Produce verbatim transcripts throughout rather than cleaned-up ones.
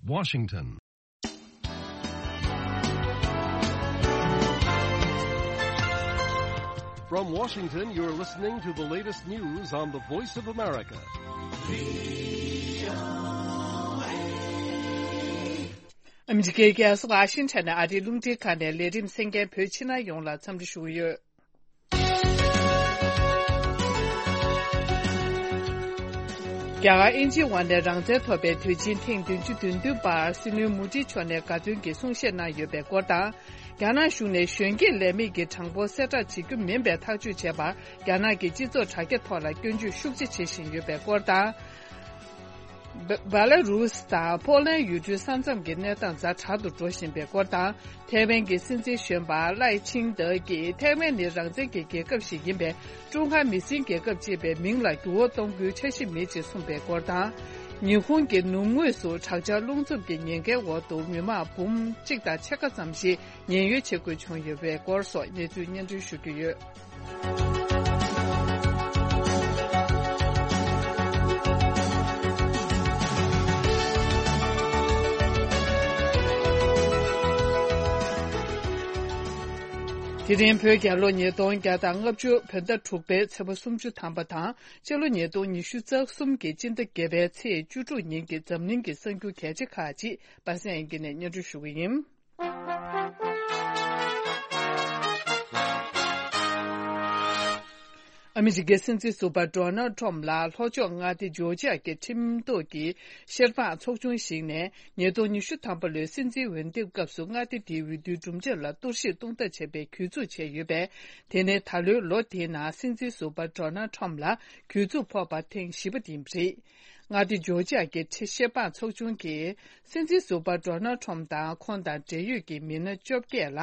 Washington. From Washington, you're listening to the latest news on the Voice of America. ཨ་མི་རི་ཀའི་རྒྱལ་ས་ཝ་ཤིང་ཊོན་ནས་ཨ་རིའི་རླུང་འཕྲིན་ཁང་ནས་ལས་རིམ་གསན་མཁན་བོད་ཕྱི་ནང་ཡོངས་ལ་འཚམས་འདྲི་ཞུ་གི་ཡོད། རྒྱ་གར་དབྱིན་ཇིའི་དབར་ནས་རང་བཙན་ཐོབ་པའི་དུས་ཆེན་ཐེངས་བདུན་ཅུ་དོན་བདུན་པར་སྲིད་བློན་མོ་ཌི་མཆོག་ནས་དགའ་སྟོན་གྱི་གསུང་བཤད་གནང་ཡོད་པའི་སྐོར་དང་། རྒྱ་ནག་གཞུང་ནས་གཞོན་སྐྱེས་ལས་མེད་ཀྱི་གྲངས་འབོར་གསལ་བསྒྲགས་བྱེད་རྒྱུ་མིན་པའི་ཐག་གཅོད་བྱས་པར་རྒྱ་ནག་གི་སྤྱི་ཚོགས་དྲ་རྒྱ་ཐོག་ལ་སྐྱོན་བརྗོད་ཤུགས་ཆེ་བྱེད་བཞིན་ཡོད་པའི་སྐོར་དང་། བ་བྷ་ལ་རུས་དང་ཕོ་ལན་ཡུལ་གྲུའི་ས་མཚམས་ཀྱི་གནས་སྟངས་ཛ་དྲག་ཏུ་འགྲོ་བཞིན་པའི་སྐོར་དང་། ཐའེ་ཝན་གྱི་སྲིད་འཛིན་གཞོན་པ་ལའེ་ཆིང་ཏེ་གིས་ཐའེ་ཝན་ནི་རང་བཙན་གྱི་རྒྱལ་ཁབ་ཞིག་ཡིན་པས། ཀྲུང་ཧྭ་མི་སེར་རྒྱལ་ཁབ་ཅེས་པའི་མིང་ལ་འགྱུར་བ་གཏོང་རྒྱུའི་འཆར་གཞི་མེད་ཅེས་གསུངས་པའི་སྐོར་དང་། ཉི་ཧོང་གི་ནུབ་ངོས་སུ་དྲག་ཆར་རླུང་འཚུབ་ཀྱི་ཉེན་ཁའི་འོག་ཏུ་མི་མང་འབུམ་གཅིག་དང་ཕྱེད་ཀ་ཙམ་ཞིག་ཉེན་གཡོལ་བྱེད་དགོས་བྱུང་ཡོད་པའི་སྐོར་སོགས་གནས་ཚུལ་སྙན་སྒྲོན་ཞུ་རྒྱུ་ཡོད། དེ་རིང་བོད་རྒྱལ་ལོ་ཉིས་སྟོང་བརྒྱ་དང་ལྔ་བཅུ་བོད་ཟླ་དྲུག་པའི་ཚེས་པ་སུམ་ཅུ་ཐམ་པ་དང་། སྤྱི་ལོ་ཉིས་སྟོང་ཉི་ཤུ་རྩ་གསུམ་གྱི་སྤྱི་ཟླ་བརྒྱད་པའི་ཚེས་བཅུ་དྲུག་ཉིན་གྱི་འཛམ་གླིང་གི་གསར་འགྱུར་གལ་ཆེ་ཁག་ཅིག་པ་སངས་དབྱངས་སྐྱིད་ནས་སྙན་སྒྲོན་ཞུ་གི་ཡིན། ཨ་མི་རི་ཀའི་སྲིད་འཛིན་ཟུར་པ་ཌོ་ནལ་ཁྲོམ་ལ་ལྷོ་ཕྱོགས་མངའ་སྡེ་ཇོར་ཇི་ཡ་གི་ཁྲིམས་ཐོག་གི་བཤེར་དཔང་ཚོགས་ཆུང་ཞིག་ནས་ཉིས་སྟོང་ཉི་ཤུ་ཐམ་པ་ལོའི་སྲིད་འཛིན་འོས་འདེམས་སྐབས་སུ་མངའ་སྡེ་དེའི་འོས་བསྡུའི་གྲུབ་འབྲས་ལ་གཏོར་བཤིག་གཏོང་ཐབས་བྱས་པའི་གྱོད་འཛུགས་བྱས་ཡོད་པས། དེ་ནི་ད་ལོའི་ལོ་དེའི་ནང་སྲིད་འཛིན་ཟུར་པ་ཌོ་ནལ་ཁྲོམ་ལ་གྱོད་འཛུགས་ཕོག་པ་ཐེངས་བཞི་པ་དེ་ཡིན་པ་རེད། མངའ་སྡེ་ཇོར་ཇི་ཡ་གི་ཁྲི་བཤེར་དཔང་ཚོགས་ཆུང་གིས་སྲིད་འཛིན་ཟུར་པ་ཌོ་ནལ་ཁྲོམ་དང་ཁོང་དང་འབྲེལ་ཡོད་ཀྱི་མི་སྣ་བཅོ་བརྒྱད་ལ་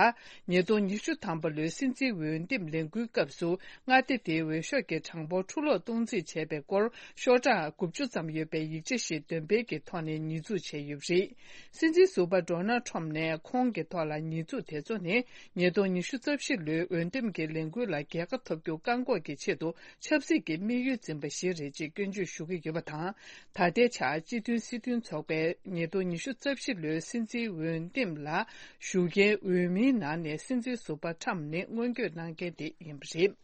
ཉིས་སྟོང་ཉི་ཤུ་ཐམ་པ་ལོའི་སྲིད་འཛིན་འོས་འདེམས་ལས་འགུལ་སྐབས་སུ་མངའ་སྡེ་དེའི་འོས་ཤོག་གི་གྲངས་འབོར་འཕྲུ་སློག་གཏོང་རྩིས་བྱས་པའི་སྐོར་ཤོག་གྲངས་དགུ་བཅུ་ཙམ་ཡོད་པའི་ཡིག་ཆ་ཞིག་འདོན་སྤེལ་གྱི་ཐོག་ནས་ཉེས་འཛུགས་བྱས་ཡོད་པ་རེད། སྲིད་འཛིན་ཟུར་པ་ཌོ་ནལ་ཁྲོམ་ནས་ཁོང་གི་ཐོག་ལ་ཉེས་འཛུགས་དེ་ཚོ་ནི་ཉིས་སྟོང་ཉི་ཤུ་རྩ་བཞི་ལོའི་འོས་འདེམས་ཀྱི་ལས་འགུལ་ལ་རྒྱལ་ཁ་ཐོབ་རྒྱུ་བཀག་འགོག་གི་ཆེད་དུ་ཆབ་སྲིད་ཀྱི་དམིགས་ཡུལ་འཛིན་པ་ཞིག་རེད་ཅེས་སྐྱོན་བརྗོད་ཞུ་གི་ཡོད་པ་དང་། ད་ལྟའི་ཆར་སྤྱི་མཐུན་སྲིད་དོན་ཚོགས་པས་ཉིས་སྟོང་ཉི་ཤུ་རྩ་བཞི་ལོའི་སྲིད་འཛིན་འོས་འདེམས་ལ་ཞུགས་མཁན་འོས་མིའི་ནང་ནས་སྲིད་འཛིན་ཟུར་པ་ཁྲམ་ནི་སྔོན་སྐྱོད་གནང་མཁན་དེ་ཡིན་པ་རེད།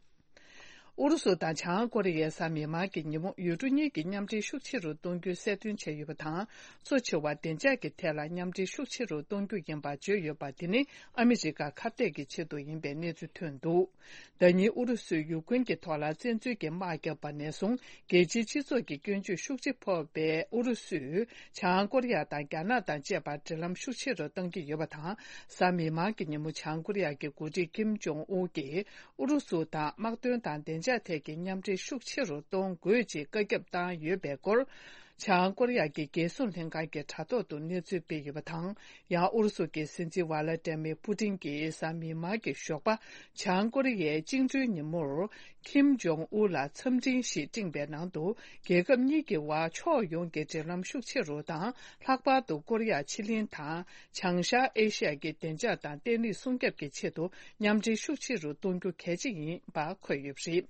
ཨུ་རུ་སུ་དང་བྱང་ཀོ་རི་ཡའི་གཟའ་མིག་དམར་གྱི་ཉིན་མོ་ཡུལ་གྲུ་གཉིས་ཀྱི་མཉམ་འབྲེལ་ཤུགས་ཆེ་རུ་གཏོང་རྒྱུའི་གསལ་སྟོན་བྱས་ཡོད་པ་དང་། གཙོ་ཆེ་བ་བདེ་འཇགས་ཀྱི་ཐད་ལ་མཉམ་འབྲེལ་ཤུགས་ཆེ་རུ་གཏོང་རྒྱུ་ཡིན་པ་བརྗོད་ཡོད་པ་དེ་ནི་ཨ་མི་རི་ཀ་ཁ་གཏད་ཀྱི་ཆེད་དུ་ཡིན་པའི་གནས་ཚུལ་ཐོན་འདུག་ཟླ་ཉིན་ཨུ་རུ་སུས་ཡུཀ་རེན་གྱི་ཐོག་ལ་བཙན་འཛུལ་གྱི་དམག་བརྒྱབ་པ་ནས་བཟུང་རྒྱལ་སྤྱིའི་སྤྱི་ཚོགས་ཀྱི་སྐྱོན་བརྗོད་ཤུགས་ཆེ་ཕོག་པའི་ཨུ་རུ་སུས་བྱང་ཀོ་རི་ཡ་དང་རྒྱ་ནག་དང་བཅས་པར་འབྲེལ་ལམ་ཤུགས་ཆེ་རུ་གཏང་གི་ཡོད་པ་དང་། གཟའ་མིག་དམར་གྱི་ཉིན་མོ་བྱང་ཀོ་རི་ཡ་གི་འགོ་ཁྲིད་ཀིམ་ཇོང་ཨུ་གིས་ཨུ་རུ་སུ་དང་དམག་དོན་དང་བདེ་འཇགས་ཐད་ཀྱི་མཉམ་འབྲེལ་ཤུགས་ཆེ་རུ་གཏོང་དགོས་ཅེས་བཀའ་ཁྱབ་བཏང་ཡོད་པའི་སྐོར། བྱང་ཀོ་རི་ཡ་གི་རྒྱལ་སྲུང་ལྷན་ཁང་གི་དྲ་ཐོག་ཏུ་གནས་ཚུལ་སྤེལ་ཡོད་པ་དང་། ཡང་ཨུ་རུ་སུ་གྱི་སྲིད་འཛིན་ཝ་ལ་ཏེ་མི་པུ་ཏིན་གྱིས་གཟའ་མིག་དམར་གྱི་ཞོགས་པ་བྱང་ཀོ་རི་ཡའི་བཅིངས་འགྲོལ་ཉིན་མོར་ཁིམ་ཇོང་ཨུ་ལ་འཚམས་འཕྲིན་ཞིག་སྤྲིངས་པའི་ནང་དུ། རྒྱལ་ཁབ་གཉིས་ཀྱི་དབར་ཕྱོགས་ཡོངས་ཀྱི་འབྲེལ་ལམ་ཤུགས་ཆེ་རུ་དང་། ལྷག་པར་དུ་ཀོ་རི་ཡ་ཕྱེད་གླིང་དང་། བྱང་ཤར་ཨེ་ཤི་ཡ་གི་བདེ་འཇགས་དང་བརྟན་ལྷིང་སྲུང་སྐྱོབ་ཀྱི་ཆེད་དུ་མཉམ་འབྲེལ་ཤུགས་ཆེ་རུ་གཏོང་རྒྱུ་གལ་ཆེ་ཡིན་པ་འཁོད་ཡོད་པ་རེད།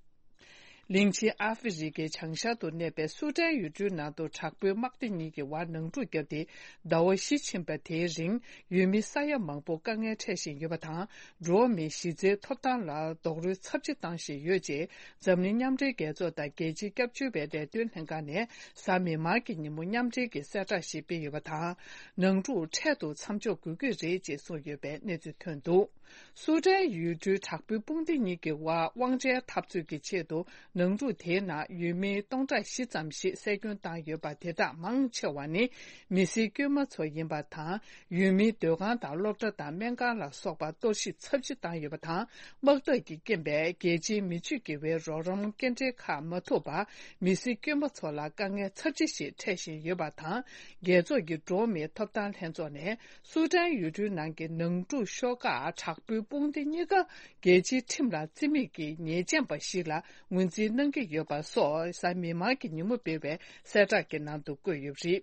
གླིང་ཆེན་ཨ་ཧྥེ་རི་ཁའི་བྱང་ཤར་དུ་གནས་པའི་སུ་ཏན་ཡུལ་གྲུའི་ནང་དུ་དྲག་པོའི་དམག་སྡེ་གཉིས་ཀྱི་དབར་ནང་འཁྲུག་བརྒྱབ་སྟེ། ཟླ་བ་བཞི་ཕྱིན་པ་དེའི་རིང་ཡུལ་མི་ས་ཡ་མང་པོ་དཀའ་ངལ་འཕྲད་བཞིན་ཡོད་པ་དང་། འགྲོ་བ་མིའི་གཞི་རྩའི་ཐོབ་ཐང་ལ་རྡོག་རོལ་ཚབས་ཆེ་བཏང་བཞིན་ཡོད་ཅེས། འཛམ་གླིང་མཉམ་འབྲེལ་རྒྱལ་ཚོགས་དང་རྒྱལ་སྤྱིའི་སྐྱབས་བཅོལ་བའི་ལས་དོན་ལྷན་ཁང་ནས་གཟའ་མིག་དམར་གྱི་ཉིན་མོ་མཉམ་འབྲེལ་གྱི་གསལ་བསྒྲགས་ཤིག་སྤེལ་ཡོད་པ་དང་། ནང་འཁྲུག་འཕྲལ་དུ་མཚམས་འཇོག་དགོས་ཀྱི་རེད་ཅེས་གསུངས་ཡོད་པའི་གནས་ཚུལ་ཐོན་འདུག་སུ་ཏན་ཡུལ་གྲུའི་དྲག་པོའི་དཔུང་སྡེ་གཉིས་ཀྱི་དབར་དབང་ཆའི་འཐབ་རྩོད་ཀྱི་ཆེད་དུ་ནང་འཁྲུག་དེའི་ནང་ཡུལ་མི་སྟོང་ཕྲག་བཞི་ཙམ་ཞིག་བསད་སྐྱོན་བཏང་ཡོད་པ། དེ་དག་མང་ཆེ་བ་ནི་མི་སེར་དཀྱུས་མ་ཚོ་ཡིན་པ་དང་། ཡུལ་མིའི་སྡོད་ཁང་དང་སློབ་གྲྭ་དང་སྨན་ཁང་ལ་སོགས་པ་གཏོར་བཤིག་ཚབས་ཆེ་བཏང་ཡོད་པ་དང་། དམག་འཐབ་ཀྱི་རྐྱེན་པས་རྒྱལ་སྤྱིའི་མི་སྤྱོད་དགེ་བའི་རོགས་རམ་སྐྱེལ་འདྲེན་ཁག་མ་ཐུབ་པར་མི་སེར་དཀྱུས་མ་ཚོ་ལ་དཀའ་ངལ་ཚབས་ཆེ་ཞིག་འཕྲད་བཞིན་ཡོད་པ་དང་། རྒྱལ་ཚོགས་ཀྱི་འགྲོ་བ་མིའི་ཐོབ་ཐང་ལྷན་ཚོགས་ནས། སུ་ཏན་ཡུལ་གྲུའི་ནང་གི་ནང་འཁྲུག་ཤོག་ཁག་དྲག་པོའི་དཔུང་སྡེ་གཉིས་ཀ་རྒྱལ་སྤྱིའི་ཁྲིམས་ལ་བརྩི་མེད་ཀྱི་ཉེས་ཅན་པ་ཞིག་ལ་ངོས་འཛིན་གནང་གི་ཡོད་པ་སོགས་གཟའ་མིག་དམར་གྱི་ཉིན་མོ་སྤེལ་བའི་གསལ་བསྒྲགས་ཀྱི་ནང་དུ་བཀོད་ཡོད་པ་རེད།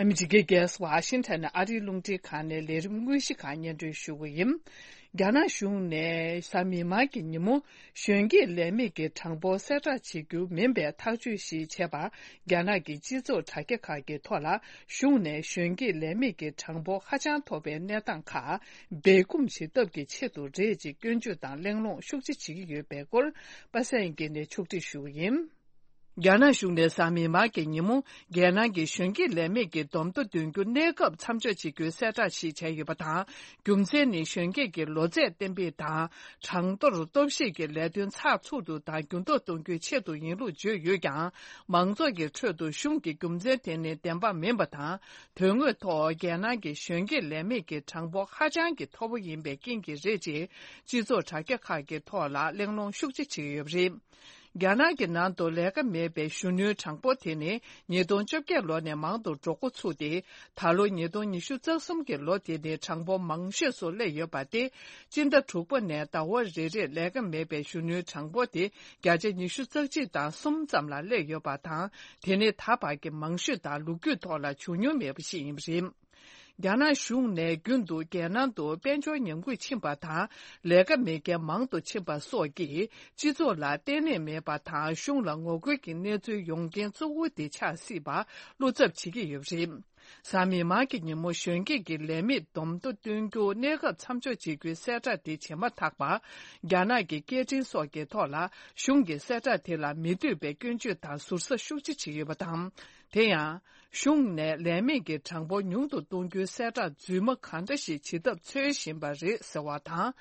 ཨ་མི་རི་ཀའི་རྒྱལ་ས་ཝ་ཤིང་ཊོན་ནས་ཨ་རིའི་རླུང་འཕྲིན་ཁང་ནས་ལས་རིམ་དངོས་གཞི་ཁག་སྙན་སྒྲོན་ཞུ་གི་ཡིན། རྒྱ་ནག་གཞུང་ནས་གཟའ་མིག་དམར་གྱི་ཉིན་མོ་གཞོན་སྐྱེས་ལས་མེད་ཀྱི་གྲངས་འབོར་གསལ་བསྒྲགས་བྱེད་རྒྱུ་མིན་པའི་ཐག་གཅོད་ཞིག་བྱས་པར། རྒྱ་ནག་གི་སྤྱི་ཚོགས་དྲ་རྒྱ་ཁག་གི་ཐོག་ལ་གཞུང་ནས་གཞོན་སྐྱེས་ལས་མེད་ཀྱི་གྲངས་འབོར་ཧ་ཅང་མཐོ་བའི་གནས་སྟངས་ཁག་སྦས་སྐུང་བྱེད་ཐབས་ཀྱི་ཆེད་དུ་རེད་ཅེས་སྐྱོན་བརྗོད་དང་གླེང་སློང་ཤུགས་ཆེ་བྱེད་ཀྱི་ཡོད་པའི་སྐོར། པ་སངས་སྐྱིད་ནས་ཕྱོགས་སྒྲིག་ཞུ་གི་ཡིན། རྒྱ་ནག་གཞུང་ནས་གཟའ་མིག་དམར་གྱི་ཉིན་མོ། རྒྱལ་ནང་གི་གཞོན་སྐྱེས་ལས་མེད་ཀྱི་བསྡོམས་ཐོ་འདོན་རྒྱུ་གནས་སྐབས་མཚམས་འཇོག་བྱེད་རྒྱུའི་གསལ་བསྒྲགས་ཤིག་བྱས་ཡོད་པ་དང་། རྒྱུ་མཚན་ནི། གཞོན་སྐྱེས་ཀྱི་ལོ་ཚད་གཏན་འབེབས་དང་། གྲངས་ཐོར་སྟོབས་ཤེད་ཀྱི་ལས་དོན་ཚགས་ཚུད་དུ་དང་འགྱུར་ལྡོག་གཏོང་རྒྱུའི་ཆེད་དུ་ཡིན་ལུགས་བརྗོད་ཡོད་ཀྱང་། མང་ཚོགས་ཀྱི་ཁྲོད་དུ་གཞུང་གི་རྒྱུ་མཚན་དེ་ནི་བདེན་པ་མིན་པ་དང་། དོན་དངོས་ཐོག་རྒྱལ་ནང་གི་གཞོན་སྐྱེས་ལས་མེད་ཀྱི་གྲངས་འབོར་ཧ་ཅང་གི་མཐོ་པོ་ཡིན་པའི་རྐྱེན་གྱིས་རེད་ཅེས། སྤྱི་ཚོགས་དྲ་རྒྱ་ཁག་གི་ཐོག་ལ་གླེང་སློང་ཤུགས་ཆེ་བྱེད་ཀྱི་ཡོད་པ་རེད། རྒྱ་ནག་གི་ནང་དུ་ལས་ཀ་མེད་པའི་གཞོན་ནུའི་གྲངས་འབོར་དེ་ནི་ཉིས་སྟོང་བཅོ་བརྒྱད་ལོ་ནས་མང་དུ་འགྲོ་འགོ་ཚུགས་ཏེ། ད་ལོ་ཉིས་སྟོང་ཉི་ཤུ་རྩ་གསུམ་གྱི་ལོ་དེ་ནི་གྲངས་འབོར་མང་ཤོས་སུ་སླེབས་ཡོད་པ་སྟེ། སྤྱི་ཟླ་དྲུག་པ་ནས་ཟླ་བ་རེ་རེར་ལས་ཀ་མེད་པའི་གཞོན་ནུའི་གྲངས་འབོར་དེ་བརྒྱ་ཆ་ཉི་ཤུ་རྩ་གཅིག་དང་གསུམ་ཙམ་ལ་སླེབས་ཡོད་པ་དང་། དེ་ནི་ད་བར་གྱི་མང་ཤོས་དང་ལོ་རྒྱུས་ཐོག་ལ་བྱུང་མྱོང་མེད་པ་ཞིག་ཡིན་པ་རེད། རྒྱ་ནག་གཞུང་ནས་རྒྱུན་དུ་རྒྱལ་ནང་དུ་དཔལ་འབྱོར་ཉམས་རྒུད་ཕྱིན་པ་དང་། ལས་ཀ་མེད་མཁན་མང་དུ་ཕྱིན་པ་སོགས་ཀྱིས་སྤྱི་ཚོགས་ལ་བརྟན་ལྷིང་མེད་པ་དང་། གཞུང་ལ་ངོ་རྒོལ་གྱི་གནས་ཚུལ་ཡོང་རྐྱེན་གཙོ་བོ་དེ་ཆགས་སྲིད་པར་བློ་འཚབ་བྱེད་ཀྱི་ཡོད་པ་རེད། གཟའ་མིག་དམར་གྱི་ཉིན་མོ་གཞོན་སྐྱེས་ཀྱི་ལས་མེད་བསྡོམས་ཐོ་སྟོན་རྒྱུ་གནས་སྐབས་མཚམས་འཇོག་བྱེད་རྒྱུའི་གསལ་བསྒྲགས་དེ་བྱས་མ་ཐག་པར། རྒྱ་ནག་གི་སྐད་འཕྲིན་སོགས་ཀྱི་ཐོག་ལ་གཞུང་གི་གསལ་བསྒྲགས་དེ་ལ་མི་འདོད་པའི་སྐྱོན་བརྗོད་དང་ཟུར་ཟ་ཤུགས་ཆེ་བྱེད་ཀྱི་ཡོད་པ་དང་། དེ་ཡང་། གཞུང་ནས་ལས་མེད་ཀྱི་གྲངས་འབོར་ཉུང་དུ་གཏོང་རྒྱུའི་གསལ་བསྒྲགས་རྫུན་མ་གང་འདྲ་ཞིག་བྱེད་ཐབས་འཚོལ་བཞིན་པ་རེད་ཟེར་བ་དང་།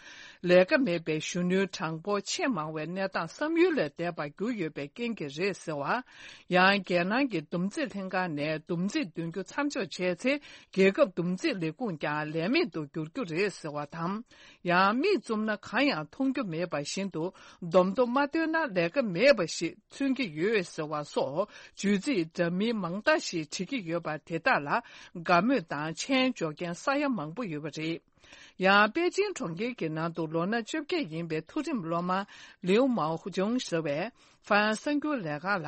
ལས་ཀ་མེད་པའི་གཞོན་ནུའི་གྲངས་འབོར་ཆེས་མང་བའི་གནས་སྟངས་བསམ་ཡུལ་ལས་འདས་པར་གྱུར་ཡོད་པའི་རྐྱེན་གྱིས་རེད་ཟེར་བ། ཡང་རྒྱལ་ནང་གི་བསྡོམས་རྩིས་ལྷན་ཁང་ནས་བསྡོམས་རྩིས་འདོན་རྒྱུ་མཚམས་འཇོག་བྱས་ཚེ། རྒྱལ་ཁབ་བསྡོམས་རྩིས་ལས་ཁུངས་ཀྱང་ལས་མེད་དུ་འགྱུར་རྒྱུ་རེད་ཟེར་བ་དང་། ཡང་མིག་བཙུམ་ན་གང་ཡང་མཐོང་རྒྱུ་མེད་པ་བཞིན་དུ། བསྡོམས་ཐོ་མ་བཏོན་ན་ལས་ཀ་མེད་པ་ཞིག་མཚོན་གྱི་ཡོད་ཟེར་བ་སོགས། བརྗོད་ཚིག་འདྲ་མིན་མང་དག་ཞིག་བྲིས་ཀྱི་ཡོད་པ་དེ་དག་ལ་དགའ་མོས་དང་མཆན་འཇོག་མཁན་ས་ཡ་མང་པོ་ཡོད་པ་རེད། ཡང་པེ་ཅིང་གྲོང་ཁྱེར་གྱི་ནང་དུ་ལོ་ན་བཅོ་བརྒྱད་ཡིན་པའི་མཐོ་རིམ་སློབ་མ་ལིའུ་མའོ་ཅུང་ཟེར་བས། ཧྥ་རན་སི་གསར་འགྱུར་ལས་ཁང་ལ།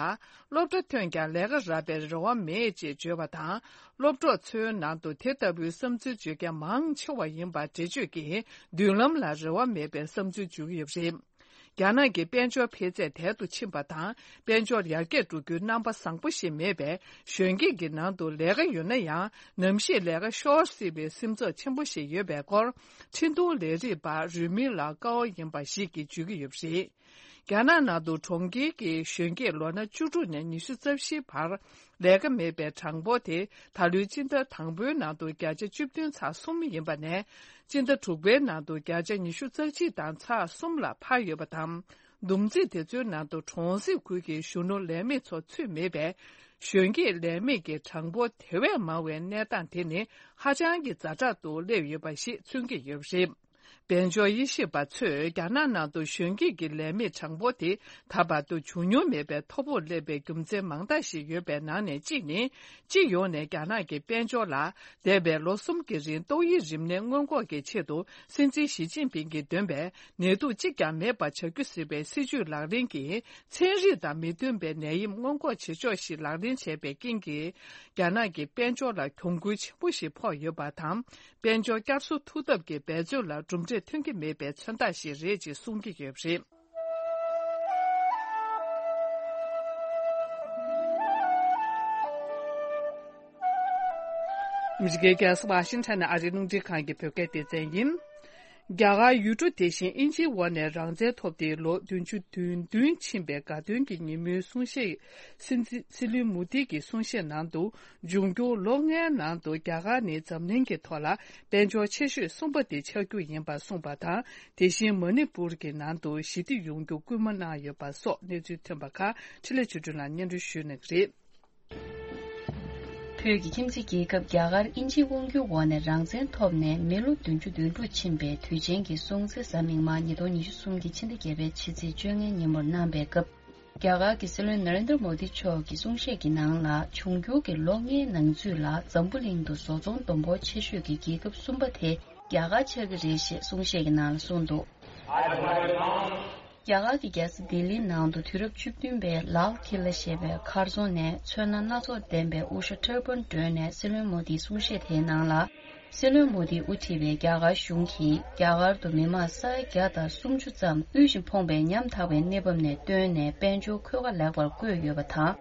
སློབ་གྲྭ་ཐོན་ཀྱང་ལས་ཀ་རག་པའི་རེ་བ་མེད་ཅེས་བརྗོད་པ་དང་། སློབ་གྲོགས་ཚོའི་ནང་དུ་དེ་ལྟ་བུའི་བསམ་ཚུལ་བརྗོད་མཁན་མང་ཆེ་བ་ཡིན་པ་འགྲེལ་བརྗོད་ཀྱིས་མདུན་ལམ་ལ་རེ་བ་མེད་པའི་བསམ་ཚུལ་བརྗོད་ཀྱི་ཡོད་པ་རེད། རྒྱ་ནག་གི་དཔལ་འབྱོར་འཕེལ་ཚད་དལ་དུ་ཕྱིན་པ་དང་། དཔལ་འབྱོར་ཡར་རྒྱས་འགྲོ་རྒྱུའི་རྣམ་པ་བཟང་པོ་ཞིག་མེད་པས། གཞོན་སྐྱེས་ཀྱི་ནང་དུ་ལས་ཀ་ཡོད་ན་ཡང་། ནམ་ཞིག་ལས་ཀ་ཤོར་སྲིད་པའི་སེམས་ཚོར་ཆེན་པོ་ཞིག་ཡོད་པའི་སྐོར། འཕྲིན་གཏོང་ལས་རིགས་པ་རུས་མིང་ལ་ཀའོ་ཡིན་པ་ཞིག་གིས་བརྗོད་ཀྱི་ཡོད་པ་རེད། རྒྱ་ནག་ནང་དུ་གྲོང་ཁྱེར་གྱི་གཞོན་སྐྱེས་ལོ་ན་བཅུ་དྲུག་ནས་ཉི་ཤུ་རྩ་བཞིའི་བར་ལས་ཀ་མེད་པའི་གྲངས་འབོར་དེ་ད་ལོའི་སྤྱི་ཟླ་དང་པོའི་ནང་དུ་བརྒྱ་ཆ་བཅུ་བདུན་ཚེག་གསུམ་ཡིན་པ་ནས། སྤྱི་ཟླ་དྲུག་པའི་ནང་དུ་བརྒྱ་ཆ་ཉི་ཤུ་རྩ་གཅིག་དང་ཚེག་གསུམ་ལ་འཕར་ཡོད་པ་དང་། བསྡོམས་རྩིས་དེ་ཚོའི་ནང་དུ་གྲོང་གསེབ་ཁུལ་གྱི་གཞོན་ནུ་ལས་མེད་ཚོ་ཚུད་མེད་པས། གཞོན་སྐྱེས་ལས་མེད་ཀྱི་གྲངས་འབོར་དེ་བས་མང་བའི་གནས་སྟངས་དེ་ནི་ཧ་ཅང་གི་ཛ་དྲག་ཏུ་སླེབས་ཡོད་པ་ཞིག་མཚོན་གྱི་ཡོད་པ་རེད། དཔལ་འབྱོར་དབྱེ་ཞིབ་པ་ཚོས་རྒྱ་ནག་ནང་དུ་གཞོན་སྐྱེས་ཀྱི་ལས་མེད་གྲངས་འབོར་དེ་ད་བར་དུ་བྱུང་མྱོང་མེད་པའི་མཐོ་པོར་སླེབས་པའི་རྒྱུ་མཚན་མང་དག་ཞིག་ཡོད་པའི་ནང་ནས་གཅིག་ནི། སྤྱི་ཡོངས་ནས་རྒྱ་ནག་གི་དཔལ་འབྱོར་ལ་འདས་པའི་ལོ་གསུམ་གྱི་རིང་ཏོག་དབྱིབས་རིམས་ནད་སྔོན་འགོག་གི་ཆེད་དུ་སྲིད་འཛིན་ཞི་ཅིན་ཕིང་གིས་འདོན་པའི་ནད་དུག་གཅིག་ཀྱང་མེད་པ་བྱ་རྒྱུ་ཟེར་བའི་སྲིད་ཇུས་ལག་ལེན་གྱིས། ཚན་རིག་དང་མི་མཐུན་པའི་ནད་ཡམས་སྔོན་འགོག་བྱེད་ཕྱོགས་ཤིག་ལག་ལེན་བྱས་པའི་རྐྱེན་གྱིས། རྒྱ་ནག་གི་དཔལ་འབྱོར་ལ་གྱོང་གུན་ཆེན་པོ་ཞིག་ཕོག་ཡོད་པ་དང་། དཔལ་འབྱོར་བསྐྱར་གསོ་ཐུབ་ཐབས་ཀྱི་འབད་རྩོལ་ལ་གྲུབ་འབྲས་ཐོན་གྱི་མེད་པའི་མཚོན་རྟགས་ཤིག་རེད་ཅེས་གསུང་གི་ཡོད་པ་རེད། ཨ་མི་རི་ཀའི་རྒྱལ་ས་ཝ་ཤིང་ཊོན་ནས་ཨ་རིའི་རླུང་འཕྲིན་ཁང་གི་བོད་སྐད་སྡེ་ཚན་ཡིན། རྒྱ་གར་ཡུལ་གྲུ་དེ་བཞིན་དབྱིན་ཇིའི་འོག་ནས་རང་བཙན་ཐོབ་སྟེ་ལོ་བདུན་ཅུ་དོན་བདུན་ཕྱིན་པའི་དགའ་སྟོན་གྱི་ཉིན་མོའི་གསུང་བཤད། སྲིད་འཛིན་སྲིད་བློན་མོ་དི་གི་གསུང་བཤད་ནང་དུ། འབྱུང་འགྱུར་ལོ་ལྔའི་ནང་དུ་རྒྱ་གར་ནི་འཛམ་གླིང་གི་ཐོག་ལ་དཔལ་འབྱོར་ཆེ་ཤོས་གསུམ་པ་དེ་ཆགས་རྒྱུ་ཡིན་པ་གསུངས་པ་དང་། དེ་བཞིན་མ་ནི་པུར་གྱི་ནང་དུ་ཞི་བདེ་ཡོང་རྒྱུ་སྐུལ་མ་གནང་ཡོད་པ་སོགས་གནས་ཚུལ་ཐོན་པ་ཁག་འཕྲིན་ལས་ཆོས་སྒྲོན་ལགས་སྙན་སྒྲོན་ཞུ་གནང་གི་རེད། བོད་ཀྱི་ཁྱིམ་མཚེས་རྒྱལ་ཁབ་རྒྱ་གར་དབྱིན་ཇིའི་དབང་སྒྱུར་འོག་ནས་རང་བཙན་ཐོབ་ནས་མི་ལོ་བདུན་ཅུ་དོན་དྲུག་ཕྱིན་པའི་དུས་ཆེན་གྱི་སྲུང་བརྩི་གཟའ་མིག་དམར་ཉིས་སྟོང་ཉི་ཤུ་གསུམ་གྱི་ཕྱི་ཟླ་བརྒྱད་པའི་ཕྱི་ཚེས་བཅོ་ལྔའི་ཉིན་མོར་གནང་པའི་སྐབས། རྒྱ་གར་གྱི་སྲིད་བློན་ནཱ་རེན་དྲ་མོ་དི་མཆོག་གི་གསུང་བཤད་ཀྱི་ནང་ལ། འབྱུང་འགྱུར་གྱི་ལོ་ལྔའི་ནང་ཚུད་ལ་འཛམ་བུ་གླིང་དུ་བཟོ་ཚོང་བསྡོམས་འབོར་ཆེ་ཤོས་ཀྱི་རྒྱལ་ཁབ་གསུམ་པ་དེ་རྒྱ་གར་ཆགས་ཀྱི་རེད་ཞེས་གསུང་བཤད་ཀྱི་ནང་ལ་གསུངས་འདུག་རྒྱ་གར་གྱི་རྒྱལ་ས་ལྡི་ལིའི་ནང་དུ་དུས་རབས་བཅུ་བདུན་པའི་ལཱལ་ཁི་ལ་ཞེས་པའི་མཁར་རྫོང་ནས་ཚོན་སྣ་སྣ་ཚོགས་ལྡན་པའི་དབུ་ཞྭ་ཊར་བན་གྲོལ་ནས་སྲིད་བློན་མོ་དིའི་གསུང་བཤད་དེའི་ནང་ལ། སྲིད་བློན་མོ་དིས་དབུ་ཁྲིད་པའི་རྒྱ་གར་གཞུང་གིས་རྒྱ་གར་དུ་མི་མང་ས་ཡ་བརྒྱ་དང་སུམ་ཅུ་ཙམ་དབུལ་ཞིང་ཕོངས་པའི་ཉམ་ཐག་པའི་གནས་བབ་ནས་བཏོན་ནས་དཔལ་འབྱོར་འཁོས་ཀ་ལེགས་པར་བཀོད་ཡོད་པ་དང་།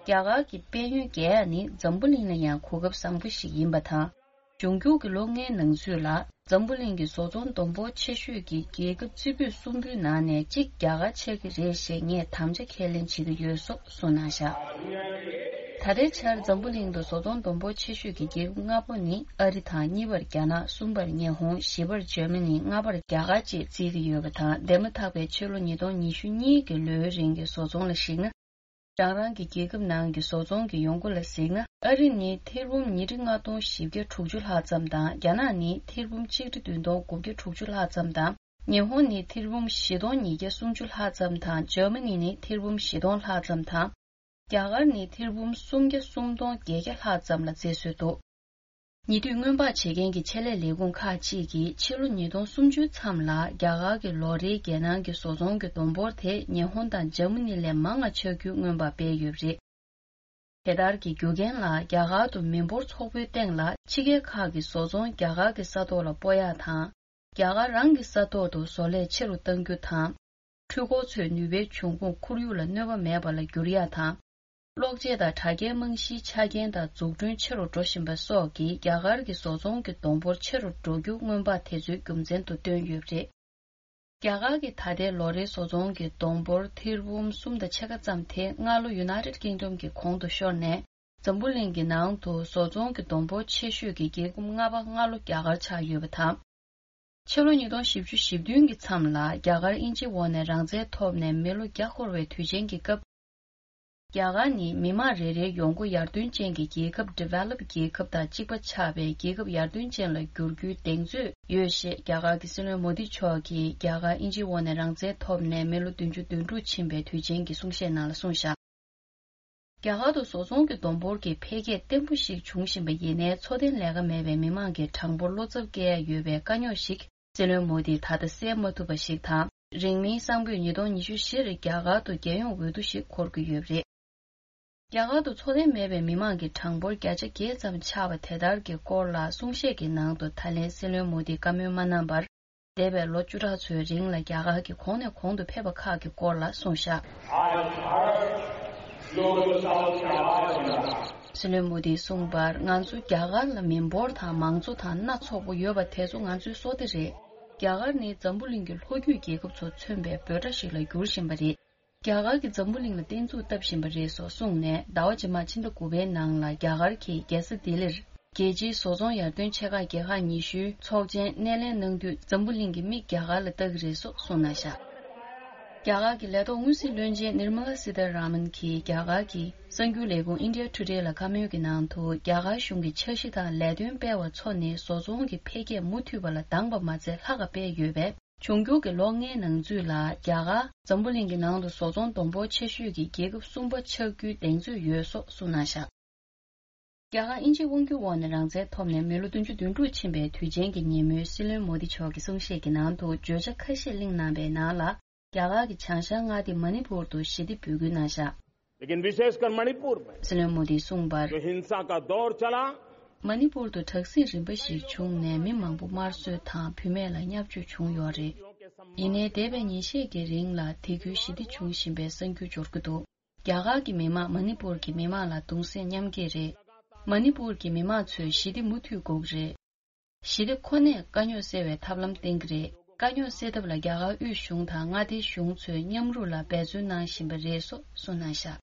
རྒྱ་གར་གྱི་དཔལ་ཡོན་རྒྱས་ཡ་ནི་འཛམ་བུ་གླིང་ལ་ཡང་གོ་སྐབས་བཟང་པོ་ཞིག་ཡིན་པ་དང་། འབྱུང་འགྱུར་གྱི་ལོ་ལྔའི་ནང་ཚུད་ལ་འཛམ་བུ་གླིང་གི་བཟོ་ཚོང་བསྡོམས་འབོར་ཆེ་ཤོས་ཀྱི་རྒྱལ་ཁབ་རྩེ་ཕུད་གསུམ་པོའི་ནང་ནས་གཅིག་རྒྱ་གར་ཆགས་ཀྱི་རེད་ཞེས་ངས་དམ་བཅའ་ཁས་ལེན་བྱེད་ཀྱི་ཡོད་སོགས་གསུངས་གནང་བཞག་ད་ལྟའི་ཆར་འཛམ་བུ་གླིང་དུ་བཟོ་ཚོང་བསྡོམས་འབོར་ཆེ་ཤོས་ཀྱི་རྒྱལ་ཁབ་ལྔ་པོ་ནི་ཨ་རི་དང་། གཉིས་པར་རྒྱ་ནག་གསུམ་པར་ཉི་ཧོང་། བཞི་པར་འཇར་མ་ནི། ལྔ་པར་རྒྱ་གར་བཅས་བརྩི་གི་ཡོད་པ་དང་། འདས་མ་ཐག་པའི་ཕྱི་ལོ་ཉིས་སྟོང་ཉི་ཤུ་གཉིས་ཀྱི་ལོའི་རིང་གི་བཟོ་ཚོང་ལ་གཞིགས་ན། རང་རང་གི་རྒྱལ་ཁབ་ནང་གི་བཟོ་ཚོང་གི་ཡོང་སྒོ་ལ་གཟིགས་ན། ཨ་རི་ནི་ཐེར་འབུམ་ཉིས་ཁྲི་ལྔ་སྟོང་བཞི་བརྒྱ་དྲུག་ཅུ་ལྷག་ཙམ་དང་། རྒྱ་ནག་ནི་ཐེར་འབུམ་གཅིག་ཁྲི་བདུན་སྟོང་དགུ་བརྒྱ་དྲུག་ཅུ་ལྷག་ཙམ་དང་། ཉི་ཧོང་ནི་ཐེར་འབུམ་བཞི་སྟོང་ཉིས་བརྒྱ་སུམ་ཅུ་ལྷག་ཙམ་དང་། འཇར་མ་ནི་ནི་ཐེར་འབུམ་བཞི་སྟོང་ལྷག་ཙམ་དང་། རྒྱ་གར་ནི་ཐེར་འབུམ་སུམ་བརྒྱ་སུམ་སྟོང་བརྒྱད་བརྒྱ་ལྷག་ཙམ་ལ་བརྩི་སྲོལ་འདུག་ཉེ་དུས་སྔོན་དཔག་བྱེད་མཁན་གྱི་ཆེད་ལས་ལས་ཁུངས་ཁག་ཅིག་གིས་ཕྱི་ལོ་ཉིས་སྟོང་སུམ་ཅུའི་མཚམས་ལ་རྒྱ་གར་གྱི་ལོ་རེའི་རྒྱལ་ནང་གི་བཟོ་ཚོང་གི་བསྡོམས་འབོར་དེ་ཉི་ཧོང་དང་འཇར་མ་ནི་ལས་མང་བ་ཆགས་རྒྱུའི་སྔོན་དཔག་སྤེལ་ཡོད་པ་རེད། དེ་ལྟར་གྱི་རྒྱུ་རྐྱེན་ལ་རྒྱ་གར་དུ་མི་འབོར་ཚོགས་པའི་སྟེང་ལ་ཕྱི་རྒྱལ་ཁག་གི་བཟོ་ཚོང་རྒྱ་གར་གྱི་ས་ཐོག་ལ་སྤོ་ཡག་དང་། རྒྱ་གར་རང་གི་ས་ཐོག་ཏུ་བཟོ་ལས་ཆེ་རུ་གཏང་རྒྱུ་དང་། འཕྲུལ་འཁོར་ཚོའི་ནུས་པའི་འབྱུང་ཁུངས་ཁོར་ཡུག་ལ་གནོད་པ་མེད་པ་ལ་འགྱུར་ཡ་དང་། གློག་ཆས་དང་དྲ་རྒྱའི་རྨང་གཞིའི་ཆ་རྐྱེན་དང་འཛུགས་སྐྲུན་ཆེ་རུ་འགྲོ་བཞིན་པ་སོགས་ཀྱིས་རྒྱ་གར་གྱི་བཟོ་ཚོང་གི་བསྡོམས་འབོར་ཆེ་རུ་འགྲོ་རྒྱུ་སྔོན་དཔག་དེ་ཚོའི་རྒྱུ་མཚན་དུ་བཏོན་ཡོད་པ་རེད། རྒྱ་གར་གྱི་ད་ལྟའི་ལོ་རེའི་བཟོ་ཚོང་གི་བསྡོམས་འབོར་ཐེར་འབུམ་གསུམ་དང་ཕྱེད་ཀ་ཙམ་དེ་སྔ་ལོ་United Kingdom གྱི་གོང་དུ་ཤོར་ནས། འཛམ་བུ་གླིང་གི་ནང་དུ་བཟོ་ཚོང་གི་བསྡོམས་འབོར་ཆེ་ཤོས་ཀྱི་རྒྱལ་ཁབ་ལྔ་པ་སྔ་ལོ་རྒྱ་གར་ཆགས་ཡོད་པ་དང་། ཕྱི་ལོ་ཉིས་སྟོང་བཞི་བཅུ་ཞེ་བདུན་གྱི་མཚམས་ལ་རྒྱ་གར་དབྱིན་ཇིའི་འོག་ནས་རང་བཙན་ཐོབ་ནས་མི་ལོ་བརྒྱ་འཁོར་བའི་དུས་ཆེན་གྱི་སྐབས། རྒྱ་གར་ནི་མི་དམངས་རེ་རེའི་ཡོང་སྒོ་ཡར་ཐོན་ཅན་གྱི་རྒྱལ་ཁབ་Developed རྒྱལ་ཁབ་དང་གཅིག་པ་ཆགས་པའི་རྒྱལ་ཁབ་ཡར་ཐོན་ཅན་ལ་འགྱུར་རྒྱུའི་གདེང་ཚོད་ཡོད་ཞེས་རྒྱ་གར་གྱི་སྲིད་བློན་མོ་དི་མཆོག་གིས་རྒྱ་གར་དབྱིན་ཇིའི་འོག་ནས་རང་བཙན་ཐོབ་ནས་མི་ལོ་བདུན་ཅུ་དོན་དྲུག་ཕྱིན་པའི་དུས་ཆེན་གྱི་གསུང་བཤད་ནང་ལ་གསུངས་བཞག་རྒྱ་གར་དུ་བཟོ་ཚོང་གི་བསྡོམས་འབོར་གྱི་འཕེལ་རྒྱས་བརྟན་པོ་ཞིག་འབྱུང་བཞིན་པ་ཡིན་ནའི། འཚོ་རྟེན་ལས་ཀ་མེད་པའི་མི་མང་གི་གྲངས་འབོར་བློ་འཚབ་སྐྱེ་ཡ་ཡོད་པའི་དཀའ་རྙོག་ཞིག་སྲིད་བློན་མོ་དིས་ད་ལྟ་སེལ་མ་ཐུབ་པ་ཞིག་དང་། རིང་མིན་སང་ཕོད་ཉིས་སྟོང་ཉི་ཤུ་བཞི་རེར་རྒྱ་གར་དུ་རྒྱལ་ཡོངས་འོས་བསྡུ་ཞིག་འཁོར་གྱི་ཡོད་པ་རེད། རྒྱ་གར་དུ་འཚོ་རྟེན་མེད་པའི་མི་མང་གི་གྲངས་འབོར་བརྒྱ་ཆ་བརྒྱད་ཙམ་ཆགས་པ་དེ་ལྟར་གྱི་སྐོར་ལ་གསུང་བཤད་ཀྱི་ནང་དུ་ད་ལན་སྲིད་བློན་མོ་དིས་བཀའ་མོལ་མ་གནང་བར། འདས་པའི་ལོ་བཅུ་ཕྲག་ཚོའི་རིང་ལ་རྒྱ་གར་གྱི་གོང་ནས་གོང་དུ་ཕེབས་པ་ཁག་གི་སྐོར་ལ་གསུངས་བཞག་སྲིད་བློན་མོ་དིས་གསུངས་པར། ང་ཚོ་རྒྱ་གར་ལ་མི་འབོར་དང་མང་གཙོ་དང་སྣ་ཚོགས་པོ་ཡོད་པ་དེ་ཚོ་ང་ཚོའི་བསོད་བདེ་རེད། རྒྱ་གར་ནི་འཛམ་བུ་གླིང་གི་ལྷོ་རྒྱུད་རྒྱལ་ཁབ་ཚོ་མཚོན་པའི་འབོད་སྒྲ་ཞིག་ལ་འགྱུར་བཞིན་པ་རེད། རྒྱ་གར་གྱིས་འཛམ་བུ་གླིང་ལ་བརྟན་ཚུགས་བཏབ་བཞིན་པ་རེད་སོགས་གསུངས་ནས། ཟླ་བ་རྗེས་མ་ཕྱི་ཟླ་དགུ་པའི་ནང་ལ་རྒྱ་གར་གྱིས་རྒྱལ་ས་ལྡི་ལིར། རྒྱལ་སྤྱིའི་བཟོ་ཚོང་ཡར་ཐོན་ཆེ་ཁག་རྒྱལ་ཁག་ཉི་ཤུའི་ཚོགས་ཆེན་སྣེ་ལེན་གནང་དུས། འཛམ་བུ་གླིང་གི་མིག་རྒྱ་གར་ལ་ལྟ་གི་རེད་སོགས་གསུངས་གནང་བཞག་རྒྱ་གར་གྱི་ལས་ཐོག་དངུལ་སྲིད་བློན་ཆེན་Nirmala Sitharaman གྱིས་རྒྱ་གར་གྱི་གསར་འགྱུར་ལས་ཁུངས་India Today ལ་བཀའ་མོལ་གྱི་ནང་དུ། རྒྱ་གར་གཞུང་གི་འཆར་གཞི་དང་ལས་དོན་སྤེལ་བ་ཚོ་ནི་བཟོ་ཚོང་གི་འཕེལ་རྒྱས་མུ་མཐུད་པ་ལ་འདང་བ་མ་ཚད་ལྷག་ག་སྤེལ་ཡོད་པས། འབྱུང་འགྱུར་གྱི་ལོ་ལྔའི་ནང་ཚུད་ལ་རྒྱ་གར་འཛམ་བུ་གླིང་གི་ནང་དུ་བཟོ་ཚོང་བསྡོམས་འབོར་ཆེ་ཤོས་ཀྱི་རྒྱལ་ཁབ་གསུམ་པ་ཆགས་རྒྱུའི་གདེང་ཚོད་ཡོད་སོགས་གསུངས་གནང་བཞག་རྒྱ་གར་དབྱིན་ཇིའི་དབང་སྒྱུར་འོག་ནས་རང་བཙན་ཐོབ་ནས་མི་ལོ་བདུན་ཅུ་དོན་དྲུག་ཕྱིན་པའི་དུས་ཆེན་གྱི་ཉིན་མོའི་སྲིད་བློན་མོ་དི་མཆོག་གི་གསུང་བཤད་ཀྱི་ནང་དུ་བརྗོད་བྱ་ཁ་ཤས་གླེང་གནང་པའི་ནང་ལ། རྒྱ་གར་གྱི་བྱང་ཤར་མངའ་སྡེ་མ་ནི་པུར་དུ་ཞི་བདེ་འབོད་སྐུལ་གནང་བཞག लेकिन विशेषकर मणिपुर में སྲིད་བློན་མོ་དིས་གསུངས་པར། जो हिंसा का दौर चला, མ་ནི་པུར་དུ་དྲག་ཟིང་རིམ་པ་ཞིག་བྱུང་ནས་མི་མང་པོ་དམར་གསོད་དང་བུད་མེད་ལ་བརྙས་བཅོས་བྱུང་ཡོད་རེད། ཡིན་ནའི་འདས་པའི་ཉིན་ཤས་ཀྱི་རིང་ལ་དེ་ཁུལ་ཞི་བདེ་བྱུང་བཞིན་པའི་གསར་འགྱུར་འབྱོར་གྱི་འདུག་རྒྱ་གར་གྱི་མི་དམངས་མ་ནི་པུར་གྱི་མི་དམངས་ལ་གདུང་སེམས་མཉམ་སྐྱེད་རེད། མ་ནི་པུར་གྱི་མི་དམངས་ཚོས་ཞི་བདེ་མུ་མཐུད་དགོས་ཀྱི་རེད། ཞི་བདེ་ཁོ་ནས་དཀའ་རྙོག་སེལ་བའི་ཐབས་ལམ་བསྟེན་གྱི་རེད། དཀའ་རྙོག་སེལ་ཐབས་ལ་རྒྱ་གར་དབུས་གཞུང་དང་མངའ་སྡེའི་གཞུང་ཚོས་མཉམ་རུབ་ལ་འབད་བརྩོན་གནང་བཞིན་པ་རེད་སོགས་གསུངས་གནང་བཞག་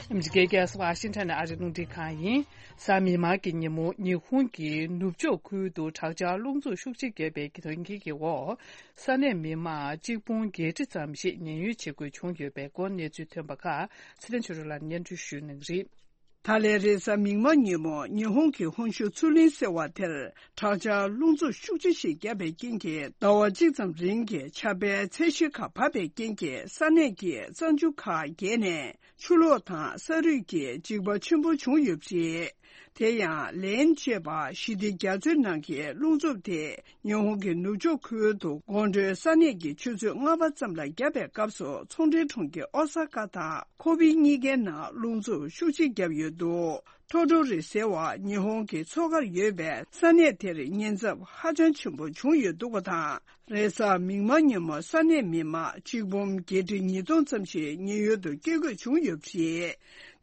ཨ་མི་རི་ཀའི་རྒྱལ་ས་ཝ་ཤིང་ཊོན་ནས་ཨ་རིའི་རླུང་འཕྲིན་ཁང་ཡིན། གཟའ་མིག་དམར་གྱི་ཉིན་མོ་ཉི་ཧོང་གི་ནུབ་ཕྱོགས་ཁུལ་དུ་དྲག་ཆར་རླུང་འཚུབ་ཤུགས་ཆེ་བརྒྱབ་པའི་གི་དོན་རྐྱེན་གྱི་འོག་ས་གནས་མི་མང་གཅིག་སྟོང་བརྒྱད་ཁྲི་ཙམ་ཞིག་ཉེན་གཡོལ་བྱེད་དགོས་བྱུང་ཡོད་པའི་སྐོར་གནས་ཚུལ་ཐོན་པ་ཁག་ཚེ་བརྟན་ཆོས་སྒྲོན་ལགས་སྙན་སྒྲོན་ཞུ་གནང་གི་རེད། ད་ལན་རེས་གཟའ་མིག་དམར་ཉིན་མོ་ཉི་ཧོང་གི་ཧོན་ཤུ་མཚོ་གླིང་ཟེར་བ་དེར་དྲག་ཆར་རླུང་འཚུབ་ཤུགས་ཆེ་ཞིག་བརྒྱབ་པའི་རྐྱེན་གྱིས་ཟླ་བ་གཅིག་ཙམ་རིང་གི་ཆར་པའི་ཚད་གཞི་ཁག་བབས་པའི་རྐྱེན་གྱིས་ས་གནས་ཀྱི་གཙང་ཆུ་ཁག་བརྒལ་ནས་ཆུ་ལོག་དང་ས་རུད་ཀྱི་འཇིགས་པ་ཆེན་པོ་བྱུང་ཡོད་པ་རེད། དེ་ཡང་ལན་ཅེས་པ་ཞི་བདེ་རྒྱ་མཚོའི་ནང་གི་རླུང་འཚུབ་དེ་ཉི་ཧོང་གི་ནུབ་ཕྱོགས་ཁུལ་དུ་དགོང་དྲོའི་ས་གནས་ཀྱི་ཆུ་ཚོད་ལྔ་པ་ཙམ་ལ་བརྒྱབ་པའི་སྐབས་སུ་ཚོང་འབྲེལ་གྲོང་ཁྱེར་ཨོ་ས་ཀ་དང་ཁོ་པེ་གཉིས་ཀའི་ནང་རླུང་འཚུབ་ཤུགས་ཆེ་བརྒྱབ་ཡོད་འདུག་ཐོ་ཏོ་རི་ཟེར་བ་ཉི་ཧོང་གི་མཚོ་ཁར་ཡོད་པའི་ས་གནས་དེར་ཉེན་ཚབས་ཧ་ཅང་ཆེན་པོ་བྱུང་ཡོད་འདུག་པ་དང་། རེས་གཟའ་མིག་དམར་ཉིན་མོ་ས་གནས་མི་མང་གཅིག་འབུམ་བརྒྱད་ཁྲི་ཉིས་སྟོང་ཙམ་ཞིག་ཉེན་གཡོལ་དུ་བསྐྱོད་དགོས་བྱུང་ཡོད་པ་རེད།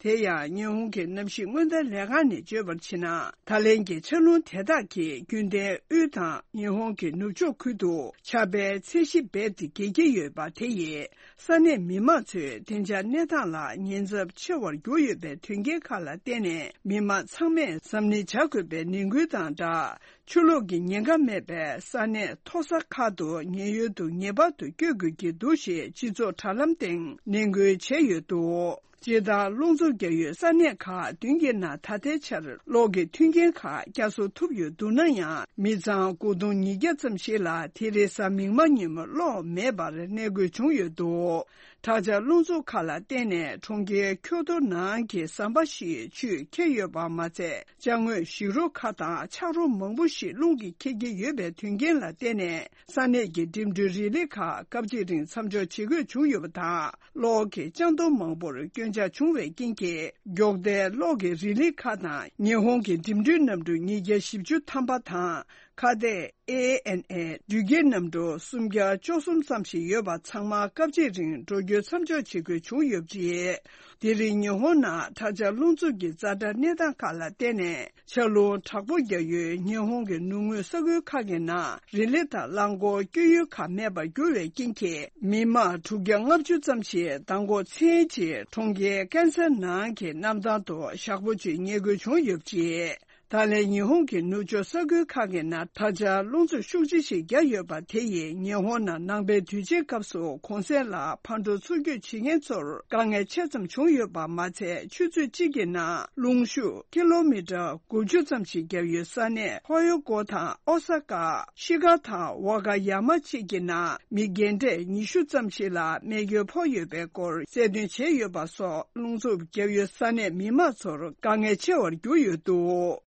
དེ་ཡང་ཉི་ཧོང་གི་གནམ་གཤིས་སྔོན་བརྡ་ལས་ཁང་ནས་བརྗོད་པར་བྱས་ན། ད་ལན་གྱི་ཆར་རླུང་དེ་དག་གིས་རྒྱུན་ལྡན་དབུས་དང་ཉི་ཧོང་གི་ནུབ་ཕྱོགས་ཁུལ་དུ་ཆར་པའི་ཚད་གཞི་རྦད་དེ་རྒྱས་ཀྱི་ཡོད་པ་དེ་ཡིས། ས་གནས་མི་མང་ཚོས་བདེ་འཇགས་གནས་སྟངས་ལ་ཉེན་ཚབས་ཆེ་བར་གྱུར་ཡོད་པའི་དོན་རྐྱེན་ཁག་ལ་བརྟེན་ནས། མི་མང་ཚང་མས་གཟབ་ནན་བྱ་དགོས་པའི་ནན་སྐུལ་དང་སྦྲགས། ཆུ་ལོག་གི་ཉེན་ཁ་མེད་པའི་ས་གནས་མཐོ་ས་ཁག་ཏུ་ཉེན་གཡོལ་དུ་ངེས་པར་དུ་བསྐྱོད་དགོས་ཀྱི་འདུག་ཞེས་སྤྱི་ཚོགས་དྲ་ལམ་སྟེང་ནན་སྐུལ་བྱས་ཡོད་འདུག་སྤྱིར་བཏང་རླུང་འཚུབ་བརྒྱབ་ཡོད་ས་གནས་ཁག་བདུན་གྱི་ནང་ད་ལྟའི་ཆར་གློག་གི་མཐུན་རྐྱེན་ཁག་བསྐྱར་གསོ་ཐུབ་ཡོད་འདུག་ན་ཡང་། མི་ཚང་དགུ་སྟོང་ཉིས་བརྒྱ་ཙམ་ཞིག་ལ་དེ་རིང་གཟའ་མིག་དམར་ཉིན་མོ་གློག་མེད་པར་གནས་དགོས་བྱུང་ཡོད་འདུག་དྲག་ཆར་རླུང་འཚུབ་ཁག་ལ་བརྟེན་ནས་གྲོང་ཁྱེར་ཁྱོ་ཏོ་ནང་གི་ཟམ་པ་ཞིག་ཆུས་ཁྱེར་ཡོད་པ་མ་ཚད། ཅ་དངོས་བཞི་རོ་ཁག་དང་ཆག་རོ་མང་པོ་ཞིག་རླུང་གིས་ཁྱེར་གྱི་ཡོད་པའི་དོན་རྐྱེན་ལ་བརྟེན་ནས། ས་གནས་ཀྱི་འགྲིམ་འགྲུལ་རིང་ལི་ཁག་སྐབས་གཅིག་རིང་མཚམས་འཇོག་བྱེད་དགོས་བྱུང་ཡོད་པ་དང་། གློག་གི་ལྕགས་མདོང་མང་པོར་སྐྱོན་ཆག་བྱུང་བའི་རྐྱེན་གྱིས། མགྱོགས་མཐའི་གློག་གི་རིང་ལི་ཁག་དང་ཉི་ཧོང་གི་འགྲིམ་འགྲུལ་གནམ་གྲུ་ཉིས་བརྒྱ་བཞི་བཅུ་ཐམ་པ་དང་། ཁ་གཏད་ཨེ་ཨེན་ཨེ་འགྲུལ་སྐྱེལ་གནམ་གྲུ་སུམ་བརྒྱ་བཅུ་གསུམ་ཙམ་ཞིག་ཡོད་པ་ཚང་མ་སྐབས་གཅིག་རིང་འགྲོ་སྐྱོད་མཚམས་འཇོག་བྱེད་དགོས་བྱུང་ཡོད་པ་རེད། དེ་རིང་ཉི་ཧོང་ནང་དྲག་ཆར་རླུང་འཚུབ་ཀྱི་ཛ་དྲག་གནས་སྟངས་ཁག་ལ་བརྟེན་ནས། ཆར་རླུང་དྲག་པོ་བརྒྱབ་ཡུལ་ཉི་ཧོང་གི་ནུབ་ངོས་ས་ཁུལ་ཁག་གི་ནང་རི་ལི་དང་རླངས་འཁོར་སྐྱོད་ཡུལ་ཁག་མེད་པར་གྱུར་བའི་རྐྱེན་གྱིས། མི་མང་དྲུག་བརྒྱ་ལྔ་བཅུ་ཙམ་ཞིག་མདང་དགོང་མཚན་གྱི་གྲོང་ཁྱེར་ཀན་སར་ནང་གི་གནམ་ཐང་དུ་ཞག་པོ་གཅིག་ཉལ་དགོས་བྱུང་ཡོད་པ་རེད། ད་ལན་ཉི་ཧོང་གི་ནུབ་ཕྱོགས་ས་ཁུལ་ཁག་གི་ནང་དྲག་ཆར་རླུང་འཚུབ་ཤུགས་ཆེ་ཞིག་བརྒྱབ་ཡོད་པ་དེ་ཡིས་ཉི་ཧོང་ནང་ནང་པའི་དུས་ཆེན་སྐབས་སུ་གུང་སེང་ལ་ཕར་འགྲོ་ཚུར་སྐྱོད་བྱེད་མཁན་ཚོར་དཀའ་ངལ་ཆེ་ཙམ་བྱུང་ཡོད་པ་མ་ཚད། ཆུ་ཚོད་གཅིག་གི་ནང་རླུང་ཤུགས་ཀི་ལོ་མི་ཊར་དགུ་བཅུ་ཙམ་ཞིག་བརྒྱབ་ཡོད་ས་གནས་ཧོ་ཡོ་ཀོ་དང་ཨོ་ས་ཀ། ཤི་ཀ་དང་ཝ་ཀ་ཡ་མ་བཅས་ཀྱི་ནང་མི་རྒན་གྲས་ཉི་ཤུ་ཙམ་ཞིག་ལ་རྨས་སྐྱོན་ཕོག་ཡོད་པའི་སྐོར་གསལ་སྟོན་བྱས་ཡོད་པ་སོགས། རླུང་འཚུབ་བརྒྱབ་ཡོད་ས་གནས་མི་མང་ཚོར་དཀའ་ངལ་ཆེ་བར་གྱུར་ཡོད་འདུག་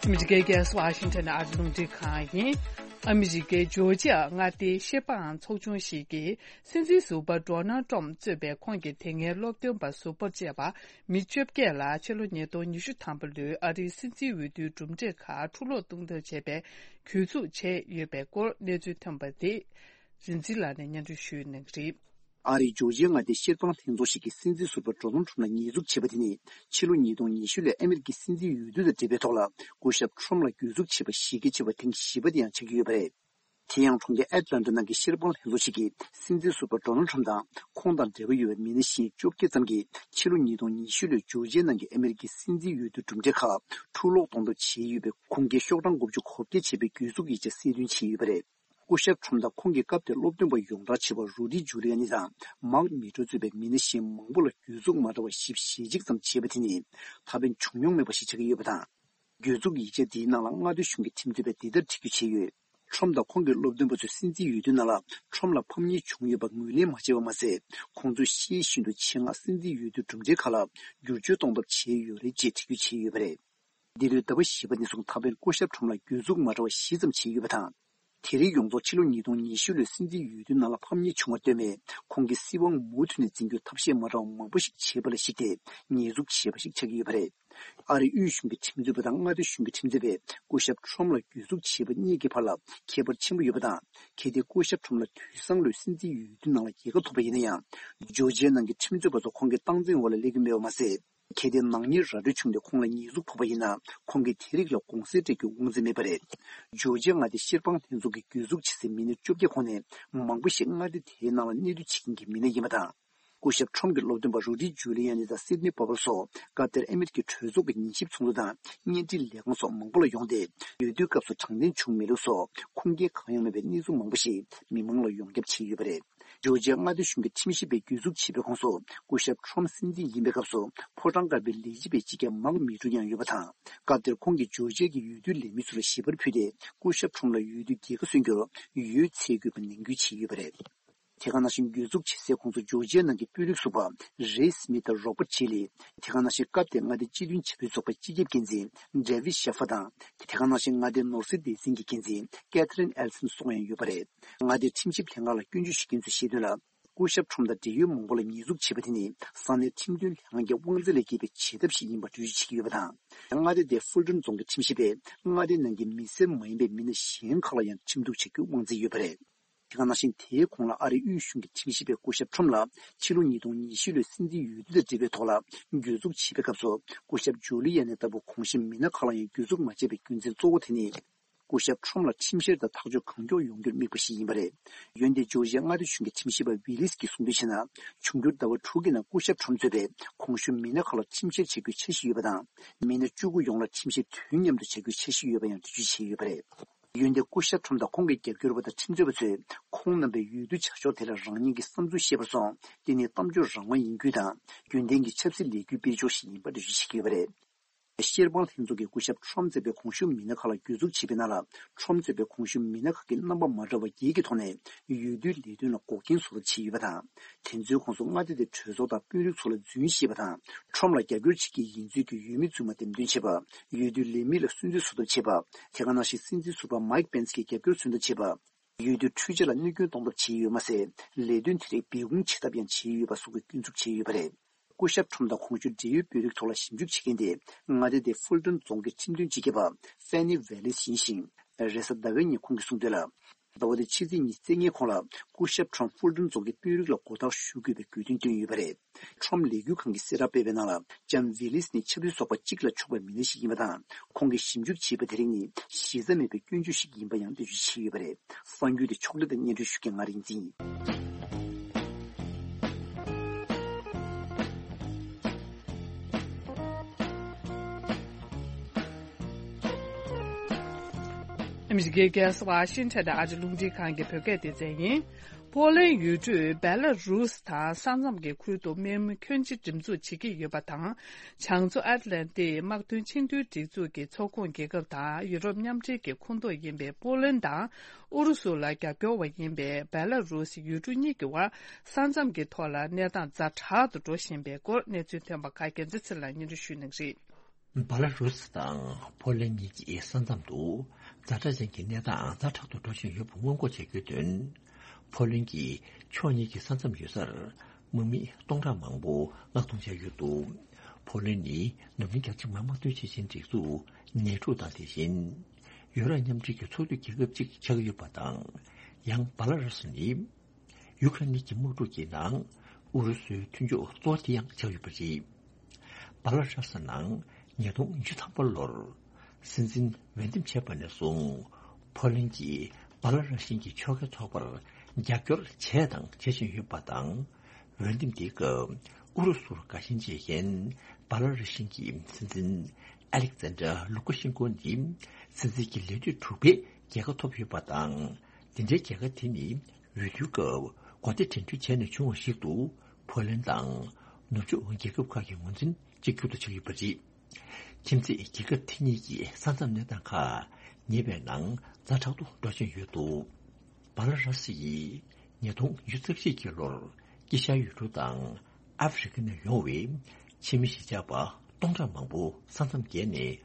ཨ་མི་རི་ཀའི་རྒྱལ་ས་ཝ་ཤིང་ཊོན་ནས་ཨ་རི་རླུང་འཕྲིན་ཁང་ཡིན། ཨ་མི་རི་ཀའི་ཇོར་ཇི་ཡ་མངའ་སྡེའི་ཤེས་དཔང་ཚོགས་ཆུང་ཞིག་གིས། སྲིད་འཛིན་ཟུར་པ་ཌོ་ནལ་ཊམ་གཙོས་པའི་ཁོང་གི་དེ་སྔའི་སློབ་སྟོན་པ་ཟུར་པ་བཅས་པ་མི་བཅོ་བརྒྱད་ལ་ཕྱི་ལོ་ཉིས་སྟོང་ཉི་ཤུ་ཐམ་པ་ལོའི་ཨ་རིའི་སྲིད་འཛིན་འོས་བསྡུའི་གྲུབ་འབྲས་ཁག་འཁྲུ་སློག་གཏོང་ཐབས་བྱས་པའི་གྱོད་འཛུགས་བྱས་ཡོད་པའི་སྐོར་གནས་ཚུལ་ཐོན་པ་དེ་རིན་འཛིན་ལགས་ནས་སྙན་སྒྲོན་ཞུ་གནང་གི་རེད། ཨ་རིའི་ཇོར་ཇི་ཡ་མངའ་སྡེའི་ཤེས་དཔང་ལྷན་ཚོགས་ཤིག་གིས་སྲིད་འཛིན་ཟུར་པ་ཌོ་ནལ་ཊམ་ལ་ཉེས་འཛུགས་བྱས་པ་དེ་ནི། ཕྱི་ལོ་ཉིས་སྟོང་ཉི་ཤུ་ལོའི་ཨ་མི་རི་ཀའི་སྲིད་འཛིན་འོས་བསྡུ་དང་འབྲེལ་བའི་ཐོག་ལ་སྐུ་ཞབས་ཊམ་ལ་གྱོད་འཛུགས་བྱས་པ་གཞི་རྒྱ་ཆེ་བ་ཐེངས་བཞི་པ་དེ་ཡང་ཆགས་ཀྱི་ཡོད་པ་རེད། དེ་ཡང་། གྲོང་ཁྱེར་ཨེཊ་ལན་ཊ་ནང་གི་ཤེས་དཔང་ལྷན་ཚོགས་ཤིག་གིས་སྲིད་འཛིན་ཟུར་པ་ཌོ་ནལ་ཊམ་དང་ཁོང་དང་འབྲེལ་བ་ཡོད་པའི་མི་སྣ་གཞན་བཅོ་བརྒྱད་ཙམ་གྱིས་ཕྱི་ལོ་ཉིས་སྟོང་ཉི་ཤུ་ལོའི་ཇོར་ཇི་ཡའི་ནང་གི་ཨ་མི་རི་ཀའི་སྲིད་འཛིན་འོས་བསྡུ་གྲུབ་འབྲས་ཁག་འཁྲུ་སློག་གཏོང་ཐབས་བྱས་ཡོད་པའི་ཁུངས་སྐྱེལ་ཤོག་གྲངས་དགུ་བཅུ་གོ་བརྒྱད་བྱས་པའི་གྱོད་འཛུགས་ཡིག་ཆ་གསལ་སྟོན་བྱས་ཡོད་པ་རེད། སྐུ་ཞབས་ཊམ་དང་ཁོང་གི་སྐབས་དེར་སློབ་སྟོན་པ་ཡོངས་གྲགས་ཆེ་བ་རུ་ཌི་ཇུ་ལི་ཡ་ནི་དང་མཱག་མི་ཊོ་གཙོས་པའི་མི་སྣ་གཞན་མང་པོ་ལ་གྱོད་འཛུགས་མ་འདྲ་བ་བཞི་བཅུ་ཞེ་གཅིག་ཙམ་བྱས་པ་དེ་ནི་ད་ཕན་བྱུང་མྱོང་མེད་པ་ཞིག་ཆགས་ཀྱི་ཡོད་པ་དང་། གྱོད་འཛུགས་ཡིག་ཆ་འདིའི་ནང་ལ་མངའ་སྡེ་གཞུང་གི་ཁྲིམས་རྩོད་པས་འདི་ལྟར་འབྲི་རྒྱུ་བྱས་ཡོད། ཊམ་དང་ཁོང་གི་སློབ་སྟོན་པ་ཚོས་སྲིད་འཛིན་འོས་བསྡུའི་ནང་ལ་ཊམ་ལ་ཕམ་ཉེས་བྱུང་ཡོད་པ་ངོས་ལེན་མ་བྱས་པ་མ་ཟད། ཁོང་ཚོས་ཤེས་བཞིན་དུ་ཆེད་མངགས་སྲིད་འཛིན་འོས་བསྡུའི་གྲུབ་འབྲས་ཁག་ལ་བསྒྱུར་བཅོས་གཏོང་ཐབས་བྱས་ཡོད་རེད་ཅེས་འབྲི་རྒྱུ་བྱས་ཡོད་པ་རེད། འདི་ལོའི་ཟླ་བ་བཞི་པ་ནས་བཟུང་ད་ཕན་སྐུ་ཞབས་ཊམ་ལ་གྱོད་འཛུགས་མ་འདྲ་བ་བཞི་ཙམ་བྱས་ཡོད་པ་དང་། དེ་རིང་ཡོངས་རྫོགས་ཕྱི་ལོ་ཉིས་སྟོང་ཉི་ཤུ་ལོའི་སྲིད་འཛིན་འོས་བསྡུའི་ནང་ལ་ཕམ་ཉེས་བྱུང་བར་ལྟོས་མེད། ཁོང་གིས་སྲིད་དབང་མུ་མཐུད་ནས་འཛིན་རྒྱུར་ཐབས་ཤེས་མ་འདྲ་བ་མང་པོ་ཞིག་བྱས་པ་ལ་གཞིགས་ཏེ་ཉེས་འཛུགས་བྱས་པ་ཞིག་ཆགས་ཀྱི་ཡོད་པ་རེད། ཨ་རིའི་དབུས་གཞུང་གི་ཁྲིམས་རྩོད་པ་དང་མངའ་སྡེ་གཞུང་གི་ཁྲིམས་རྩོད་པས་སྐུ་ཞབས་ཊམ་ལ་གྱོད་འཛུགས་བྱས་པ་གཉིས་ཀྱི་བར་ལ་ཁྱད་པར་ཆེན་པོ་ཡོད་པ་དང་། གལ་ཏེ་སྐུ་ཞབས་ཊམ་ལ་དུས་སང་ལོའི་སྲིད་འཛིན་འོས་བསྡུའི་ནང་ལ་རྒྱལ་ཁ་ཐོབ་པ་ཡིན་ན་ཡང་། ཇོར་ཇི་ཡའི་ནང་གི་ཁྲིམས་རྩོད་པ་ཚོ་ཁོང་གི་སྟངས་འཛིན་འོག་ལ་སླེབས་ཀྱི་མེད་པ་མ་ཟད། གལ་ཏེ་ནག་ཉེས་ར་སྤྲོད་བྱུང་སྟེ་ཁོང་ལ་ཉེས་འཛུགས་ཕོག་པ་ཡིན་ན། ཁོང་གིས་དེ་རིགས་ལ་དགོངས་སེལ་སྤྲད་རྒྱུའི་དབང་ཚད་མེད་པ་རེད། ཇོར་ཇི་ཡ་མངའ་སྡེའི་ཤེས་དཔང་ལྷན་ཚོགས་ཀྱིས་གྱོད་འཛུགས་བྱེད་སའི་མི་སྣ་བཅོ་བརྒྱད་ཁོངས་ནས་མང་པོ་ཞིག་མངའ་སྡེ་དེའི་ནང་ལ་གནས་སྡོད་བྱེད་མཁན་གྱི་མི་སྣ་ཡིན་པ་དང་། སྐུ་ཞབས་ཁྲོམ་གྱི་སློབ་སྟོན་པ་རུ་ཌི་ཇུ་ལི་ཡ་ནི་དང་སིད་ནི་པ་བལ་སོགས་སྐབས་དེར་ཨ་མི་རི་ཀའི་གྲོས་ཚོགས་ཀྱི་ཉན་ཞིབ་ཚོགས་འདུ་དང་བརྙན་འཕྲིན་ལས་ཁང་སོགས་མང་པོ་ལ་ཡོང་སྟེ། འོས་བསྡུའི་སྐབས་སུ་དྲང་བདེན་བྱུང་མེད་ལུགས་སོགས་ཁུངས་སྐྱེལ་གང་ཡང་མེད་པའི་གནས་ཚུལ་མང་པོ་ཞིག་མི་མང་ལ་ཡོངས་ཁྱབ་བྱས་ཡོད་པ་རེད། ཇོར་ཇི་ཡ་མངའ་སྡེ་གཞུང་གི་ཁྲིམས་ཞིབ་པས་གྱོད་འཛུགས་བྱས་པའི་ཁོངས་སུ་སྐུ་ཞབས་ཁྲོམ་སྲིད་འཛིན་ཡིན་པའི་སྐབས་སུ་ཕོ་བྲང་དཀར་པོའི་ལས་བྱེད་པའི་སྤྱི་ཁྱབ་མཱག་མི་ཀྲུ་ཡང་ཡོད་པ་དང་། སྐབས་དེར་ཁོང་གིས་ཇོར་ཇི་ཡ་གི་འོས་བསྡུའི་ལས་མི་ཚོ་ལ་ཞལ་པར་ཕུལ་ཏེ། སྐུ་ཞབས་ཁྲོམ་ལ་འོས་བསྡུའི་རྒྱལ་ཁ་སོན་རྒྱུར་འོས་འཚོལ་དགོས་པ་ནན་སྐུལ་བྱས་ཡོད་པ་རེད། དེ་ག་ནང་བཞིན་གྱོད་འཛུགས་བྱེད་སའི་ཁོངས་སུ་ཇོར་ཇི་ཡ་ནང་གི་དཔོན་རིགས་ཟུར་པ་རེ་སི་མི་ཐ་རོ་པར་ཆེ་ལི། དེ་ག་ནང་བཞིན་སྐབས་དེའི་མངའ་སྡེའི་སྤྱི་མཐུན་བྱ་བའི་ཚོགས་པའི་སྤྱི་ཁྱབ་འགན་འཛིན་ཌེ་ཝིད་ཤེ་ཧྥ་དང་། དེ་ག་ནང་བཞིན་མངའ་སྡེའི་ནོར་སྲིད་སྡེ་ཚན་གྱི་འགན་འཛིན་ཀེ་ཐི་རིན་ཨེལ་སན་སོགས་ཡང་ཡོད་པ་རེད། མངའ་སྡེའི་ཁྲིམས་ཞིབ་ལྷན་ཁང་ལ་སྐྱོན་བརྗོད་ཞུ་མཁན་ཚོས་བཤད་དོན་ལ། སྐུ་ཞབས་ཁྲོམ་དང་འབྲེལ་ཡོད་མང་པོ་ལ་ཉེས་འཛུགས་བྱས་པ་དེ་ནི་ས་གནས་ཁྲིམས་དོན་ལྷན་ཁང་གི་དབང་འཛིན་ལས་བརྒལ་བའི་བྱེད་ཐབས་ཤིག་ཡིན་པ་འགྲེལ་བརྗོད་བྱེད་ཀྱི་ཡོད་པ་དང་། མངའ་སྡེ་དེའི་ཧྥུལ་ཀྲུན་རྫོང་གི་ཁྲིམས་ཞིབ་པས་མངའ་སྡེའི་ནང་གི་མི་སེར་མ་ཡིན་པའི་མི་སྣ་གཞན་ཁག་ལ་ཡང་ཁྲིམས་གཏུག་བྱ་རྒྱུའི་དབང་འཛིན་ཡོད་པ་རེད། དེ་ག་ནང་བཞིན་དེའི་གོང་ལ་ཨ་རིའི་དབུས་གཞུང་གི་ཁྲིམས་ཞིབ་པས་སྐུ་ཞབས་ཁྲོམ་ལ་ཕྱི་ལོ་ཉིས་སྟོང་ཉི་ཤུ་ལོའི་སྲིད་འཛིན་འོས་བསྡུ་དང་འབྲེལ་བའི་ཐོག་ལ་གྱོད་འཛུགས་བྱས་པའི་སྐབས་སུ་སྐུ་ཞབས་ཇུ་ལི་ཡ་ནི་ལྟ་བུ་གོང་ཞུས་མི་སྣ་ཁག་ལ་ཡང་གྱོད་འཛུགས་མ་བྱས་པའི་རྒྱུ་མཚན་གཙོ་བོ་དེ་ནི། སྐུ་ཞབས་ཁྲོམ་ལ་ཁྲིམས་བཤེར་དང་ཐག་གཅོད་གང་མགྱོགས་ཡོང་རྒྱུར་དམིགས་པ་ཞིག་ཡིན་པ་རེད། འོན་ཏེ་ཇོར་ཇི་ཡ་མངའ་སྡེ་གཞུང་གི་ཁྲིམས་ཞིབ་པ་ཝི་ལིས་ཀྱིས་གསུངས་དོན་བྱས་ན། འབྱུང་འགྱུར་ཟླ་བ་དྲུག་གི་ནང་སྐུ་ཞབས་ཁྲོམ་གཙོས་པའི་གོང་ཞུས་མི་སྣ་ཁག་ལ་ཁྲིམས་བཤེར་བྱ་རྒྱུའི་འཆར་གཞི་ཡོད་པ་དང་། མི་སྣ་བཅུ་དགུ་ཡོངས་ལ་ཁྲིམས་བཤེར་དུས་མཉམ་དུ་བྱ་རྒྱུའི་འཆར་གཞི་ཡོད་པ་ཡང་འགྲེལ་བརྗོད་བྱས་ཡོད་པ་རེད། འོན་ཏེ་སྐུ་ཞབས་ཁྲོམ་དང་ཁོང་གི་རྒྱབ་སྐྱོར་བ་དང་ཁྲིམས་རྩོད་པ་ཚོས་ཁོང་རྣམ་པའི་འོས་བསྡུ་བྱ་ཕྱོགས་དེ་ལ་རང་ཉིད་ཀྱི་བསམ་ཚུལ་བཤད་པར་སོང་། དེ་ནི་གཏམ་བརྗོད་རང་དབང་ཡིན་རྒྱུ་དང་། རྒྱུན་ལྡན་གྱི་ཆབ་སྲིད་ལས་འགུལ་སྤེལ་ཕྱོགས་ཤིག་ཡིན་པ་འགྲེལ་བརྗོད་བྱེད་ཀྱི་ཡོད་པ་རེད། བཤེར་དཔང་ལྷན་ཚོགས་ཀྱིས་སྐུ་ཞབས་ཁྲོམ་གཙོས་པའི་གོང་ཞུས་མི་སྣ་ཁག་ལ་གྱོད་འཛུགས་བྱས་པའི་ནང་ལ། ཁྲོམ་གཙོས་པའི་གོང་ཞུས་མི་སྣ་ཁག་གིས་རྣམ་པ་མ་འདྲ་བ་བརྒྱད་ཀྱི་ཐོག་ནས་འོས་བསྡུའི་ལས་དོན་ལ་འགོག་རྐྱེན་བཟོ་ཐབས་བྱས་ཡོད་པ་དང་། དེ་ཚོའི་ཁོངས་སུ་མངའ་སྡེ་དེའི་གྲོས་ཚོགས་དང་དཔོན་རིགས་ཚོ་ལ་རྫུན་བཤད་པ་དང་། ཁྲོམ་ལ་རྒྱབ་སྐྱོར་བྱེད་ཀྱི་ཡིན་ཚུལ་གྱི་འོས་མི་རྫུན་མ་འདེམས་ཐོན་བྱེད་པ། འོས་བསྡུའི་ལས་མི་ལ་སུན་གཙེར་བཟོ་ཐབས་བྱེད་པ། དེ་ག་ནང་བཞིན་སྲིད་འཛིན་ཟུར་པ་མའིག་པེན་སི་གི་རྒྱབ་སྐྱོར་མཚོན་ཐབས་བྱེད་པ། འོས་བསྡུའི་འཕྲུལ་ཆས་ལ་གནོད་སྐྱོན་གཏོང་ཐབས་བྱས་ཡོད་མ་ཟད། ལས་དོན་དེ་རིགས་སྦས་སྐུང་བྱེད་ཐབས་ཡང་བྱས་ཡོད་པ་སོགས་ཀྱི་སྐྱོན་འཛུགས་བྱས་ཡོད་པ་རེད། སྐུ་ཞབས་ཁྲོམ་དང་གོང་ཞུས་འབྲེལ་ཡོད་དཔོན་རིགས་ཐོག་ལ་ཞིབ་འཇུག་བྱེད་མཁན་དེ་མངའ་སྡེ་དེའི་ཧྥུལ་ཀྲུན་རྫོང་གི་ཁྲིམས་དོན་སྤྱི་ཁྱབ་པ་ཧྥེ་ནི་ཝེ་ལིས་ཡིན་ཞིང་། རེས་གཟའ་ཟླ་བའི་ཉིན་ཁོང་གིས་གསུངས་དོན་ལ། ཟླ་བ་འདིའི་ཕྱི་ཚེས་ཉི་ཤུ་རྩ་ལྔའི་གོང་ལ་སྐུ་ཞབས་ཁྲོམ་ཧྥུལ་ཀྲུན་རྫོང་གི་དཔོན་རིགས་ལ་མགོ་བཏགས་ཞུ་དགོས་པའི་དགོས་འདུན་བཏོན་ཡོད་པ་རེད། ཁྲོམ་ལས་འགུལ་ཁང་གིས་གསལ་བསྒྲགས་སྤེལ་བའི་ནང་ལ། ལྕམ་ཝི་ལིས་ནི་ཆབ་སྲིད་ཚོགས་པ་གཅིག་ལ་ཕྱོགས་པའི་མི་སྣ་ཞིག་ཡིན་པ་དང་། ཁོང་གིས་ཞིབ་འཇུག་བྱས་པ་དེ་རིགས་ནི་གཞི་རྩ་མེད་པའི་སྐྱོན་བརྗོད་ཞིག་ཡིན་པ་ཡང་འགྲེལ་བརྗོད་བྱས་ཡོད་པ་རེད། གསར་འགྱུར་དེ་ཕྱོགས་སྒྲིག་དང་སྙན་སྒྲོན་ཞུ་མཁན་ང་རིག་འཛིན་ཡིན། ཨ་མི་རི་ཀའི་རྒྱལ་ས་ཝ་ཤིང་ཊོན་དུ་ཨ་རིའི་རླུང་འཕྲིན་ཁང་གི་བོད་སྐད་སྡེ་ཚན་ཡིན། པོ་ལན་ཡུལ་གྲུས་བེ་ལ་རུས་དང་ས་མཚམས་ཀྱི་ཁུལ་དུ་དམག་མི་ཁྱོན་ཆེ་འགྲེམས་འཛུགས་བྱེད་ཀྱི་ཡོད་པ་དང་། བྱང་མཚོ་ཨེཊ་ལན་ཏིག་དམག་དོན་ཆིངས་འཐུས་སྒྲིག་འཛུགས་ཀྱི་ཚོགས་ཁོངས་རྒྱལ་ཁབ་དང་ཡུ་རོབ་མཉམ་འབྲེལ་གྱི་ཁོངས་གཏོགས་ཡིན་པའི་པོ་ལན་དང་ཨུ་རུ་སུ་ལ་རྒྱབ་སྐྱོར་བ་ཡིན་པའི་བེ་ལ་རུས་ཡུལ་གྲུ་གཉིས་ཀྱི་དབར་ས་མཚམས་ཀྱི་ཐོག་ལ་གནས་སྟངས་ཛ་དྲག་ཏུ་འགྲོ་བཞིན་པའི་སྐོར་གནས་ཚུལ་ཐོན་པ་ཁག་རྒྱལ་མཚན་ཚེ་ལ་སྙན་སྒྲོན་ཞུ་གནང་གི་རེད། བ་ལ་རུ་སི་དང་ཕོ་ལན་གཉིས་ཀྱི་ས་མཚམས་སུ་ཛ་དྲག་ཅན་གྱི་གནས་སྟངས་ཛ་དྲག་ཏུ་འགྲོ་བཞིན་ཡོད་པ་སྔོན་འགོག་བྱ་རྒྱུའི་དོན། ཕོ་ལན་གྱིས་ཕྱོགས་གཉིས་ཀྱི་ས་མཚམས་ཡོད་སར་དམག་མི་སྟོང་ཕྲག་མང་པོ་མངགས་གཏོང་བྱས་ཡོད་འདུག་ཕོ་ལན་ནི་འཛམ་གླིང་རྒྱལ་སྤྱིའི་དམག་དམག་དོན་ཆེ་ཆེན་སྒྲིག་འཛུགས་ནེ་ཊོ་དང་དེ་བཞིན་ཡུ་རོབ་མཉམ་འབྲེལ་གྱི་ཚོགས་འཐུས་རྒྱལ་ཁབ་ཅིག་ཆགས་ཀྱི་ཡོད་པ་དང་། ཡང་བ་ལ་རུ་སི་ནི། ཡུ་ཁ་རེན་གྱི་དམག་འཁྲུག་གི་ནང་ཨུ་རུ་སུའི་མཐུན་ཕྱོགས་གཙོ་བོ་དེ་ཡང་ཆགས་ཡོད་པ་རེད། བ་ལ་ར་ཤ་ནང་ཉིས་སྟོང་ཉི་ཤུ་ཐམ་པ་ལོར་སྲིད་འཛིན་འོས་འདེམས་བྱས་པ་ནས་བཟུང་ཕོ་ལན་གྱིས་བ་ལ་ར་ཤིན་གྱི་ཕྱོགས་འགལ་ཚོགས་པར་རྒྱབ་སྐྱོར་བྱས་དང་བྱེད་བཞིན་ཡོད་པ་དང་། འོས་འདེམས་དེའི་སྐབས་ཨུ་རུ་སུར་དགའ་ཞེན་བྱེད་མཁན་བ་ལ་ར་ཤིན་གྱི་སྲིད་འཛིན་ཨ་ལེག་ཛན་ཌར་ལུ་ཀ་ཤེན་ཀོ་ནི་སྲིད་འཛིན་གྱི་ལས་དུས་དྲུག་པའི་རྒྱལ་ཁ་ཐོབ་ཡོད་པ་དང་། འདི་འདྲའི་རྒྱལ་ཁ་དེ་ནི་འོས་བསྡུའི་སྐབས་གོ་སྡེ་འགྲན་བསྡུར་བྱས་ནས་བྱུང་བ་ཞིག་ཏུ་ཕོ་ལན་དང་ནུབ་ཕྱོགས་རྒྱལ་ཁབ་ཁག་གི་ངོས་འཛིན་གཅིག་གྱུར་དུ་ཆགས་ཡོད་པ་རེད། ཁྱིམ་མཚེས་རྒྱལ་ཁབ་དེ་གཉིས་ཀྱི་ས་མཚམས་གནས་སྟངས་ཁག་ཉེ་བའི་ནང་ཛ་དྲག་ཏུ་འགྲོ་བཞིན་ཡོད་འདུག་བ་ལ་ར་སི་ཡིས་ཉིས་སྟོང་ཉི་ཤུ་རྩ་གཅིག་གི་ལོར་དཀྱིལ་ཤར་ཡུལ་གྲུ་དང་ཨ་ཧྥེ་རི་ཁ་ནས་ཡོང་བའི་ཕྱི་མི་གཞིས་ཆགས་པ་སྟོང་ཕྲག་མང་པོ་ས་མཚམས་བརྒལ་ནས་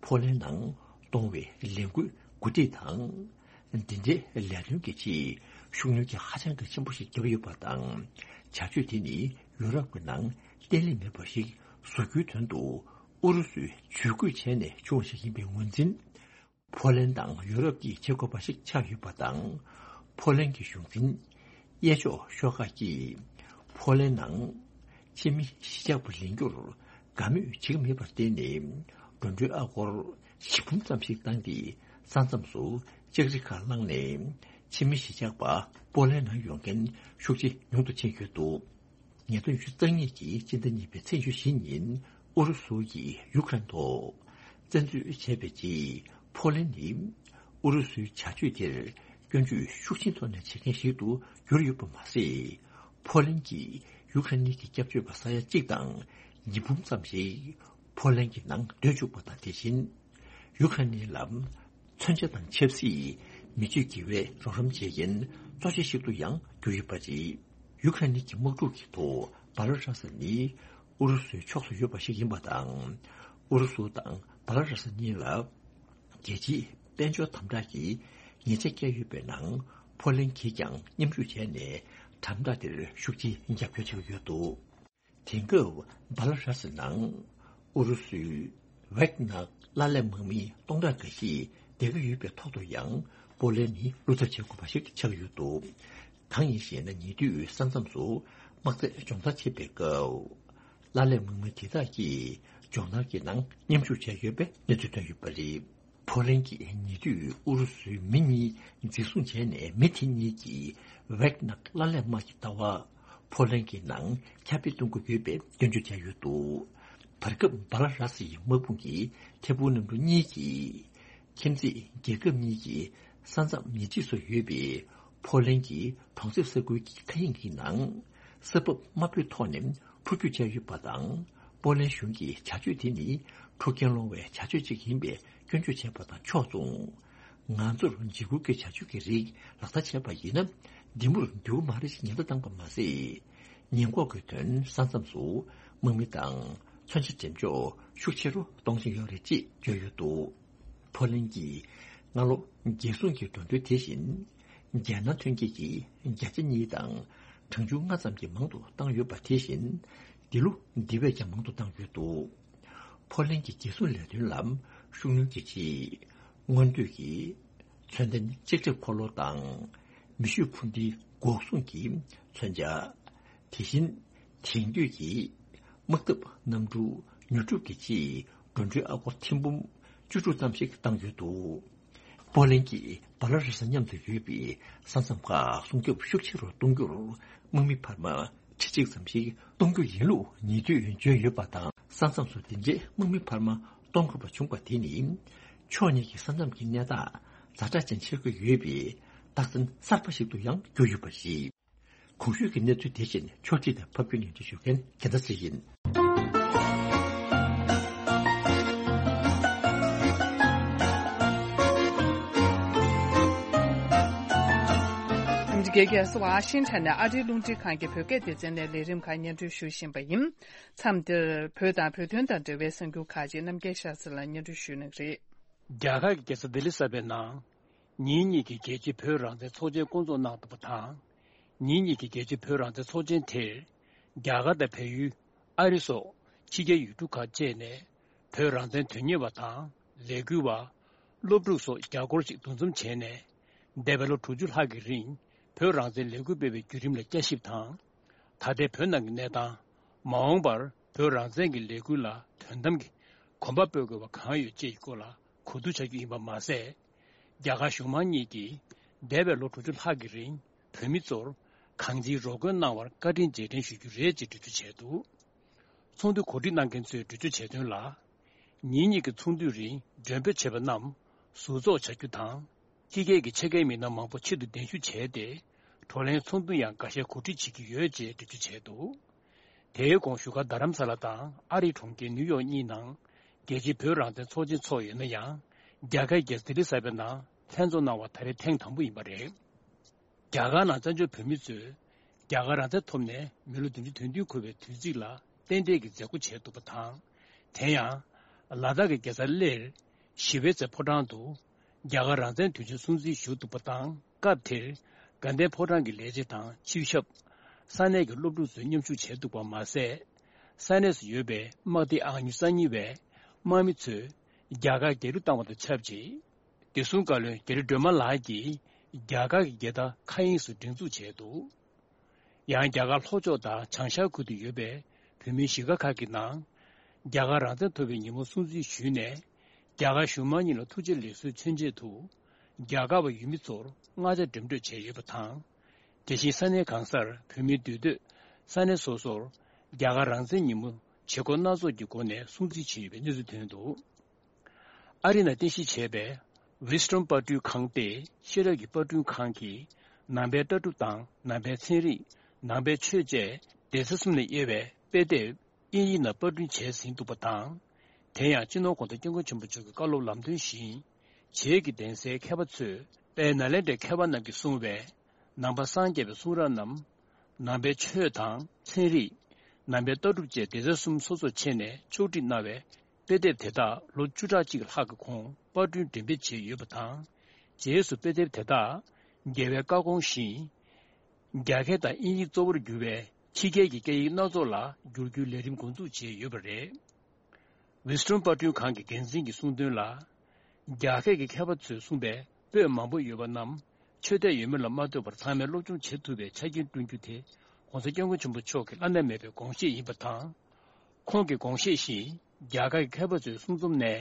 ཕོ་ལན་ནང་གཏོང་བའི་ལས་འགུལ་གོ་སྒྲིག་དང་། འདི་འདྲའི་ལས་དོན་གྱི་ཆེད་ཤུགས་སྣོན་གྱི་ཧ་ཅང་གི་ཆེན་པོ་ཞིག་བརྒྱབ་ཡོད་པ་དང་། བྱ་སྤྱོད་དེ་ནི་ཡུ་རོབ་ཀྱི་ནང་བརྟན་ལྷིང་མེད་པ་ཞིག་བཟོ་རྒྱུའི་དོན་དུ་ཨུ་རུ་སུས་ཇུས་འགོད་བྱས་ནས་བྱུང་བ་ཞིག་ཡིན་པའི་ངོས་འཛིན། ཕོ་ལན་དང་ཡུ་རོབ་ཀྱིས་བྱེད་དགོས་པ་ཞིག་ཆགས་ཡོད་པ་དང་། ཕོ་ལན་གྱི་གཞུང་འཛིན་གཡས་ཕྱོགས་ཤོག་ཁག་གིས་ཕོ་ལན་ནང་ཕྱི་མི་གཞིས་ཆགས་པ་ལེན་རྒྱུར་དགའ་མོས་བྱེད་ཀྱི་མེད་པར་བརྟེན་ནས། འགྲོ་གྲོན་ཨ་སྒོར་བཞི་འབུམ་ཙམ་ཞིག་བཏང་སྟེ། ས་མཚམས་སུ་ལྕགས་རི་ཁ་བསླངས་ནས་ཕྱི་མི་གཞིས་ཆགས་པ་ཕོ་ལན་ནང་ཡོང་མཁན་ཤུགས་ཆེ་ཉུང་དུ་ཕྱིན་ཡོད་འདུག་ཉིས་སྟོང་ཉི་ཤུ་རྩ་གཉིས་ཀྱི་སྤྱི་ཟླ་གཉིས་པའི་ཚེས་ཉི་ཤུ་བཞི་ཉིན་ཨུ་རུ་སུ་ཡིས་ཡུ་ཁ་རེན་ཐོག་བཙན་འཛུལ་བྱས་པའི་རྗེས། ཕོ་ལན་ནི་ཨུ་རུ་སུའི་བྱ་སྤྱོད་དེར་ སྐྱོན་བརྗོད་ཤུགས་ཆེན་ཐོག་ནས་བྱེད་མཁན་ཞིག་ཏུ་གྱུར་ཡོད་པ་མ་ཟད། ཕོ་ལན་གྱིས་ཡུ་ཁ་རེན་གྱི་སྐྱབས་བཅོལ་བ་ས་ཡ་གཅིག་དང་ཉིས་འབུམ་ཙམ་ཞིག་ཕོ་ལན་གྱི་ནང་སྡོད་བཅུག་པ་དང་། དེ་བཞིན་ཡུ་ཁ་རེན་ལ་མཚོན་ཆ་དང་ཆབ་སྲིད་མི་སྤྱོད་དགེ་བའི་རོགས་རམ་བྱེད་མཁན་གཙོ་ཆེ་ཞིག་ཏུ་ཡང་གྱུར་ཡོད་པ་རེད། ཡུ་ཁ་རེན་གྱི་དམག་འཁྲུག་གི་ཐོག་བྷ་ལ་ར་ས་ནི་ཨུ་རུ་སུའི་ཕྱོགས་སུ་ཡོད་པ་ཞིག་ཡིན་པ་དང་། ཨུ་རུ་སུ་དང་བྷ་ལ་ར་ས་གཉིས་ལ་རྒྱལ་སྤྱིའི་དཔལ་འབྱོར་དམ་དྲག་གི་ཉེས་ཆད་བཀལ་ཡོད་པའི་ནང་། ཕོ་ལན་གྱིས་ཀྱང་མཉམ་ཞུགས་བྱས་ནས་དམ་དྲག་དེར་ཤུགས་ཆེའི་རྒྱབ་སྐྱོར་བྱེད་ཀྱི་ཡོད་འདུག་དེང་སྐབས་བྷ་ལ་ར་སི་ནང་ཨུ་རུ་སུའི་ཝེག་ནག་གླ་ལེན་དམག་མི་སྟོང་ཕྲག་འགའ་ཞིག་བསྡད་ཀྱི་ཡོད་པའི་ཐོག་ཏུ་ཡང་། པོ་ལན་ནི་བློ་འཚབ་བྱེད་དགོས་པ་ཞིག་ཆགས་ཀྱི་ཡོད་འདུག་གང་ཡིན་ཞེ་ན། ཉེ་དུས་ས་མཚམས་སུ་དམག་རྫས་སྦྱོང་བརྡར་བྱེད་པའི་སྐབས། གླ་ལེན་དམག་མི་དེ་དག་གིས་སྦྱོང་བརྡར་གྱི་ནང་མཉམ་ཞུགས་བྱས་ཡོད་པའི་གནས་ཚུལ་ཐོན་ཡོད་པ་རེད། ཕོ་ལན་གྱིས་ཉེ་དུས་ཨུ་རུ་སུའི་མི་གཉིས་འཛིན་བཟུང་བྱས་ནས། མི་དེ་གཉིས་ཀྱིས་ཝེག་ནག་གླ་ལེན་དམག་གི་ལྟ་བ་ཕོ་ལན་གྱི་ནང་ཁྱབ་སྤེལ་གཏོང་གི་ཡོད་པའི་སྐྱོན་བརྗོད་བྱས་ཡོད་འདུག་བར་སྐབས་བྷ་ལ་ར་སི་ཡི་དམག་དཔུང་གི་ཐད་འཕུར་གནམ་གྲུ་གཉིས་ཀྱིས། ཁྱིམ་མཚེས་རྒྱལ་ཁབ་གཉིས་ཀྱི་ས་མཚམས་ཉེ་འཁྲིས་སུ་ཡོད་པའི་ཕོ་ལན་གྱི་གྲོང་གསེབ་ས་ཁུལ་གྱི་མཁའ་དབྱིངས་ཀྱི་ནང་ས་བབ་དམའ་པོའི་ཐོག་ནས་འཕུར་སྐྱོད་བྱས་ཡོད་པ་དང་། པོ་ལན་གཞུང་གིས་བྱ་སྤྱོད་དེ་ནི་འཁྲུག་རྐྱེན་སློང་བའི་བྱ་སྤྱོད་ཅིག་ཡིན་པའི་སྐྱོན་བརྗོད་བྱས་པ་དང་ཕྱོགས་མཚུངས། ང་ཚོར་འཇིགས་སྐུལ་གྱི་བྱ་སྤྱོད་ཀྱི་རིགས་ལག་བསྟར་བྱས་པ་ཡིན་ན། འདི་མུར་འདུག་མ་རེད་ཅེས་ཉེན་བརྡ་བཏང་པ་མ་ཟད། ཉེན་འགོག་གི་དོན་ས་མཚམས་སུ་དམག་མི་དང་མཚོན་ཆ་འགྲེམས་འཇོག་ཤུགས་ཆེ་རུ་གཏོང་བཞིན་ཡོད་རེད་ཅེས་བརྗོད་ཡོད་འདུག་ཕོ་ལན་གྱིས་སྔ་ལོ་རྒྱལ་སྲུང་གི་འགྲོ་གྲོན་དེ་བཞིན་རྒྱལ་ནང་ཐོན་སྐྱེད་ཀྱི་བརྒྱ་ཆ་གཉིས་དང་གྲངས་ཆུང་ལྔ་ཙམ་གྱིས་མང་དུ་བཏང་ཡོད་པ། དེ་བཞིན་འདི་ལོ་འདི་བས་ཀྱང་མང་དུ་བཏང་ཡོད་འདུག་ཕོ་ལན་གྱི་རྒྱལ་སྲུང་ལས་དོན་ལ་ཤུགས་སྣོན་གྱི་ཆེད། སྔོན་དུས་ཀྱི་མཚོན་ལྡན་ལྕགས་ཁྲབ་འཁོར་ལོ་དང་མེ་ཤུགས་འཕུར་མདེལ་འགོག་སྲུང་གི་མཚོན་ཆ། དེ་བཞིན་དེང་དུས་ཀྱི་དམག་འཐབ་གནམ་གྲུ་ཉོ་སྒྲུབ་ཀྱི་ཆེད་འགྲོ་གྲོན་ཨ་སྒོར་ཐེར་འབུམ་བཅུ་དྲུག་ཙམ་ཞིག་བཏང་ཡོད་འདུག་པོ་ལན་གྱིས་བྷ་ལ་རུ་སི་མཉམ་དུ་ཡོད་པའི་ས་མཚམས་ཁག་སྲུང་སྐྱོབ་ཤུགས་ཆེ་རུ་གཏོང་རྒྱུར་དམག་མི་འཕར་མ་ཁྲི་གཅིག་ཙམ་ཞིག་གཏོང་རྒྱུ་ཡིན་ལུགས་ཉེ་དུས་བརྗོད་ཡོད་པ་དང་། ས་མཚམས་སུ་འདི་འདྲའི་དམག་མི་འཕར་མ་གཏོང་དགོས་པ་བྱུང་བ་དེ་ནི། ཕྱོགས་གཉིས་ཀྱི་ས་མཚམས་ཀྱི་གནས་སྟངས་ཛ་དྲག་ཅན་ཆགས་ཀྱི་ཡོད་པའི་རྟགས་མཚན་གསར་པ་ཞིག་ཏུ་ཡང་གྱུར་ཡོད་པ་རེད། གོང་ཞུས་ཀྱི་གནས་ཚུལ་དེ་བཞིན་ཕྱོགས་སྒྲིག་དང་ཕབ་སྒྱུར་སྙན་སྒྲོན་ཞུ་མཁན་རྒྱལ་མཚན་ཚེ་ཡིན། ཨ་མི་རི་ཀའི་རྒྱལ་ས་ཝ་ཤིང་ཊོན་ནས་ཨ་རིའི་རླུང་འཕྲིན་ཁང་གི་བོད་སྐད་སྡེ་ཚན་ནས་ལས་རིམ་ཁག་སྙན་སྒྲོན་ཞུ་བཞིན་པ་ཡིན། མཚམས་འདིར་བོད་དང་བོད་དོན་དང་འབྲེལ་བའི་གསར་འགྱུར་ཁག་ཅིག་རྣམ་རྒྱལ་ཤར་ཚེ་ལགས་སྙན་སྒྲོན་ཞུ་གནང་གི་རེད། རྒྱ་གར་གྱི་རྒྱལ་ས་ལྡི་ལི་གསར་པའི་ནང་། ཉིན་གཉིས་ཀྱི་རྒྱལ་སྤྱིའི་བོད་རང་བཙན་ཚོགས་ཆེན་བསྐོང་ཚོགས་གནང་འདུག་པ་དང་། ཉིན་གཉིས་ཀྱི་རྒྱལ་སྤྱིའི་བོད་རང་བཙན་ཚོགས་ཆེན་དེར། རྒྱ་གར་དང་བལ་ཡུལ། ཨ་རི་སོགས་ཕྱི་རྒྱལ་ཡུལ་གྲུ་ཁག་བཅས་ནས་བོད་རང་བཙན་དོན་གཉེར་བ་དང་ལས་འགུལ་བ། སློབ་ཕྲུག་སོགས་བརྒྱ་སྐོར་ཞིག་འདུ་འཛོམས་བྱས་ནས། འདས་པའི་ལོ་དྲུག་ཅུ་ལྷག་གི་རིང་བོད་རང་བཙན་ལས་འགུལ་སྤེལ་བའི་བརྒྱུད་རིམ་ལ་བསྐྱར་ཞིབ་དང་། ད་ལྟའི་བོད་ནང་གི་གནས་སྟངས། མ་འོངས་པར་བོད་རང་བཙན་གྱི་ལས་འགུལ་ལ་དོན་དམ་གྱི་གོམ་པ་སྤོ་དགོས་པ་གང་ཡོད་བཅས་ཀྱི་སྐོར་ལ་གོ་བསྡུར་བྱ་རྒྱུ་ཡིན་པ་མ་ཟད། རྒྱ་གར་གཞུང་མང་གཉིས་ཀྱིས་འདས་པའི་ལོ་དྲུག་ཅུ་ལྷག་གི་རིང་བོད་མི་ཚོར་གང་ཅིའི་རོགས་མགོན་གནང་བར་བཀའ་དྲིན་རྗེས་དྲན་ཞུ་རྒྱུ་རེད་ཅེས་འགྲེལ་བརྗོད་བྱས་འདུག་ཚོགས་འདུ་གོ་སྒྲིག་གནང་མཁན་ཚོས་འགྲེལ་བརྗོད་བྱས་དོན་ལ། ཉིན་གཉིས་ཀྱི་ཚོགས་འདུའི་རིང་མགྲོན་འབོད་བྱས་པ་རྣམས་ཟུར་འཛུགས་བྱ་རྒྱུ་དང་། ཕྱི་རྒྱལ་གྱི་ཆེད་མཁས་མི་སྣ་མང་པོ་ཆེད་དུ་གདན་ཞུ་བྱས་ཏེ། བགྲོ་གླེང་ཚོགས་འདུ་ཡང་འགའ་ཤས་གོ་སྒྲིག་བྱེད་ཀྱི་ཡོད་ཅེས་འགྲེལ་བརྗོད་བྱས་འདུག་དེའི་གོང་བཞུགས་སྒར་རྡ་རམ་ས་ལ་དང་ཨ་རིའི་གྲོང་ཁྱེར་ནིའུ་ཡོག་གཉིས་ནང་རྒྱལ་སྤྱིའི་བོད་རང་བཙན་ཚོགས་ཆེན་འཚོགས་ཡོད་ན་ཡང་། རྒྱ་གར་རྒྱལ་ས་ལྡི་ལི་གསར་པའི་ནང་ལྷན་འཛོམས་གནང་བ་ད་རེས་ཐེངས་དང་པོ་ཡིན་པ་རེད། རྒྱ་གར་ནང་བཙན་བྱོལ་བོད་མི་ཚོས་རྒྱ་གར་རང་བཙན་ཐོབ་ནས་མི་ལོ་བདུན་ཅུ་དོན་བདུན་འཁོར་བའི་དུས་ཚིགས་ལ་རྟེན་འབྲེལ་གྱི་མཛད་སྒོ་བྱས་འདུག་པ་དང་། དེ་ཡང་། ལ་དྭགས་ཀྱི་རྒྱལ་ས་གླེར། ཞི་བའི་རྩེ་ཕོ་བྲང་དུ། རྒྱ་གར་རང་བཙན་དུས་ཆེན་སྲུང་བརྩི་ཞུས་འདུག་པ་དང་། སྐབས་དེར། དགའ་ལྡན་ཕོ་བྲང་གི་ལས་བྱེད་དང་ཆིབས་ཞབས། ས་གནས་ཀྱི་སློབ་ཕྲུག་ཚོས་མཉམ་ཞུགས་བྱས་འདུག་པ་མ་ཟད། ས་གནས་སུ་ཡོད་པའི་དམག་སྡེ་ཨང་ཉི་ཤུ་རྩ་གཉིས་པའི་དམག་མི་ཚོས་རྒྱ་གར་རྒྱལ་གླུ་བཏང་བ་དང་ཆབས་ཅིག་བདེ་སྲུང་བཀའ་བློན་རྒྱ་རི་སྒྲོལ་མ་ལགས་ཀྱིས་རྒྱ་གར་གྱི་རྒྱལ་དར་མཁའ་དབྱིངས་སུ་སྒྲེང་འཛུགས་བྱས་འདུག་ཡང་རྒྱ་གར་ལྷོ་ཕྱོགས་དང་བྱང་ཤར་ཁུལ་དུ་ཡོད་པའི་བོད་མིའི་གཞིས་ཀ་ཁག་གི་ནང་། རྒྱ་གར་རང་བཙན་ཐོབ་པའི་ཉིན་མོ་སྲུང་བརྩི་ཞུས་ནས། རྒྱ་གར་གཞུང་མང་གཉིས་ལ་ཐུགས་རྗེ་ལེགས་གསོའི་མཚོན་ཆེད་དུ། རྒྱ་གར་བ་ཡུལ་མི་ཚོར་མངའ་ཆ་འགྲེམས་སྤྲོད་བྱས་ཡོད་པ་དང་། དེ་བཞིན་ས་གནས་གང་སར་བོད་མིའི་འདུས་སྡོད་ས་གནས་སོ་སོར་རྒྱ་གར་རང་བཙན་ཉིན་མོ་བྱེད་སྒོ་སྣ་ཚོགས་ཀྱི་སྒོ་ནས་སྲུང་བརྩི་བྱས་ཡོད་པའི་གནས་ཚུལ་ཐོན་འདུག་ཨ་རི་ནང་རྟེན་གཞི་བྱས་པའི་ ཝི་སི་ཊོན་པར་སྐྲུན་ཁང་སྟེ་ཤེས་རབ་ཀྱི་པར་སྐྲུན་ཁང་གིས་ནང་པའི་ལྟ་གྲུབ་དང་ནང་པའི་ཚན་རིག་ནང་པའི་ཆོས་བཅས་སྡེ་ཚན་གསུམ་ནས་དབྱེ་བའི་དཔེ་དེབ་དབྱིན་ཡིག་ནང་པར་སྐྲུན་བྱས་ཟིན་འདུག་པ་དང་། དེ་ཡང་སྤྱི་ནོར་༸གོང་ས་༸སྐྱབས་མགོན་ཆེན་པོ་མཆོག་གི་བཀའ་སློབ་ལམ་སྟོན་བཞིན། བྱེས་ཀྱི་གདན་སའི་མཁས་པ་ཚོས་དཔལ་ནཱ་ལེནྡྲའི་མཁས་པ་རྣམས་ཀྱིས་གསུངས་པའི་ནང་པ་སངས་རྒྱས་པའི་གསུང་རབ་རྣམས། ནང་པའི་ཆོས་དང་ཚན་རིག་ནང་པའི་ལྟ་གྲུབ་བཅས་སྡེ་ཚན་གསུམ་སོ་སོར་ཕྱེ་ནས་ཕྱོགས་སྒྲིག་གནང་བའི་དཔེ་དེབ་དེ་དག་ལོ་བཅུ་ཕྲག་གཅིག་ལྷག་གི་གོང་པར་སྐྲུན་འགྲེམས་སྤེལ་བྱས་ཡོད་པ་དང་། རྗེས་སུ་དཔེ་དེབ་དེ་དག་རྒྱལ་བའི་བཀའ་དགོངས་བཞིན། རྒྱ་སྐད་དང་དབྱིན་ཡིག་གཙོ་བོར་གྱུར་བའི་ཕྱི་རྒྱལ་གྱི་སྐད་ཡིག་སྣ་ཚོགས་ལ་བསྒྱུར་རྒྱུའི་ལས་རིམ་འགོ་འཛུགས་བྱས་ཡོད་པ་རེད། ཝི་སི་ཊོན་པར་སྐྲུན་ཁང་གི་འགན་འཛིན་གྱིས་གསུངས་དོན་ལ། རྒྱ་སྐད་ཀྱི་མཁས་པ་ཚོས་གསུངས་པའི་པོད་མང་པོ་ཡོད་པ་རྣམས་ཆོས་དད་ཡོད་མེད་ལ་མ་ལྟོས་པར་ཚང་མས་སློབ་སྦྱོང་བྱེད་ཐུབ་པའི་ཆ་རྐྱེན་བསྐྲུན་རྒྱུ་དེ་༸གོང་ས་༸སྐྱབས་མགོན་ཆེན་པོ་མཆོག་གི་བླ་ན་མེད་པའི་དགོངས་བཞེད་ཡིན་པ་དང་། ཁོང་གི་དགོངས་བཞེད་བཞིན་རྒྱ་གར་གྱི་མཁས་པ་ཚོའི་གསུང་རྩོམ་ནས་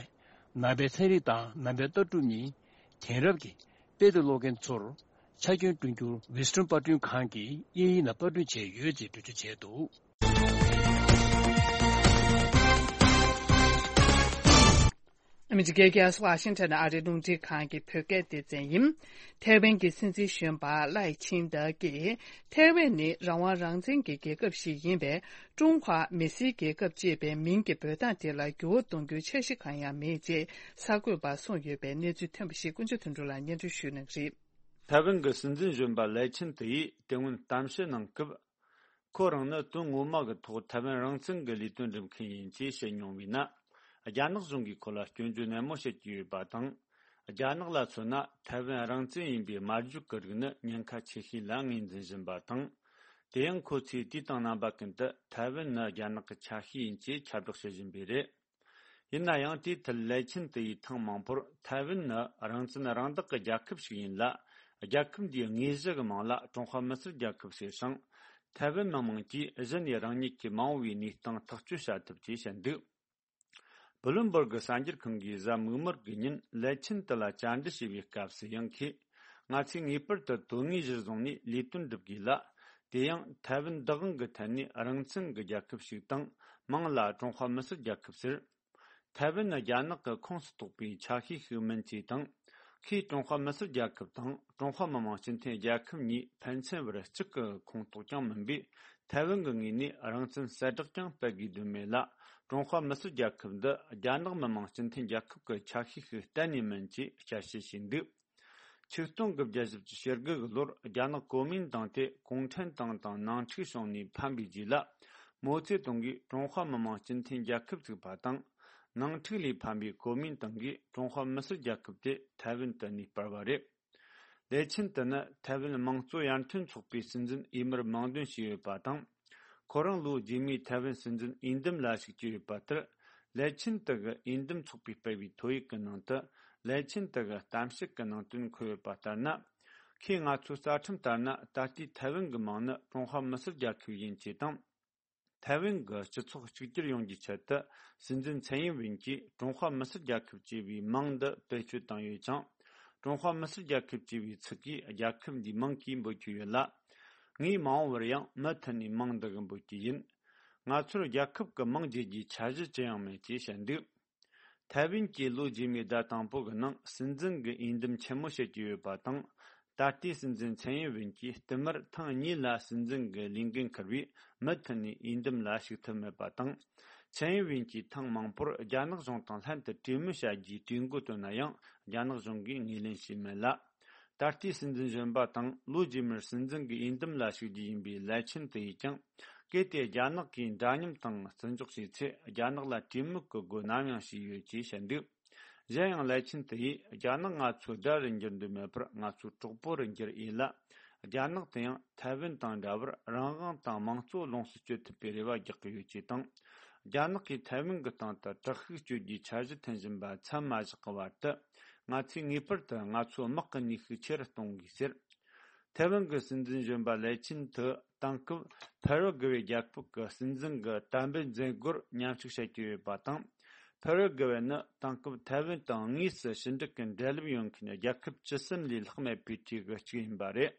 ནང་པའི་ཚན་རིག་དང་ནང་པའི་ལྟ་གྲུབ་གཉིས་དེང་རབས་ཀྱི་དཔེ་དེབ་ཀློག་མཁན་ཚོར་ཆ་རྐྱེན་བསྐྲུན་རྒྱུར་ཝི་སི་ཊོན་པར་སྐྲུན་ཁང་གིས་དབྱིན་ཡིག་ནང་པར་སྐྲུན་བྱས་ཡོད་ཅེས་འགྲེལ་བརྗོད་བྱས་འདུག་ཨ་མི་རི་ཀའི་རྒྱལ་ས་ཝ་ཤིང་ཊོན་ཨ་རིའི་རླུང་འཕྲིན་ཁང་གི་བོད་སྐད་སྡེ་ཚན་ཡིན། ཐའེ་ཝན་གྱི་སྲིད་འཛིན་གཞོན་པ་ལའེ་ཆིང་ཏེ་གིས་ཐའེ་ཝན་ནི་རང་དབང་རང་བཙན་གྱི་རྒྱལ་ཁབ་ཞིག་ཡིན་པས། ཀྲུང་ཧྭ་མི་སེར་རྒྱལ་ཁབ་ཅེས་པའི་མིང་གི་འབོད་སྟངས་དེ་ལ་འགྱུར་བ་གཏོང་རྒྱུའི་འཆར་གཞི་གང་ཡང་མེད་ཅེས་གསར་འགོད་པར་གསུངས་ཡོད་པའི་གནས་ཚུལ་ཐོན་པ་ཞིག་ཀུན་སྤྱོད་དོན་གྲུབ་ལགས་སྙན་སྒྲོན་ཞུ་གནང་གི་རེད། ཐའེ་ཝན་གྱི་སྲིད་འཛིན་གཞོན་པ་ལའེ་ཆིན་ཏེ་ཡིས་དེ་སྔོན་གཏམ་བཤད་གནང་སྐབས། ཁོ་རང་ནི་དོན་ངོ་མ་གི་ཐོག་ཐའེ་ཝན་རང་བཙན་གྱི་ལས་དོན་སྒྲུབ་མཁན་ཡིན་ཅེས་བཤད་མྱོང་བས་ན། རྒྱ་ནག་གཞུང་གིས་ཁོ་ལ་སྐྱོན་བརྗོད་ནན་མོ་བྱེད་ཀྱི་ཡོད་པ་དང་། རྒྱ་ནག་ལ་མཚོན་ན་ཐའེ་ཝན་རང་བཙན་ཡིན་པའི་སྨྲ་བརྗོད་ཀྱི་རིགས་ནི་ཉེན་ཁ་ཆེ་ཤོས་ལ་ངོས་འཛིན་བཞིན་པ་དང་། དེ་ཡང་ཁོ་ཚོས་དུས་དང་རྣམ་པ་ཀུན་ཏུ་ཐའེ་ཝན་ནི་རྒྱ་ནག་གི་ཆ་ཤས་ཡིན་ཅེས་ཁྱབ་བསྒྲགས་བྱེད་བཞིན་པས་རེད། ཡིན་ན་ཡང་དེའི་ཐད་ལའེ་ཆིན་ཏེ་ཡིས་ཐེངས་མང་པོར་ཐའེ་ཝན་ནི་རང་བཙན་རང་བདག་གི་རྒྱལ་ཁབ་ཞིག་ཡིན་ལ། རྒྱལ་ཁབ་འདིའི་དངོས་གཞི་གི་མིང་ལ་ཀྲུང་ཧྭ་མི་སེར་རྒྱལ་ཁབ་ཟེར་ཞིང་། ཐའེ་ཝན་མི་དམངས་ཀྱིས་གཞི་ནས་རང་ཉིད་ཀྱི་མ་འོངས་པའི་གནས་སྟངས་ཐག་གཅོད་བྱ་ཐུབ་ཅེས་བཤད་འདུག་བྷི་ལུན་སྦུར་གི་གསར་འགྱུར་ཁང་གིས་གཟའ་མིག་དམར་གྱི་ཉིན་ལའེ་ཆིན་ཏེ་ལ་བཅར་འདྲི་བྱས་པའི་སྐབས་སུ་ཡང་ཁོས། ང་ཚོས་ངེས་པར་དུ་དོན་དངོས་གཞིར་བཟུང་ནས་ལས་དོན་སྒྲུབ་དགོས་ལ། དེ་ཡང་ཐའེ་ཝན་བདག་དབང་གི་ཐད་ནས་རང་བཙན་གྱི་རྒྱལ་ཁབ་ཞིག་དང་མིང་ལ་ཀྲུང་ཧྭ་མི་སེར་རྒྱལ་ཁབ་ཟེར། ཐའེ་ཝན་ནི་རྒྱ་ནག་གི་ཁོངས་སུ་གཏོགས་པའི་ཆ་ཤས་ཤིག་མིན་ཅེས་དང་། ཁོས་ཀྲུང་ཧྭ་མི་སེར་རྒྱལ་ཁབ་དང་ཀྲུང་ཧྭ་མི་དམངས་སྤྱི་མཐུན་རྒྱལ་ཁབ་གཉིས་ཕན་ཚུན་བར་གཅིག་གི་ཁོངས་གཏོགས་ཀྱང་མིན་པས། ཐའེ་ཝན་གྱི་ངོས་ནས་རང་བཙན་གསལ་བསྒྲགས་ཀྱང་སྤེལ་དགོས་དོན་མེད་ལ། ཀྲུང་ཧྭ་མི་སེར་རྒྱལ་ཁབ་འདི་རྒྱ་ནག་མི་དམངས་སྤྱི་མཐུན་རྒྱལ་ཁབ་ཀྱི་ཆ་ཤས་ཤིག་གཏན་ནས་མིན་ཅེས་བསྐྱར་བཤད་བྱས་འདུག་ཆིག་སྟོང་དགུ་བརྒྱ་བཞི་བཅུ་ཞེ་དགུ་གི་ལོར་རྒྱ་ནག་གོ་མིན་ཏང་དེ་གུང་ཁྲན་ཏང་དང་ནང་འཁྲུག་བྱུང་ནས་ཕམ་པའི་རྗེས་ལ། མའོ་ཙེ་ཏུང་གིས་ཀྲུང་ཧྭ་མི་དམངས་སྤྱི་མཐུན་རྒྱལ་ཁབ་བཙུགས་པ་དང་། ནང་འཁྲུག་ལས་ཕམ་པའི་གོ་མིན་ཏང་གིས་ཀྲུང་ཧྭ་མི་སེར་རྒྱལ་ཁབ་དེ་ཐའེ་ཝན་དུ་གནས་སྤར་བ་རེད། ལའེ་ཆིན་ཏེ་ནི་ཐའེ་ཝན་དམངས་གཙོ་ཡར་ཐོན་ཚོགས་པའི་སྲིད་འཛིན་འོས་མིར་མིང་འདོན་བྱས་ཡོད་པ་དང་། ཁོ་རང་ལོ་རྗེས་མའི་ཐའེ་ཝན་སྲིད་འཛིན་འོས་འདེམས་ལ་ཞུགས་ཀྱི་ཡོད་པ་ལྟར། ལའེ་ཆིན་ཏེ་གི་འོས་འདེམས་ཚོགས་པས་སྤེལ་བའི་ཐོ་ཡིག་གི་ནང་དུ། ལའེ་ཆིན་ཏེ་གི་གཏམ་བཤད་ཀྱི་ནང་དོན་འཁོད་ཡོད་པ་ལྟར་ན། ཁོས་ང་ཚོའི་རྩ་ཁྲིམས་ལྟར་ན་ད་ལྟའི་ཐའེ་ཝན་གྱི་མིང་ནི་ཀྲུང་ཧྭ་མི་སེར་རྒྱལ་ཁབ་ཡིན་ཅེས་དང་། ཐའེ་ཝན་གྱི་སྤྱི་ཚོགས་གཅིག་གྱུར་ཡོང་རྒྱུའི་ཆེད་དུ། སྲིད་འཛིན་ཚན་ཡིན་ཝིན་གྱིས་ཀྲུང་ཧྭ་མི་སེར་རྒྱལ་ཁབ་ཅེས་པའི་མིང་འདི་བེད་སྤྱོད་བཏང་ཡོད་ཅིང་། ཀྲུང་ཧྭ་མི་སེར་རྒྱལ་ཁབ་ཅེས་པའི་ཚིག་གིས་རྒྱལ་ཁབ་འདིའི་མིང་གིས་འབོད་ཀྱི་ཡོད་ལ། ངས་མ་འོངས་པར་ཡང་མུ་མཐུད་ནས་མིང་འདི་གིས་འབོད་ཀྱི་ཡིན། ང་ཚོར་རྒྱལ་ཁབ་ཀྱི་མིང་བརྗེ་རྒྱུའི་འཆར་གཞི་ཅི་ཡང་མེད་ཅེས་བཤད་འདུག་ཐའེ་ཝན་གྱིས་ལོ་རྗེས་མའི་ཟླ་དང་པོ་གི་ནང་སྲིད་འཛིན་གྱི་འོས་འདེམས་ཆེན་མོ་བྱེད་ཀྱི་ཡོད་པ་དང་། ད་ལྟའི་སྲིད་འཛིན་ཚན་ཡིན་ཝིན་གྱིས་བསྟུད་མར་ཐེངས་གཉིས་ལ་སྲིད་འཛིན་གྱི་ལས་འགན་འཁུར་བས་མུ་མཐུད་ནས་འོས་འདེམས་ལ་ཞུགས་ཐུབ་མེད་པ་དང་། ཚན་ཡིན་ཝིན་གྱིས་ཐེངས་མང་པོར་རྒྱ་ནག་གཞུང་དང་ལྷན་དུ་གྲོས་མོལ་བྱ་རྒྱུའི་གྲོས་འགོ་བཏོན་ན་ཡང་རྒྱ་ནག་གཞུང་གིས་ངོས་ལེན་བྱས་མེད་ལ། ད་ལྟའི་སྲིད་འཛིན་གཞོན་པ་དང་ལོ་རྗེས་མར་སྲིད་འཛིན་གྱི་འོས་འདེམས་ལ་ཞུགས་རྒྱུ་ཡིན་པའི་ལའེ་ཆིན་ཏེ་ཡིས་ཀྱང་། གལ་ཏེ་རྒྱ་ནག་གིས་འདྲ་མཉམ་དང་བརྩི་འཇོག་བྱས་ཚེ་རྒྱ་ནག་ལ་གྲོས་མོལ་གྱི་སྒོ་ནམ་ཡང་ཕྱེས་ཡོད་ཅེས་བཤད་འདུག་གཞན་ཡང་ལའེ་ཆིན་ཏེ་ཡིས་རྒྱ་ནག་ང་ཚོའི་དགྲ་རུ་འགྱུར་འདོད་མེད་པར་ང་ཚོའི་གྲོགས་པོ་རུ་འགྱུར་ཡིན་ལ། རྒྱ་ནག་དེ་ཡང་ཐའེ་ཝན་དང་འདྲ་བར་རང་དབང་དང་དམངས་གཙོ་ལོངས་སུ་སྤྱོད་ཐུབ་པའི་རེ་བ་རྒྱག་གི་ཡོད་ཅེས་དང་། རྒྱ་ནག་གིས་ཐའེ་ཝན་གྱི་སྟེང་དུ་དྲག་ཤུགས་སྤྱོད་རྒྱུའི་འཆར་གཞི་འཐེན་བཞིན་པ་མཚམས་མ་བཞག་གི་བར་དུ། ང་ཚོས་ངེས་པར་དུ་ང་ཚོའི་དམག་གི་ནུས་ཤུགས་ཆེ་རུ་གཏོང་དགོས་ཟེར། ཐའེ་ཝན་གྱི་སྲིད་འཛིན་གཞོན་པ་ལའེ་ཆིན་ཏེ་དེང་སྐབས་ཕ་ར་གུ་ཝེ་རྒྱལ་ཁབ་ཀྱི་སྲིད་འཛིན་གྱི་དམ་འབུལ་མཛད་སྒོར་མཉམ་ཞུགས་བྱེད་ཀྱི་ཡོད་པ་དང་། ཕ་ར་གུ་ཝེ་ནི་དེང་སྐབས་ཐའེ་ཝན་དང་དངོས་སུ་ཕྱི་འབྲེལ་གྱི་འབྲེལ་ལམ་ཡོད་མཁན་རྒྱལ་ཁབ་བཅུ་གསུམ་ལས་ལྷག་མེད་པའི་གྲས་ཀྱི་གཅིག་ཡིན་པ་རེད།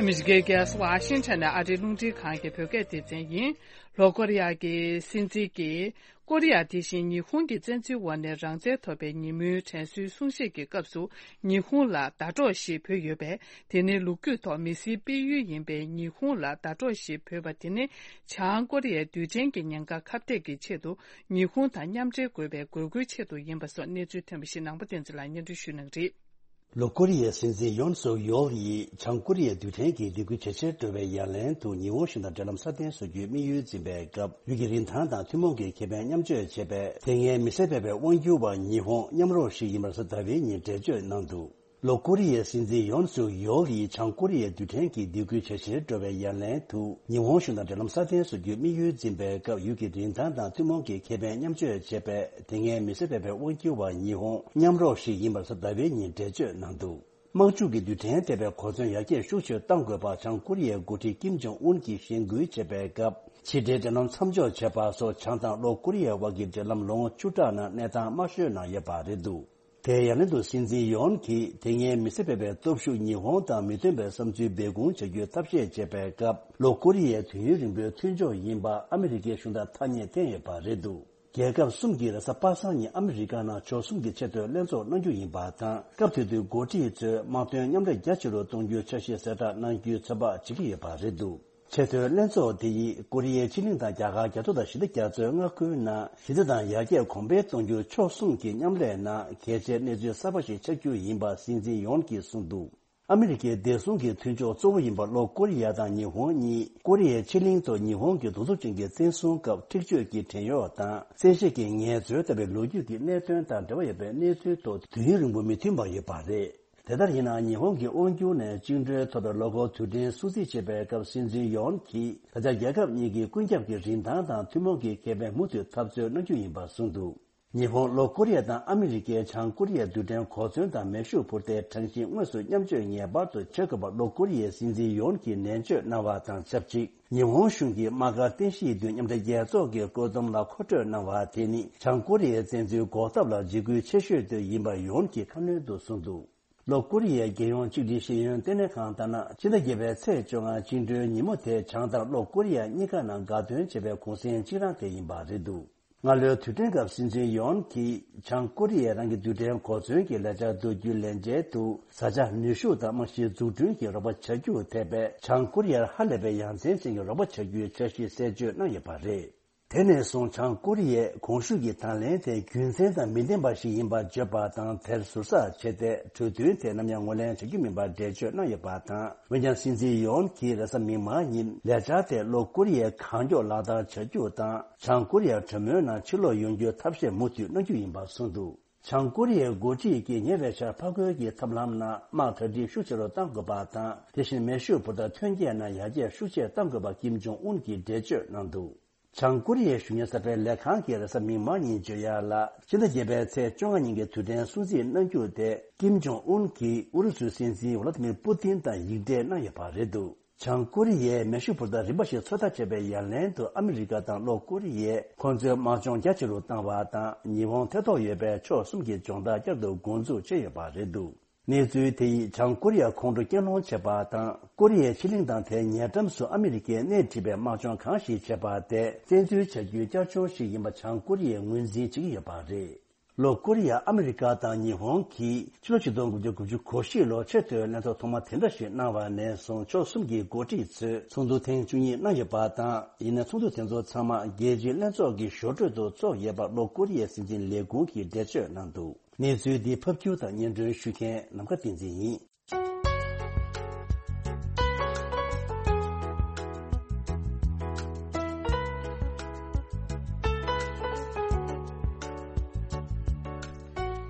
ཨ་མི་རི་ཀའི་རྒྱལ་ས་ཝ་ཤིང་ཊོན་ནས་ཨ་རིའི་རླུང་འཕྲིན་ཁང་གི་བོད་སྐད་སྡེ་ཚན་ཡིན། ལྷོ་ཀོ་རི་ཡ་གི་སྲིད་འཛིན་གྱིས་ཀོ་རི་ཡ་དེ་བཞིན་ཉི་ཧོང་གི་བཙན་འཛུལ་འོག་ནས་རང་བཙན་ཐོབ་པའི་ཉིན་མོའི་དྲན་གསོའི་གསུང་བཤད་ཀྱི་སྐབས་སུ་ཉི་ཧོང་ལ་ཟླ་གྲོགས་ཤིག་བོས་ཡོད་པས། དེ་ནི་ལོ་རྒྱུས་ཐོག་མི་སེར་སྤེལ་ཡུལ་ཡིན་པའི་ཉི་ཧོང་ལ་ཟླ་གྲོགས་ཤིག་བོས་པ་དེ་ནི་བྱང་ཀོ་རི་ཡའི་རྡུལ་ཕྲན་གྱི་ཉེན་ཁ་ཁ་གཏད་ཀྱི་ཆེད་དུ་ཉི་ཧོང་དང་མཉམ་འབྲེལ་དགོས་པའི་དགོས་མཁོའི་ཆེད་དུ་ཡིན་པ་སོགས་གནས་ཚུལ་ཐོན་པ་ཞིག་ནང་པ་བསྟན་འཛིན་ལགས་སྙན་སྒྲོན་ཞུ་གནང་གི་རེད། ལྷོ་ཀོ་རི་ཡའི་སྲིད་འཛིན་ཡོན་སུག་ཡོལ་ཡིས་བྱང་ཀོ་རི་ཡའི་རྡུལ་ཕྲན་གྱི་སྡིགས་སྐུལ་ཇེ་ཆེར་འགྲོ་བའི་ཡ་ལན་དུ་ཉི་ཧོང་གཞུང་དང་འབྲེལ་ལམ་སྲ་བརྟན་བཟོ་རྒྱུའི་དམིགས་ཡུལ་འཛིན་པའི་སྐབས། ཡུལ་གྱི་རིན་ཐང་དང་ཐུན་མོང་གི་ཁེ་ཕན་མཉམ་སྤྱོད་བྱེད་པའི་དེ་སྔའི་མི་སེར་སྤེལ་བའི་དབང་སྒྱུར་བ་ཉི་ཧོང་མཉམ་རོགས་ཤིག་ཡིན་པར་གཟའ་ཟླ་བའི་ཉིན་འགྲེལ་བརྗོད་གནང་འདུག་ལྷོ་ཀོ་རི་ཡའི་སྲིད་འཛིན་ཡོན་སུག་ཡོལ་ཡིས་བྱང་ཀོ་རི་ཡའི་རྡུལ་ཕྲན་གྱི་སྡིགས་སྐུལ་ཇེ་ཆེར་འགྲོ་བའི་ཡ་ལན་དུ་ཉི་ཧོང་གཞུང་དང་འབྲེལ་ལམ་སྲ་བརྟན་བཟོ་རྒྱུའི་དམིགས་ཡུལ་འཛིན་པའི་སྐབས། ཡུལ་གྱི་རིན་ཐང་དང་ཐུན་མོང་གི་ཁེ་ཕན་མཉམ་སྤྱོད་བྱེད་པའི་དེ་སྔའི་མི་སེར་སྤེལ་བའི་དབང་སྒྱུར་བ་ཉི་ཧོང་མཉམ་རོགས་ཤིག་ཡིན་པར་གཟའ་ཟླ་བའི་ཉིན་འགྲེལ་བརྗོད་གནང་འདུག་དམག་འཁྲུག་གི་རྡུལ་ཕྲན་ཐེབས་པའི་གོ་མཚོན་ཡར་རྒྱས་ཤུགས་ཆེར་གཏང་དགོས་པ་བྱང་ཀོ་རི་ཡའི་འགོ་ཁྲིད་ཀིམ་ཇོང་ཨུན་གྱིས་གཞེན་སྐུལ་བྱེད་པའི་སྐབས། ཕྱི་འབྲེལ་འབྲེལ་ལམ་མཚམས་འཇོག་བྱས་པ་སོགས་བྱང་དང་ལྷོ་ཀོ་རི་ཡའི་དབར་གྱི་འབྲེལ་ལམ་ལོ་ངོ་བཅུ་ཕྲག་ནང་གནས་སྟངས་དམའ་ཤོས་ནང་ཡོད་པ་རེད་འདུག་དེའི་ཡ་ལན་དུ་སྲིད་འཛིན་ཡོན་གྱིས་དེ་སྔའི་མི་སེར་སྤེལ་བའི་སྟོབས་ཤུགས་ཉི་ཧོང་དང་མི་མཐུན་པའི་བསམ་ཚུལ་སྦས་སྐུང་བྱ་རྒྱུའི་ཐབས་ཤེས་བྱེད་པའི་སྐབས། ལྷོ་ཀོ་རི་ཡའི་དུས་ཡུན་རིང་པོའི་མཐུན་ཕྱོགས་ཡིན་པ་ཨ་མི་རི་ཀའི་གཞུང་དང་ཐ་སྙད་བསྟན་ཡོད་པ་རེད་འདུག་རྒྱལ་ཁབ་གསུམ་གྱིས་རེས་གཟའ་པ་སངས་ཉིན་ཨ་མི་རི་ཀ་ནང་ཕྱོགས་གསུམ་གྱི་ཆེས་མཐོའི་ལྷན་ཚོགས་གནང་རྒྱུ་ཡིན་པ་དང་། སྐབས་དེ་དུས་འགོ་ཁྲིད་ཚོས་དམག་དོན་མཉམ་ལས་རྒྱ་ཆེ་རུ་གཏོང་རྒྱུའི་འཆར་གཞི་གསལ་བསྒྲགས་གནང་རྒྱུའི་ཚོད་དཔག་བྱེད་ཀྱི་ཡོད་པ་རེད་འདུག་ཆེས་མཐོའི་ལྷན་ཚོགས་དེ་ཡིས་ཀོ་རི་ཡའི་ཕྱེད་གླིང་དང་རྒྱ་གར་རྒྱ་མཚོ་དང་ཞི་བདེ་རྒྱ་མཚོའི་མངའ་ཁུལ་ནང་ཞི་བདེ་དང་ཡར་རྒྱས་གོང་འཕེལ་གཏོང་རྒྱུར་ཕྱོགས་གསུམ་གྱི་མཉམ་ལས་ནང་གལ་ཆེའི་གནས་ཚུལ་གསར་པ་ཞིག་ཆགས་རྒྱུ་ཡིན་པ་སྲིད་འཛིན་ཡོན་གྱིས་གསུངས་འདུག་ཨ་མི་རི་ཀའི་བདེ་སྲུང་གི་མཐུན་ཕྱོགས་གཙོ་བོ་ཡིན་པ་ལྷོ་ཀོ་རི་ཡ་དང་ཉི་ཧོང་གཉིས་ཀོ་རི་ཡའི་ཕྱེད་གླིང་ཐོག་ཉི་ཧོང་གི་གདུག་རྩུབ་ཅན་གྱི་བཙན་བཟུང་སྐབས་འཁྲིག་སྤྱོད་ཀྱི་བྲན་གཡོག་དང་བཙན་ཤེད་ཀྱི་ངལ་རྩོལ་ལྟ་བུའི་ལོ་རྒྱུས་ཀྱི་གནད་དོན་དང་འབྲེལ་བ་ཡོད་པའི་གནས་ཚུལ་ཐོག་དུས་ཡུན་རིང་པོ་མི་མཐུན་པ་ཡོད་པ་རེད། དེ་ལྟར་ཡིན་ནའང་ཉི་ཧོང་གི་དབང་སྒྱུར་ནས་བཅིངས་འགྲོལ་ཐོབ་པའི་ལོ་འཁོར་དུས་དྲན་སྲུང་བརྩི་བྱེད་པའི་སྐབས་སྲིད་འཛིན་ཡོན་གྱིས་ད་ཆ་རྒྱལ་ཁབ་གཉིས་ཀྱིས་ཀུན་ཁྱབ་ཀྱི་རིན་ཐང་དང་ཐུན་མོང་གི་ཁེ་ཕན་མུ་མཐུད་འཐབ་རྩོད་གནང་རྒྱུ་ཡིན་པ་གསུངས་འདུག་ཉི་ཧོང་ལྷོ་ཀོ་རི་ཡ་དང་ཨ་མི་རི་ཀས་བྱང་ཀོ་རི་ཡའི་རྡུལ་ཕྲན་གོ་མཚོན་དང་མེ་ཤུགས་འཕུར་མདེལ་གྲངས་ཤིག་དངོས་སུ་མཉམ་སྤྱོད་ངེས་པར་དུ་བྱེད་དགོས་པར་ལྷོ་ཀོ་རི་ཡའི་སྲིད་འཛིན་ཡོན་གྱིས་ནན་བརྗོད་གནང་བ་དང་ཆབས་ཅིག་ཉི་ཧོང་གཞུང་གིས་དམག་སྒར་རྟེན་གཞིའི་མདུན་མཉམ་འབྲེལ་རྒྱལ་ཚོགས་ཀྱི་བཀོད་འདོམས་ལ་མཁོ་སྤྲོད་གནང་བ་དེ་ནི་བྱང་ཀོ་རི་ཡའི་བཙན་འཛུལ་འགོག་ཐབས་ལ་འཇིགས་སྐུལ་ཆེ་ཤོས་དེ་ཡིན་པ་ཡོན་གྱིས་ཁ་སྣོན་དུ་གསུངས་འདུག་ལྷོ་ཀོ་རི་ཡའི་རྒྱལ་ཡོངས་གཅིག་སྒྲིལ་ཤེས་ཡོན་ལྟེ་གནས་ཁང་ལྟར་ན། ཕྱི་ཟླ་བརྒྱད་པའི་ཚེས་བཅོ་ལྔ་བཅིངས་འགྲོལ་ཉིན་མོ་དེ་བྱང་དང་ལྷོ་ཀོ་རི་ཡ་གཉིས་ཀ་ནང་དགའ་སྟོན་བྱེད་པའི་གུང་སེང་གཅིག་རང་དེ་ཡིན་པ་རེད་འདུག་སྔ་ལོའི་དུས་དྲན་སྐབས་སྲིད་འཛིན་ཡོན་གྱིས་བྱང་ཀོ་རི་ཡས་རང་གི་རྡུལ་ཕྲན་གོ་མཚོན་གྱི་ལས་འཆར་བསྡུ་རྒྱུའི་ལས་འཆར་དུ། བཟའ་བཅའ་ནུས་ཤུགས་དང་རྨང་གཞི་འཛུགས་སྐྲུན་གྱི་རོགས་པ་བྱ་རྒྱུ་ཐེ་བའི་བྱང་ཀོ་རི་ཡར་ཧ་ལས་པའི་ཡ་མཚན་ཅན་གྱི་རོགས་པ་བྱ་རྒྱུའི་འཆར་གཞི་གསལ་བརྗོད་གནང་ཡོད་པ་རེད། དེ་ནས་བཟུང་བྱང་ཀོ་རི་ཡས་གོང་ཞུས་ཀྱི་དང་ལེན་དེ་རྒྱུ་མཚན་དང་མི་ལྡན་པ་ཞིག་ཡིན་པར་བརྗོད་པ་དང་། དེར་ཟུར་ཟ་བྱས་ཏེ་གྲོས་མཐུན་དེ་ནམ་ཡང་ངོས་ལེན་བྱ་རྒྱུ་མིན་པར་འགྲེལ་བརྗོད་གནང་ཡོད་པ་དང་། འོན་ཀྱང་སྲིད་འཛིན་ཡོན་གྱིས་རེས་གཟའ་མིག་དམར་ཉིན་ལས་འཆར་དེ་ལྷོ་ཀོ་རི་ཡས་གང་མགྱོགས་ལག་བསྟར་བྱ་རྒྱུ་དང་། བྱང་ཀོ་རི་ཡ་གྲོས་མོལ་ནང་ཕྱིར་ལོག་ཡོང་རྒྱུའི་ཐབས་ཤེས་མུ་མཐུད་གནང་རྒྱུ་ཡིན་པ་གསུངས་འདུག་བྱང་ཀོ་རི་ཡའི་འགོ་ཁྲིད་ཀྱིས་ཉེ་བའི་ཆར་ཕར་རྒོལ་གྱི་ཐབས་ལམ་ནང་དམག་གྲ་སྒྲིག་ཤུགས་ཆེ་རུ་གཏང་དགོས་པ་དང་། དེ་བཞིན་མེ་ཤུགས་འཕུར་མདའ་ཐོན་སྐྱེད་ནང་ཡར་རྒྱས་ཤུགས་ཆེ་གཏང་དགོས་པ་ཀིམ་ཇོང་ཨུན་གྱིས་འགྲེལ་བརྗོད་གནང་འདུག་བྱང་ཀོ་རི་ཡའི་གཞོན་ནུ་གསར་སྤེལ་ལས་ཁང་གིས་རེས་གཟའ་མིག་དམར་ཉིན་བརྗོད་ཡག་ལ། ཕྱི་ཟླ་བརྒྱད་པའི་ཚེས་བཅོ་ལྔ་ཉིན་གྱི་དུས་དྲན་སྲུང་བརྩི་གནང་རྒྱུ་དེ་ཀིམ་ཇོང་ཨུན་གྱིས་ཨུ་རུ་སུའི་སྲིད་འཛིན་ཝ་ལ་ཏི་མིར་པུ་ཏིན་དང་ཡིག་འབྲེལ་གནང་ཡོད་པ་རེད་འདུག་བྱང་ཀོ་རི་ཡས་མེ་ཤུགས་འཕུར་མདའ་རིམ་པ་ཞིག་ཚོད་ལྟ་བྱས་པའི་ཡ་ལན་དུ། ཨ་མི་རི་ཀ་དང་ལྷོ་ཀོ་རི་ཡས་ཁོང་ཚོའི་དམག་སྦྱོང་རྒྱ་ཆེ་རུ་བཏང་བ་དང་། ཉི་ཧོང་ཐེ་གཏོགས་ཡོད་པའི་ཕྱོགས་གསུམ་གྱི་སྦྱོང་བརྡར་བསྐྱར་དུ་འགོ་འཛུགས་བྱས་ཡོད་པ་རེད་འདུག་གནས་ཚུལ་དེ་ཡིས་བྱང་ཀོ་རི་ཡ་ཁོང་ཁྲོ་སྐྱེད་སློང་བྱས་པ་དང་། ཀོ་རི་ཡའི་ཕྱེད་གླིང་དང་དེའི་ཉེ་འགྲམ་སུ་ཨ་མི་རི་ཀས་སྣེ་ཁྲིད་པའི་དམག་སྦྱོང་གང་ཞིག་བྱས་པ་དེ་བཙན་འཛུལ་བྱ་རྒྱུའི་བསྐྱར་སྦྱོང་ཞིག་ཡིན་པ་བྱང་ཀོ་རི་ཡས་ངོས་འཛིན་བྱེད་ཀྱི་ཡོད་པ་རེད། ལྷོ་ཀོ་རི་ཡ་ཨ་མི་རི་ཀ་དང་ཉི་ཧོང་གིས་ཕྱི་ལོ་ཆིག་སྟོང་དགུ་བརྒྱ་དགུ་བཅུ་གོ་བཞི་ལོར་ཆེས་མཐོའི་ལྷན་ཚོགས་ཐོག་མ་དེ་འདྲ་ཞིག་གནང་བ་ནས་བཟུང་ཕྱོགས་གསུམ་གྱི་འགོ་ཁྲིད་ཚོས་ཚོགས་འདུ་ཐེངས་བཅུ་གཉིས་གནང་ཡོད་པ་དང་། ཡིན་ནའི་ཚོགས་འདུ་དེ་ཚོ་ཚང་མ་རྒྱལ་སྤྱིའི་ལྷན་ཚོགས་ཀྱི་ཞོར་འཕྲོས་དུ་ཚོགས་ཡོད་པར་ལྷོ་ཀོ་རི་ཡའི་སྲིད་འཛིན་ལས་ཁུངས་ཀྱིས་འགྲེལ་བརྗོད་གནང་འདུག་གནས་ཚུལ་འདི་ཕབ་སྒྱུར་དང་སྙན་སྒྲོན་ཞུ་མཁན་ནམ་མཁའ་བསྟན་འཛིན་ཡིན།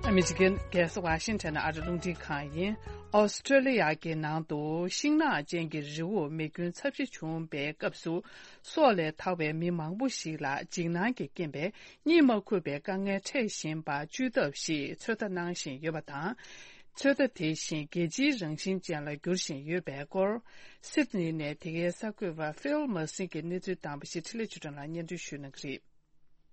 ཨ་མི་རི་ཀའི་རྒྱལ་ས་ཝ་ཤིང་ཊོན་ཨ་རི་རླུང་འཕྲིན་ཁང་ཡིན། ཨོ་སི་ཀྲོ་ལི་ཡ་གི་ནང་དུ་ཤིང་ནགས་ཅན་གྱི་རི་བོ་མེ་སྐྱོན་ཚབས་ཆེ་བྱུང་བའི་སྐབས་སུ། སྲོག་ལས་ཐར་བའི་མི་མང་པོ་ཞིག་ལ་འཇིགས་སྣང་གི་རྐྱེན་པས་གཉིད་མ་ཁུག་པའི་དཀའ་ངལ་འཕྲད་བཞིན་པ་བཅོས་ཐབས་ཤིག་ཚོད་ལྟ་གནང་བཞིན་ཡོད་པ་དང་། ཚོད་ལྟ་དེ་བཞིན་རྒྱལ་སྤྱིའི་རང་བཞིན་ཅན་ལ་འགྱུར་བཞིན་ཡོད་པའི་སྐོར། སིད་ནི་ནས་དེ་གའི་གསར་འགོད་པ་ཕིལ་མར་སི་གིས་གནས་ཚུལ་བཏང་པ་ཞིག་འཕྲིན་ལས་ཆོས་སྒྲོན་ལགས་སྙན་སྒྲོན་ཞུ་གནང་གི་རེད།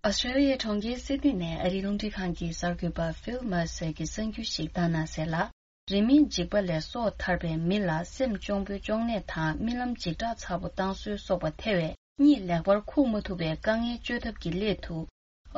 ཨོ་སི་ཀྲོ་ལི་ཡའི་གྲོང་ཁྱེར་སིད་ནི་ནས་ཨ་རིའི་རླུང་འཕྲིན་ཁང་གི་གསར་འགོད་པ་ཕིལ་མར་སི་གིས་གསར་འགྱུར་ཞིག་བཏང་གནང་གསལ་ལ། རི་མོའི་འཇིགས་པ་ལས་སྲོག་ཐར་པའི་མི་ལ་སེམས་གཅོང་པོའི་གཅོང་ནད་དང་རྨི་ལམ་འཇིགས་སྐྲག་ཚ་པོ་བཏང་སྲོལ་སོགས་པ་ཐེ་བའི་གཉིད་ལེགས་པར་ཁུག་མ་ཐུབ་པའི་དཀའ་ངལ་བཅོས་ཐབས་ཀྱི་སླད་དུ།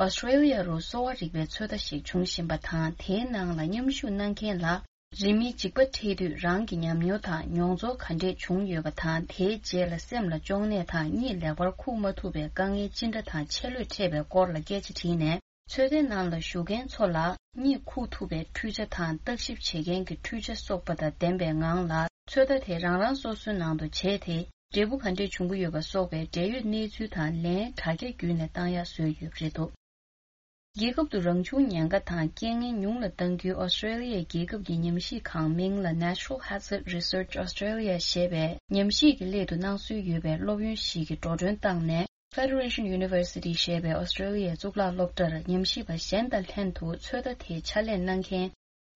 ཨོ་སི་ཀྲེ་ལི་ཡ་རུ་གསོ་བ་རིག་པའི་ཚོད་ལྟ་ཞིག་འབྱུང་བཞིན་པ་དང་། དེའི་ནང་ལ་མཉམ་ཞུགས་གནང་མཁན་ལ། རི་མོའི་འཇིགས་པ་འཕྲད་དུས་རང་གི་ཉམས་མྱོང་དང་མྱོང་ཚོར་ག་འདྲས་བྱུང་ཡོད་པ་དང་། དེའི་རྗེས་ལ་སེམས་ལ་གཅོང་ནད་དང་གཉིད་ལེགས་པར་ཁུག་མ་ཐུབ་པའི་དཀའ་ངལ་ཅི་འདྲ་དང་ཆེ་ལོས་འཕྲད་པའི་སྐོར་ལ་སྐད་ཆ་དྲིས་ནས། ཚོད་ལྟའི་ནང་ལ་ཞུགས་མཁན་ཚོ་ལ་གཉིད་ཁུག་ཐུབ་པའི་འཕྲུལ་ཆ་དང་བརྟག་ཞིབ་བྱེད་མཁན་གྱི་འཕྲུལ་ཆ་སོགས་པ་དང་ལྡན་པའི་ངང་ལ། ཚོད་ལྟ་དེ་རང་རང་སོ་སོའི་ནང་དུ་བྱས་ཏེ། འབྲས་བུ་ག་འདྲས་བྱུང་གི་ཡོད་པ་སོགས་པའི་འབྲེལ་ཡོད་གནས་ཚུལ་དང་ལན་དྲ་རྒྱ་བརྒྱུད་ནས་བཏང་ཡག་བཟོས་ཡོད་པ་རེད་འདུག་རྒྱལ་ཁབ་ཏུ་རང་བྱུང་ཉེན་ཁ་དང་རྐྱེན་ངན་ཉུང་ལ་གཏང་རྒྱུའི་ཨོ་སི་ཀྲེ་ལི་ཡའི་རྒྱལ་ཁབ་ཀྱི་ཉམས་ཞིབ་ཁང་མིང་ལ་Natural Hazard Research Australia ཞེས་པའི་ཉམས་ཞིབ་ཀྱི་སླད་དུ་གནང་སྲོལ་ཡོད་པའི་སློབ་ཡོན་ཞིག་གིས་འགྲོ་གྲོན་བཏང་ནས། Federation University ཞེས་པའི་ཨོ་སི་ཀྲེ་ལི་ཡའི་གཙུག་ལག་སློབ་གྲྭར་ཉམས་ཞིབ་པ་གཞན་དང་ལྷན་དུ་ཚོད་ལྟ་དེའི་ཕྱག་ལས་གནང་མཁན།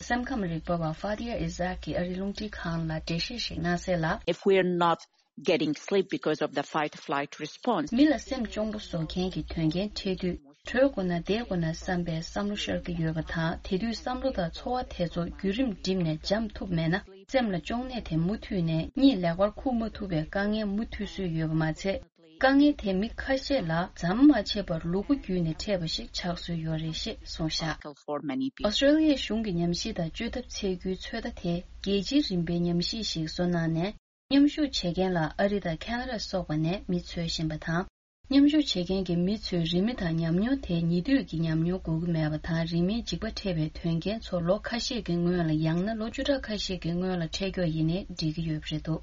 སེམས་ཁམས་རིག་པ་བ་Fadia Isaac གིས་ཨ་རིའི་རླུང་འཕྲིན་ཁང་ལ་འགྲེལ་བཤད་ཞིག་གནང་གསལ་ལ། If we are not getting sleep because of the fight flight response. མི་ལ་སེམས་གཅོང་པོ་བཟོ་མཁན་གྱི་དོན་རྐྱེན་འཕྲད་དུས། བྲོས་དགོས་ན་བསྡད་དགོས་ན་བསམ་པའི་བསམ་བློ་ཤར་གྱི་ཡོད་པ་དང་། དེ་དུས་བསམ་བློ་དང་ཚོར་བ་དེ་ཚོ་བརྒྱུད་རིམ་བསྒྲིམས་ནས་འཇམ་ཐུབ་མེད་ན། སེམས་ལ་གཅོང་ནད་དེ་མུ་མཐུད་ནས་གཉིད་ལེགས་པར་ཁུག་མ་ཐུབ་པའི་དཀའ་ངལ་མུ་མཐུད་སྲོལ་ཡོད་པ་མ་ཚད། དཀའ་ངལ་དེ་མི་ཁ་ཤས་ལ་ཟམ་མ་ཆད་པར་ལུ་གུ་བརྒྱུད་ནས་འཕྲད་པ་ཞིག་ཆགས་སྲོལ་ཡོད་རེད་ཞེས་གསུངས་བཞག་ཨོ་སི་ཀྲེ་ལི་ཡའི་གཞུང་གི་ཉམས་ཞིབ་དང་བཅོས་ཐབས་འཚོལ་རྒྱུའི་ཚོད་ལྟ་དེ་རྒྱལ་སྤྱིའི་རིམ་པའི་ཉམས་ཞིབ་ཞིག་བཟོ་གནང་ནས། མཉམ་ཞུགས་བྱེད་མཁན་ལ་ཨ་རི་དང་ཁ་ན་ཌ་སོགས་པ་ནས་མི་འཚོལ་བཞིན་པ་དང་། མཉམ་ཞུགས་བྱེད་མཁན་གྱི་མི་ཚོའི་རིན་མེད་དང་ཉམས་མྱོང་དེ་ཉེ་དུས་ཀྱི་ཉམས་མྱོང་དགོས་ཀྱི་མེད་པ་དང་། རིན་མེད་འཇིགས་པ་འཕྲད་པའི་དོན་རྐྱེན་ཚོ་ལོ་ཁ་ཤས་ཀྱི་སྔོན་ལ། ཡང་ན་ལོ་བཅུ་ཕྲག་ཁ་ཤས་ཀྱི་སྔོན་ལ་འཕྲད་མགྱོགས་ཡིན་ནའི་འགྲིག་གི་ཡོད་པ་རེད་འདུག་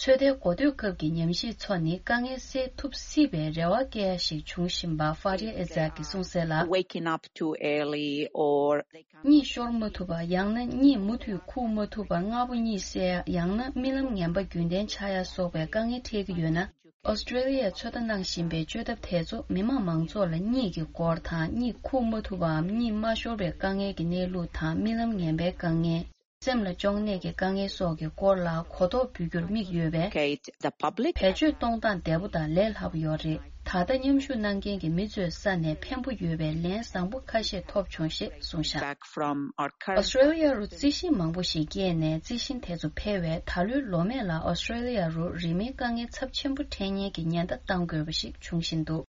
ཚོད་ལྟའི་འགོ་སྟོད་སྐབས་ཀྱི་ཉམས་ཞིབ་ཚོ་ནི་དཀའ་ངལ་སེལ་ཐུབ་སྲིད་པའི་རེ་བ་བསྐྱེད་ཡ་ཞིག་བྱུང་བཞིན་པ་Fadia Isaac གིས་གསུངས་གསལ་ལ། Waking up too early or གཉིད་ཤོར་མ་ཐུབ་པ། ཡང་ན་གཉིད་མུ་མཐུད་ཁུག་མ་ཐུབ་པ། སྔ་པོ་གཉིད་སད་ཡ། ཡང་ན་རྨི་ལམ་ངན་པ་རྒྱུན་ལྡན་ཆགས་ཡ་སོགས་པའི་དཀའ་ངལ་འཕྲད་ཀྱི་ཡོད་ན། ཨོ་སི་ཀྲེ་ལི་ཡས་ཚོད་ལྟ་གནང་བཞིན་པའི་བཅོས་ཐབས་དེ་ཚོ་མི་དམངས་མང་ཚོགས་ལ་གཉིད་ཀྱི་སྐོར་དང་། གཉིད་ཁུག་མ་ཐུབ་པའམ་གཉིད་མ་ཤོར་བའི་དཀའ་ངལ་གྱི་གནས་ལུགས་དང་། རྨི་ལམ་ངན་པའི་དཀའ་ངལ། སེམས་ལ་གཅོང་ནད་ཀྱི་དཀའ་ངལ་སོགས་ཀྱི་སྐོར་ལ་གོ་རྟོགས་འབུལ་རྒྱུར་དམིགས་ཡོད་པས། Educate the public. བེད་སྤྱོད་གཏོང་སྟངས་བདེ་པོ་དང་ལས་སླ་པོ་ཡོད་རེད། ད་ལྟ་མཉམ་ཞུགས་གནང་མཁན་གྱི་མི་ཚོའི་ས་ནས་ཕན་པོ་ཡོད་པའི་ལན་བཟང་པོ་ཁ་ཤས་ཐོབ་བྱུང་ཞེས་གསུངས་བཞག Back from our current. ཨོ་སི་ཀྲེ་ལི་ཡ་རུ་རྩི་ཤིང་མང་པོ་ཞིག་སྐྱེས་ནས། རྩི་ཤིང་དེ་ཚོ་འཕེལ་བས། ད་ལོའི་ལོ་སྨད་ལ་ཨོ་སི་ཀྲེ་ལི་ཡ་རུ་རི་མོའི་དཀའ་ངལ་ཚབས་ཆེན་པོ་འཕྲད་ཉེན་གྱི་ཉེན་བརྡ་བཏང་དགོས་པ་ཞིག་འབྱུང་བཞིན་འདུག་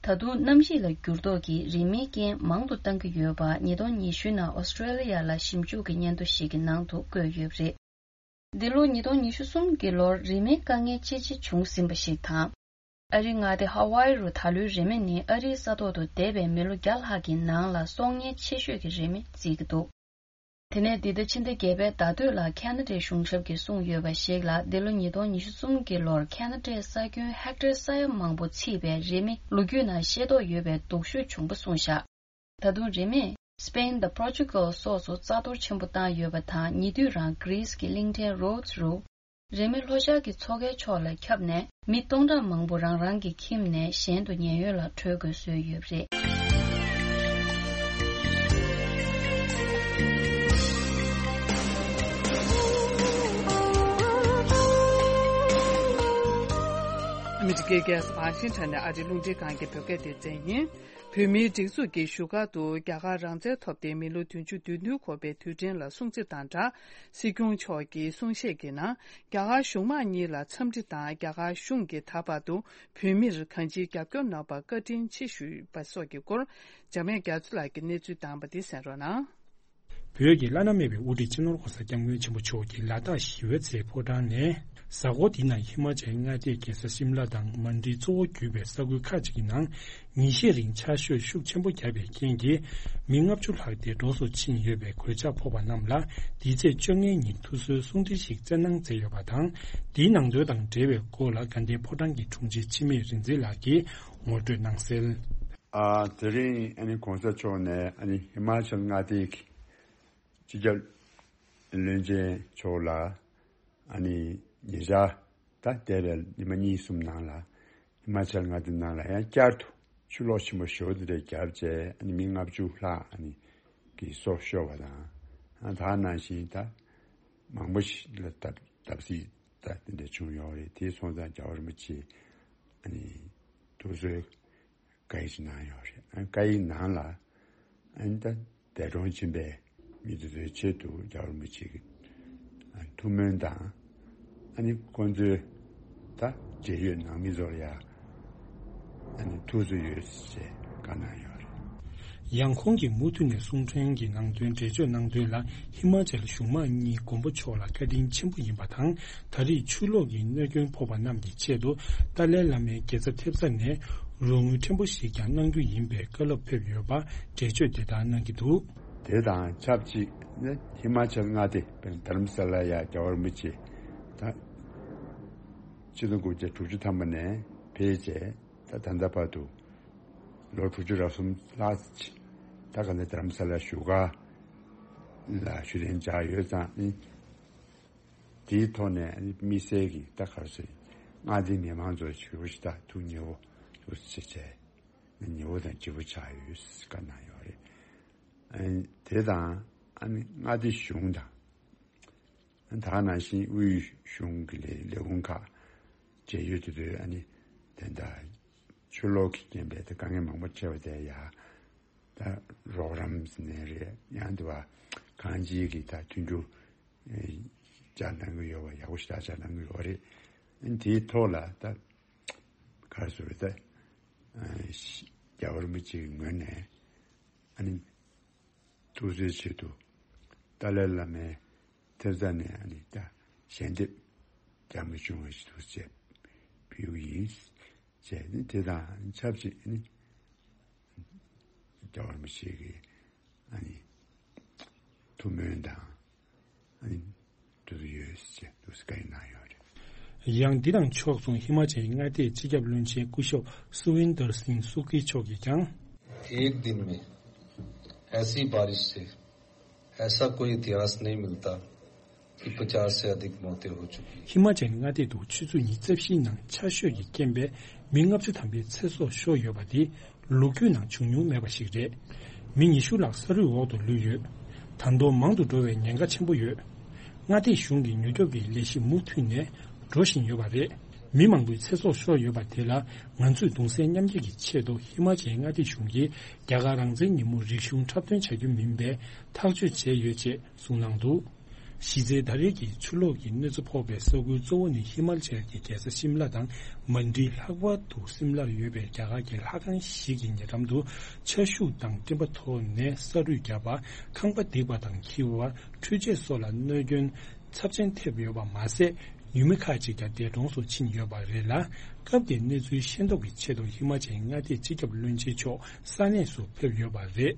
ད་དུང་གནམ་གཤིས་ལ་འགྱུར་ལྡོག་གིས་རི་མོའི་རྐྱེན་མང་དུ་བཏང་གི་ཡོད་པ། ཉིས་སྟོང་ཉི་ཤུ་ནང་ཨོ་སི་ཀྲེ་ལི་ཡ་ལ་ཞིབ་འཇུག་གི་སྙན་ཐོ་ཞིག་གི་ནང་དུ་བཀོད་ཡོད་པ་རེད། འདི་ལོ་ཉིས་སྟོང་ཉི་ཤུ་གསུམ་གྱི་ལོར་རི་མོའི་དཀའ་ངལ་ཅི་ཆེ་བྱུང་ཟིན་པ་ཞིག་དང་། ཨ་རིའི་མངའ་སྡེ་ཧ་ཝའི་རུ་ད་ལོའི་རི་མོ་ནི་ཨ་རིའི་ས་ཐོག་ཏུ་འདས་པའི་མི་ལོ་བརྒྱ་ལྷག་གི་ནང་ལ་གསོག་ཉེན་ཆེ་ཤོས་ཀྱི་རི་མོ་བརྩི་གི་འདུག་དེ་ནས་འདི་ཟླ་ཕྱི་ཟླ་བརྒྱད་པའི་ཟླ་སྟོད་ལ་ཁ་ན་ཌའི་གཞུང་ཞབས་ཀྱིས་གསུངས་ཡོད་པ་ཞིག་ལ། འདི་ལོ་ཉིས་སྟོང་ཉི་ཤུ་གསུམ་གྱི་ལོར་ཁ་ན་ཌའི་ས་ཁྱོན་ཧེག་ཊར་ས་ཡ་མང་པོ་ཚིག་པའི་རི་མོ་ལོ་རྒྱུས་ནང་ཤེས་རྟོགས་ཡོད་པའི་སྡུག་ཤོས་བྱུང་པ་གསུངས་བཞག་ད་དུང་རི་མོས་སི་པེན་དང་པོར་ཅུ་གལ་སོགས་སུ་རྩ་གཏོར་ཆེན་པོ་བཏང་ཡོད་པ་དང་། ཉེ་དུས་རང་གྷི་རིས་ཀྱི་གླིང་ཕྲན་རོ་ཌི་སི་རུ། རི་མོས་ལྷོ་ཤར་གྱི་མཚོ་ཁའི་ཕྱོགས་ལ་ཁྱབ་ནས། མི་སྟོང་ཕྲག་མང་པོ་རང་རང་གི་ཁྱིམ་ནས་གཞན་དུ་ཉེན་གཡོལ་ལ་བྲོས་དགོས་བཟོས་ཡོད་པ་རེད། ཨ་མི་རི་ཀའི་རྒྱལ་ས་ཝ་ཤིང་ཊོན་ནས་ཨ་རིའི་རླུང་འཕྲིན་ཁང་གི་བོད་སྐད་སྡེ་ཚན་ཡིན། བོད་མིའི་སྒྲིག་འཛུགས་ཀྱིས་བཞུགས་སྒར་དུ་རྒྱ་གར་རང་བཙན་ཐོབ་སྟེ་མི་ལོ་བདུན་ཅུ་དོན་བདུན་འཁོར་བའི་དུས་དྲན་ལ་སྲུང་བརྩི་དང་སྦྲགས། སྲིད་སྐྱོང་མཆོག་གིས་གསུང་བཤད་ཀྱི་ནང་། རྒྱ་གར་གཞུང་མང་གཉིས་ལ་འཚམས་འདྲི་དང་། རྒྱ་གར་གཞུང་གིས་ད་བར་དུ་བོད་མིར་གང་ཅིའི་རྒྱབ་སྐྱོར་གནང་བར་བཀའ་དྲིན་ཆེ་ཞུས་པ་སོགས་ཀྱི་སྐོར། འཇམ་དབྱངས་རྒྱ་མཚོ་ལགས་ཀྱིས་གནས་ཚུལ་བཏང་བ་འདི་གསན་རོགས་གནང་། བོད་ཀྱི་བླ་ན་མེད་པའི་དབུ་ཁྲིད་སྤྱི་ནོར་༧གོང་ས་༧སྐྱབས་མགོན་ཆེན་པོ་མཆོག་གིས་ལ་དྭགས་ཞི་བའི་རྩེའི་ཕོ་བྲང་ནས། གཟའ་འཁོར་འདིའི་ནང་ཧི་མ་ཅལ་མངའ་སྡེའི་རྒྱལ་ས་ཤིམ་ལ་དང་མན་ཌི་གཙོ་བོ་གྱུར་པའི་ས་ཁུལ་ཁག་ཅིག་གི་ནང་། ཉིན་ཤས་རིང་ཆར་ཞོད་ཤུགས་ཆེན་པོ་བརྒྱབ་པའི་རྐྱེན་གྱིས། མི་ལྔ་བཅུ་ལྷག་དེ་འགྲོ་སོང་ཕྱིན་ཡོད་པའི་གོད་ཆག་ཕོག་པ་རྣམས་ལ། འདིའི་ཚེས་བཅོ་ལྔའི་ཉིན་ཐུགས་གསོའི་གསུང་འཕྲིན་ཞིག་བསྩལ་གནང་མཛད་ཡོད་པ་དང་། འདིའི་ནང་དོན་དང་འབྲེལ་བའི་སྐོར་ལ། དགའ་ལྡན་ཕོ་བྲང་གི་དྲུང་ཆེ་འཆི་མེད་རིག་འཛིན་ལགས་ཀྱིས་ངོ་སྤྲོད་གནང་གསལ། ཨ། དེ་རིང་ཨ་ནི་གོང་ས་མཆོག་ནས་ཨ་ནི་ཧི་མ་ཅལ་མངའ་སྡེའི་སྤྱི་ཁྱབ་བློན་ཆེན་མཆོག་ལ་ཨ་ནི་ཉེ་ཆར་ད་འདས་པའི་ཉི་མ་གཉིས་གསུམ་ནང་ལ་ཧི་མ་ཅལ་མངའ་སྡེ་ནང་ལ་ཡང་བསྐྱར་དུ་ཆུ་ལོག་ཆེན་པོ་ཞེ་པོ་དེ་འདྲ་བརྒྱབ་བྱས། ཨ་ནི་མི་ལྔ་བཅུ་ལྷག་ཨ་ནི་གི་སྲོག་ཤོར་བ་དང་། ཨ། ད་ནང་བཞིན་ད་མང་པོ་ཞིག་ལ་བརྡབ་བརྡབ་གསིག་ད་དེ་འདྲ་བྱུང་ཡོད་རེད། དེ་སོང་ཙང་རྒྱལ་བ་རིན་པོ་ཆེ་ཨ་ནི་ཐུགས་གསོའི་བཀའ་ཡིག་ཅིག་གནང་ཡོད་རེད། ཨ། བཀའ་ཡིག་ནང་ལ་ཨ་ནི་ད་འདས་གྲོངས་ཕྱིན་པའི་ མི་དེ་ཚོའི་ཆེད་དུ་རྒྱལ་བ་རིན་པོ་ཆེ་གི་ཐུགས་སྨོན་དང་། ཨ་ནི་ཁོང་ཚོའི་ད་འབྲེལ་ཡོད་ནང་མི་ཚོར་ཡ་ཨ་ནི་ཐུགས་གསོ་ཡོད་ཅེས་བཀའ་གནང་ཡོད་རེད། ཡང་ཁོང་གིས་མུ་མཐུད་ནས་གསུང་འཕྲིན་གྱི་ནང་དོན་འགྲེལ་བརྗོད་གནང་དོན་ལ། ཧི་མ་ཅལ་གཞུང་མང་གཉིས་མགོན་པོ་མཆོག་ལ་བཀའ་དྲིན་ཆེན་པོ་ཡིན་པ་དང་། ད་རེས་ཆུ་ལོག་གི་གནོད་སྐྱོན་ཕོག་པ་རྣམས་ཀྱི་ཆེད་དུ་ཏཱ་ལའི་བླ་མའི་དགེ་རྩ་ཐེབས་རྩ་ནས་རོགས་དངུལ་ཕྲན་བུ་ཞིག་ཀྱང་གནང་རྒྱུ་ཡིན་པའི་བཀའ་སློབ་ཕེབས་ཡོད་པ་འགྲེལ་བརྗོད་དེ་ལྟར་གནང་གི་འདུག། དེ་དང་ཆབས་ཅིག་ནི་ཧི་མ་ཅལ་མངའ་སྡེ་དཔེར་ན་དྷ་རམ་ས་ལ་ཡ་རྒྱལ་བ་རིན་པོ་ཆེ་ད་ཆིག་སྟོང་དགུ་བརྒྱ་དྲུག་ཅུ་ཐམ་པ་ནས་ཕེབས་རྗེས་ད་ད་ལྟ་བར་དུ་ལོ་དྲུག་ཅུ་རེ་གསུམ་ལྷག་ཅིག་ད་ག་ནས་དྷ་རམ་ས་ལ་བཞུགས་སྒར་ལ་བཞུགས་གདན་འཇགས་ཡོད་ཙང་ནི། དེའི་ཐོག་ནས་དམིགས་བསལ་གྱི་ད་ག་རེ་ཟེར། མངའ་སྡེའི་མི་མང་ཚོ་ཞེ་པོ་ཞིག་ད་ཐུགས་མཉེས་པོ་ཞེ་པོ་ཅིག་བྱས། མཉེས་པོ་དང་ལྗིད་པོ་ཆགས་ཡོད་ཟེར་བཀའ་གནང་ཡོད་རེད། ཨ་དེ་དང་ཨ་ནི་མངའ་སྡེ་གཞུང་དང་། ད་ག་ནང་བཞིན་དབུས་གཞུང་གི་ལས་ལས་ཁུངས་ཁག་འབྲེལ་ཡོད་དེ་ཚོས་ཨ་ནི་དེ་འདྲ་ཆུ་ལོག་གི་རྐྱེན་པས་ད་དཀའ་ངལ་མང་པོ་འཕྲད་པ་དེ་ཡ། ད་རོགས་རམ་ཟེར་ནའི་རེད། ཡང་དེ་བ་གང་ཅིའི་གི་ད་མཐུན་འགྱུར་ཨེ་བཅར་གནང་གི་ཡོད་པ། ཡག་པོ་ཞེ་དྲག་བཅར་གནང་གི་ཡོད་རེད། ཨ་ནི་དེའི་ཐོག་ལ་ད་ག་རེ་ཟེར་རེད། ད་ཨ་རྒྱལ་བ་རིན་པོ་ཆེའི་ངོས་ནས་ཨ་ནི་ཐུགས་གསོའི་ཆེད་དུ་ཏཱ་ལའི་བླ་མའི་ཐེབས་རྩ་ནས་ཨ་ནི་ད་ཞལ་འདེབས་རྒྱ་མི་བྱུང་བ་ཞིག་ཏུ་བྱས་ཕུལ་གྱི་ཡིན་ཅེས་ནི་དེ་དང་ཆབས་ཅིག་ནི་རྒྱལ་བ་རིན་པོ་ཆེ་གི་ཨ་ནི་ཐུགས་སྨོན་དང་ཨ་ནི་ཐུགས་ཡོད་ཅེས་ཐུགས་བཀའ་གནང་ཡོད་རེད། ཡང་འདི་དང་ཕྱོགས་མཚུངས་ཧི་མ་ཅལ་མངའ་སྡེའི་སྤྱི་ཁྱབ་བློན་ཆེན་སྐུ་ཞབས་སུ་ཝིན་དར་སིང་སུ་ཀི་མཆོག་གིས་ཀྱང་། एक दिन में ऐसी बारिश से ऐसा कोई इतिहास नहीं मिलता कि पचास से अधिक मौतें हो चुकी हैं। ཧི་མ་ཅལ་མངའ་སྡེ་དུ་ཆུ་ཚོད་ཉི་ཤུ་རྩ་བཞིའི་ནང་ཆར་ཞོད་ཀྱི་རྐྱེན་པས་མི་ལྔ་བཅུ་ཐམ་པའི་ཚེ་སྲོག་ཤོར་ཡོད་པ་འདི་ལོ་རྒྱུས་ནང་བྱུང་མྱོང་མེད་པ་ཞིག་རེད། མི་ཉི་ཤུ་ལྷག་ས་རུད་འོག་ཏུ་ལུས་ཡོད། ད་དུང་མང་དུ་འགྲོ་བའི་ཉེན་ཁ་ཆེན་པོ་ཡོད། མངའ་སྡེ་གཞུང་གིས་མྱུར་སྐྱོབ་ཀྱི་ལས་གཞི་མུ་མཐུད་ནས་འགྲོ་བཞིན་ཡོད་པ་རེད། མི་མང་པོའི་ཚེ་སྲོག་ཤོར་ཡོད་པ་དེ་ལ་ང་ཚོས་གདུང་སེམས་མཉམ་སྐྱེད་ཀྱི་ཆེད་དུ་ཧི་མ་ཅལ་མངའ་སྡེ་གཞུང་གིས་རྒྱ་གར་རང་བཙན་ཉིན་མོ་རིག་གཞུང་འཁྲབ་སྟོན་བྱ་རྒྱུ་མིན་པའི་ཐག་གཅོད་བྱས་ཡོད་ཅེས་གསུངས་གནང་འདུག། གཞི་རྩའི་ད་རེས་ཀྱི་ཆུ་ལོག་གི་གནོད་འཚེ་ཕོག་པའི་ས་ཁུལ་གཙོ་བོ་ནི་ཧི་མ་ཅལ་གྱི་རྒྱལ་ས་ཤིམ་ལ་དང་མན་ཌི། ལྷག་པར་དུ་སིམ་ལར་ཡོད་པའི་རྒྱ་གར་གྱི་ལྷ་ཁང་ཞིག་གི་ཉེ་འགྲམ་དུ་ཆར་ཤུགས་དང་སྤྲིན་པ་ཐོག་ནས་ས་རུད་བརྒྱབ་པ། ཁང་པ་རྡིབ་པ་དང་འཁྱིལ་བ། འཕྲུལ་ཆས་སོགས་ལ་གནོད་སྐྱོན་ཚབས་ཆེན་ཐེབས་ཡོད་པ་མ་ཟད། ཡུལ་མི་ཁག་ཅིག་ཀྱང་འདས་གྲོངས་སུ་ཕྱིན་ཡོད་པ་རེད་ལ། སྐབས་དེའི་གནས་ཚུལ་ཤེས་རྟོགས་ཀྱི་ཆེད་དུ་ཧི་མ་ཅལ་མངའ་སྡེའི་སྤྱི་ཁྱབ་བློན་ཆེན་མཆོག་ས་གནས་སུ་ཕེབས་ཡོད་པ་རེད།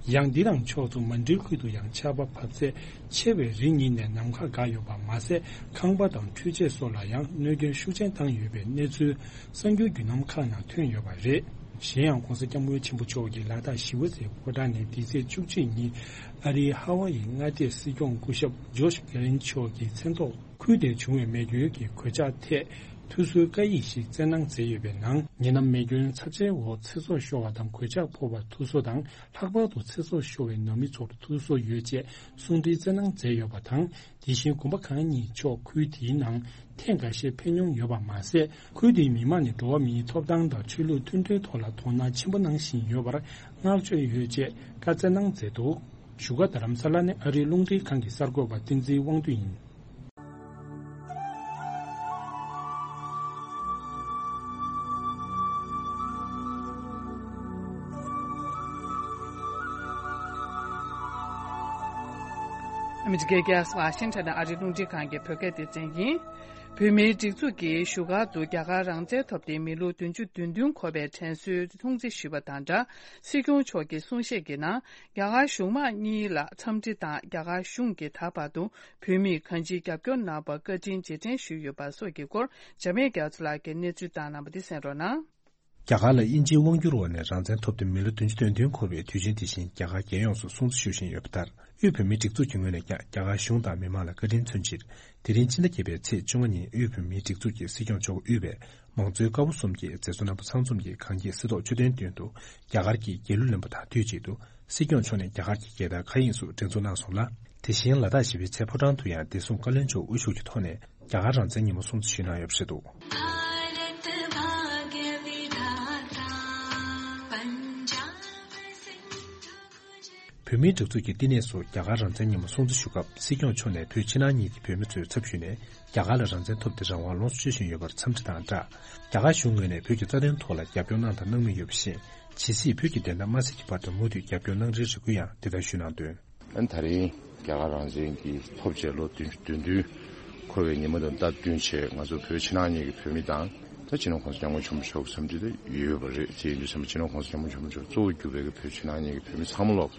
ཡང་འདི་དང་ཕྱོགས་མཚུངས་མན་ཌིའི་ཁུལ་དུ་ཡང་ཆར་པ་བབས་ཚད་ཆེ་བས་རི་གཉིས་ནས་ནམ་མཁའ་འགག་ཡོད་པ་མ་ཟད། ཁང་པ་དང་འཕྲུལ་ཆས་སོགས་ལ་ཡང་གནོད་སྐྱོན་ཤུགས་ཆེན་བཏང་ཡོད་པའི་གནས་ཚུལ་གསར་འགྱུར་བརྒྱུད་ལམ་ཁག་ནང་ཐོན་ཡོད་པ་རེད། གཞན་ཡང་༧གོང་ས་༧སྐྱབས་མགོན་ཆེན་པོ་མཆོག་གིས་ལ་དྭགས་ཞི་བ་འཚོའི་ཕོ་བྲང་ནས་འདི་ཚེས་བཅུ་གཅིག་ཉིན་ཨ་རིའི་ཧ་ཝ་ཡི་མངའ་སྡེའི་སྲིད་སྐྱོང་སྐུ་ཞབས་ཇོརྗ་གྷེ་ལིན་མཆོག་གི་མཚན་ཐོག་ཁུལ་དེར་བྱུང་བའི་མེ་སྐྱོན་གྱི་གོད་ཆག་ཐད་ཐུགས་གསོའི་བཀའ་ཡིག་ཞིག་བསྩལ་གནང་མཛད་ཡོད་པའི་ནང་། ཉེ་ལམ་མེ་སྐྱོན་ཚབས་ཆེན་འོག་ཚེ་སྲོག་ཤོར་བ་དང་གོད་ཆག་ཕོག་པར་ཐུགས་གསོ་དང་། ལྷག་པར་དུ་ཚེ་སྲོག་ཤོར་བའི་ནང་མི་ཚོར་ཐུགས་གསོ་ཡོད་ཅེས་གསུང་འཕྲིན་བསྩལ་གནང་མཛད་ཡོད་པ་དང་། དེ་བཞིན་དགོན་པ་ཁག་གཉིས་མཆོག་ཁུལ་དེའི་ནང་ཐེངས་འགའ་ཤས་ཕེབས་མྱོང་ཡོད་པ་མ་ཟད། ཁུལ་དེའི་མི་མང་ནས་འགྲོ་བ་མིའི་ཐོབ་ཐང་དང་ཆོས་ལུགས་མཐུན་སྒྲིལ་ཐོག་ལ་དོ་སྣང་ཆེན་པོ་གནང་བཞིན་ཡོད་པར་བསྔགས་བརྗོད་ཡོད་ཅེས་བཀའ་སྩལ་གནང་མཛད་འདུག། བཞུགས་སྒར་རྡ་རམ་ས་ལ་ནས་ཨ་རིའི་རླུང་འཕྲིན་ཁང་གི་གསར་འགོད་པ་བསྟན་འཛིན་དབང་འདུས་ཡིན། ཨ་མི་རི་ཀའི་རྒྱལ་ས་ཝ་ཤིང་ཊོན་ནས་ཨ་རིའི་རླུང་འཕྲིན་ཁང་གི་བོད་སྐད་སྡེ་ཚན་ཡིན། བོད་མིའི་སྒྲིག་འཛུགས་ཀྱིས་བཞུགས་སྒར་དུ་རྒྱ་གར་རང་བཙན་ཐོབ་སྟེ་མི་ལོ་བདུན་ཅུ་དོན་བདུན་འཁོར་བའི་དྲན་གསོའི་སྲུང་བརྩི་ཞུས་པ་དང་སྦྲགས། སྲིད་སྐྱོང་མཆོག་གི་གསུང་བཤད་ཀྱི་ནང་། རྒྱ་གར་གཞུང་མང་གཉིས་ལ་འཚམས་འདྲི་དང་། རྒྱ་གར་གཞུང་གིས་ད་བར་དུ་བོད་མིར་གང་ཅིའི་རྒྱབ་སྐྱོར་གནང་བར་བཀའ་དྲིན་རྗེས་དྲན་ཞུས་ཡོད་པ་སོགས་ཀྱི་སྐོར་འཇམ་དབྱངས་རྒྱ་མཚོ་ལགས་ཀྱིས་གནས་ཚུལ་བཏང་གནང་བ་འདི་གསན་རོགས་གནང་། རྒྱ་གར་ལ་དབྱིན་ཇིའི་དབང་བསྒྱུར་འོག་ནས་རང་བཙན་ཐོབ་སྟེ་མི་ལོ་བདུན་ཅུ་དོན་བདུན་འཁོར་བའི་དུས་ཆེན་དེ་བཞིན་རྒྱ་གར་རྒྱལ་ཡོངས་སུ་སྲུང་བརྩི་ཞུ་བཞིན་ཡོད་པ་ལྟར། དབུས་བོད་མིའི་སྒྲིག་འཛུགས་ཀྱི་ངོས་ནས་ཀྱང་རྒྱ་གར་གཞུང་དང་མི་མང་ལ་བཀའ་དྲིན་མཚོན་ཕྱིར། དེ་རིང་ཕྱི་ཟླ་བརྒྱད་པའི་ཚེས་བཅོ་ལྔ་ཉིན་དབུས་བོད་མིའི་སྒྲིག་འཛུགས་ཀྱི་སྲིད་སྐྱོང་མཆོག་དབུས་པའི་མང་གཙོའི་ཀ་བ་གསུམ་གྱི་མཛད་གཙོ་རྣམ་པ་ཚང་འཛོམས་ཀྱིས་གངས་སྐྱིད་གསེར་ཏོག་མཆོད་རྟེན་མདུན་དུ་རྒྱ་གར་གྱི་རྒྱལ་གླུ་ལེན་པ་དང་དུས་གཅིག་ཏུ། སྲིད་སྐྱོང་མཆོག་ནས་རྒྱ་གར་གྱི་རྒྱལ་དར་མཁའ་དབྱིངས་སུ་སྒྲེང་འཛུགས་གནང་སོང་ལ། དེ་བཞིན་ལ་དྭགས་ཞི་བའི་ཚལ་ཕོ་བྲང་དུ་ཡང་བདེ་སྲུང་བཀའ་བློན་མཆོག་དབུ་བཞུགས་ཀྱི་ཐོག་ནས་རྒྱ་གར་རང་བཙན་ཉིན་མོ་སྲུང་བརྩི་ཞུས་གནང་ཡོད་པ་རེད་འདུག། བོད་མིའི་སྒྲིག་འཛུགས་ཀྱི་བསྟི་གནས་སུ་རྒྱ་གར་རང་བཙན་ཉིན་མོ་སྲུང་བརྩི་ཞུ་སྐབས་སྲིད་སྐྱོང་མཆོག་ནས་བོད་ཕྱི་ནང་གཉིས་ཀྱི་བོད་མི་ཚོའི་ཚབ་ཞུས་ནས་རྒྱ་གར་ལ་རང་བཙན་ཐོབ་སྟེ་རང་དབང་ལོངས་སུ་སྤྱོད་བཞིན་ཡོད་པར་འཚམས་འདྲི་དང་སྦྲགས། རྒྱ་གར་གཞུང་ངོས་ནས་བོད་ཀྱི་རྩ་དོན་ཐོག་ལ་རྒྱབ་སྐྱོར་གནང་དང་གནང་མུས་ཡོད་པ་བཞིན། ཇི་སྲིད་བོད་ཀྱི་བདེན་མཐའ་མ་གསལ་གྱི་བར་དུ་མུ་མཐུད་རྒྱབ་སྐྱོར་གནང་རེའི་རེ་སྐུལ་ཡང་དེ་ལྟར་ཞུས་གནང་དོན། ཨ་ནི་ད་རིང་རྒྱ་གར་རང་བཙན་གྱི་ཐོབ་རྗེས་ལོ་བདུན་ཅུ་དོན་བདུན་འཁོར་བའི་ཉིན་མོ་དང་སྟབས་བསྟུན་བྱས། ང་ཚོ་བོད་ཕྱི་ནང་གཉིས་ཀྱི་བོད་མི་དང་། ད་སྤྱི་ནོར་༸གོང་ས་༸སྐྱབས་མགོན་ཆེན་པོ་མཆོག་གི་འཚམས་འདྲི་དེ་ཡོད་པ་རེད། དེ་ཡིན་དུས་ཙམ་པ་སྤྱི་ནོར་༸གོང་ས་༸སྐྱབས་མགོན་ཆེན་པོ་མཆོག་གཙོ་བོ་གྱུར་པའི་གི་བོད་ཕྱི་ནང་གཉིས་ཀྱི་བོད་མི་ཚང་མ་ལོག་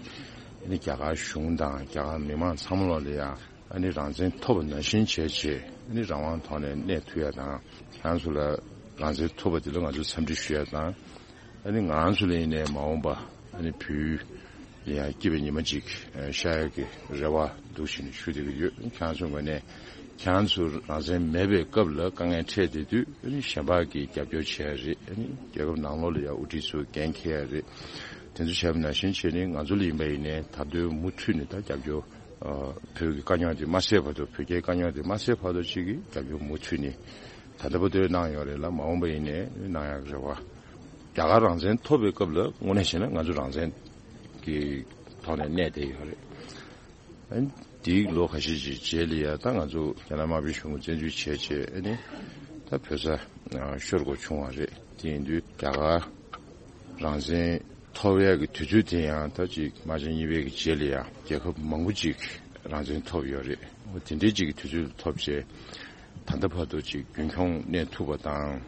ཨ་ནི་རྒྱ་གར་གཞུང་དང་རྒྱ་གར་མི་མང་ཚང་མ་ལོག་ལ་ཡང་ཨ་ནི་རང་བཙན་ཐོབ་པ་ནང་བཞིན་བྱས་བྱས། ཨ་ནི་རང་དབང་ཐོག་ནས་གནས་ཐུབ་ཡ་དང་། ཁྱེད་རང་ཚོ་ལ་རང་བཙན་ཐོབ་པ་དེ་ལ་ང་ཚོས་འཚམས་འདྲི་ཞུ་ཡ་དང་། ཨ་ནི་ང་རང་ཚོ་ལ་ཡིན་ནའི་མ་འོངས་པ་ཨ་ནི་བོད་ཡ་སྐྱིད་པའི་ཉི་མ་ཅིག་ཨ་ཤར་ཡ་གི་རེ་བ་འདུག་བྱས་ནས་ཞུ་བསྡད་ཀྱི་ཡོད། ཁྱེད་རང་ཚོའི་ངོས་ནས་ཁྱེད་རང་ཚོ་རང་བཙན་མེད་པའི་སྐབས་ལ་དཀའ་ངལ་འཕྲད་བསྡད་དུས། ཨ་ནི་གཞན་པ་གིས་རྒྱབ་སྐྱོར་བྱེད་ཡ་རེད། ཨ་ནི་རྒྱལ་ཁབ་ནང་ལོགས་ལ་ཡ་དབུ་ཁྲིད་ཚོས་འགན་འཁྱེར་ཡ་རེད། དེ་ཚོ་བྱས་པ་ནང་བཞིན་བྱས་ནས་ང་ཚོ་ལ་ཡིན་པ་ཡིན་ནའི་ད་དུང་མུ་མཐུད་ནས་ད་རྒྱབ་སྐྱོར། ཨ་བོད་ཀྱི་དཀའ་རྙོག་དེ་མ་སེལ་བར་དུ། བོད་རྒྱའི་དཀའ་རྙོག་དེ་མ་སེལ་བར་དུ་ཅིག་གི་རྒྱབ་སྐྱོར་མུ་མཐུད་ནས་ད་ལྟ་བར་དུ་གནང་ཡོད་རེད་ལ། མ་འོངས་པ་ཡིན་ནའི་གནང་ཡག་རེད་བ། རྒྱ་གར་རང་བཙན་ཐོབ་པའི་སྐབས་ལ་དངོས་གནས་བྱས་ན་ང་ཚོ་རང་བཙན་གྱི་ཐོག་ནས་གནས་བསྡད་ཡོད་རེད། ཨ་ནི་དེའི་ལོ་ཁ་ཤས་ཀྱི་རྗེས་ལ་ཡ་ད་ང་ཚོ་རྒྱ་ནག་དམར་པོའི་གཞུང་གིས་བཙན་འཛུལ་བྱས་བྱས། ཨ་ནི་ད་བོད་ས་ཤོར་དགོས་བྱུང་བ་རེད། དེ་ཡིན་དུས་རྒྱ་གར་རང་བཙན་ཐོབ་ཡག་གི་དུས་ཚོད་དེ་ཡང་ད་ཅིག་དམག་ཆེན་གཉིས་པའི་གི་རྗེས་ལ་ཡང་རྒྱལ་ཁབ་མང་པོ་ཅིག་རང་བཙན་ཐོབ་ཡོད་རེད། འོ་དེ་འདྲའི་ཅིག་གི་དུས་ཚོད་ཐོབ་བྱས། ད་ལྟ་བར་དུ་ཅིག་རྒྱུན་འཁྱོངས་གནས་ཐུབ་པ་དང་།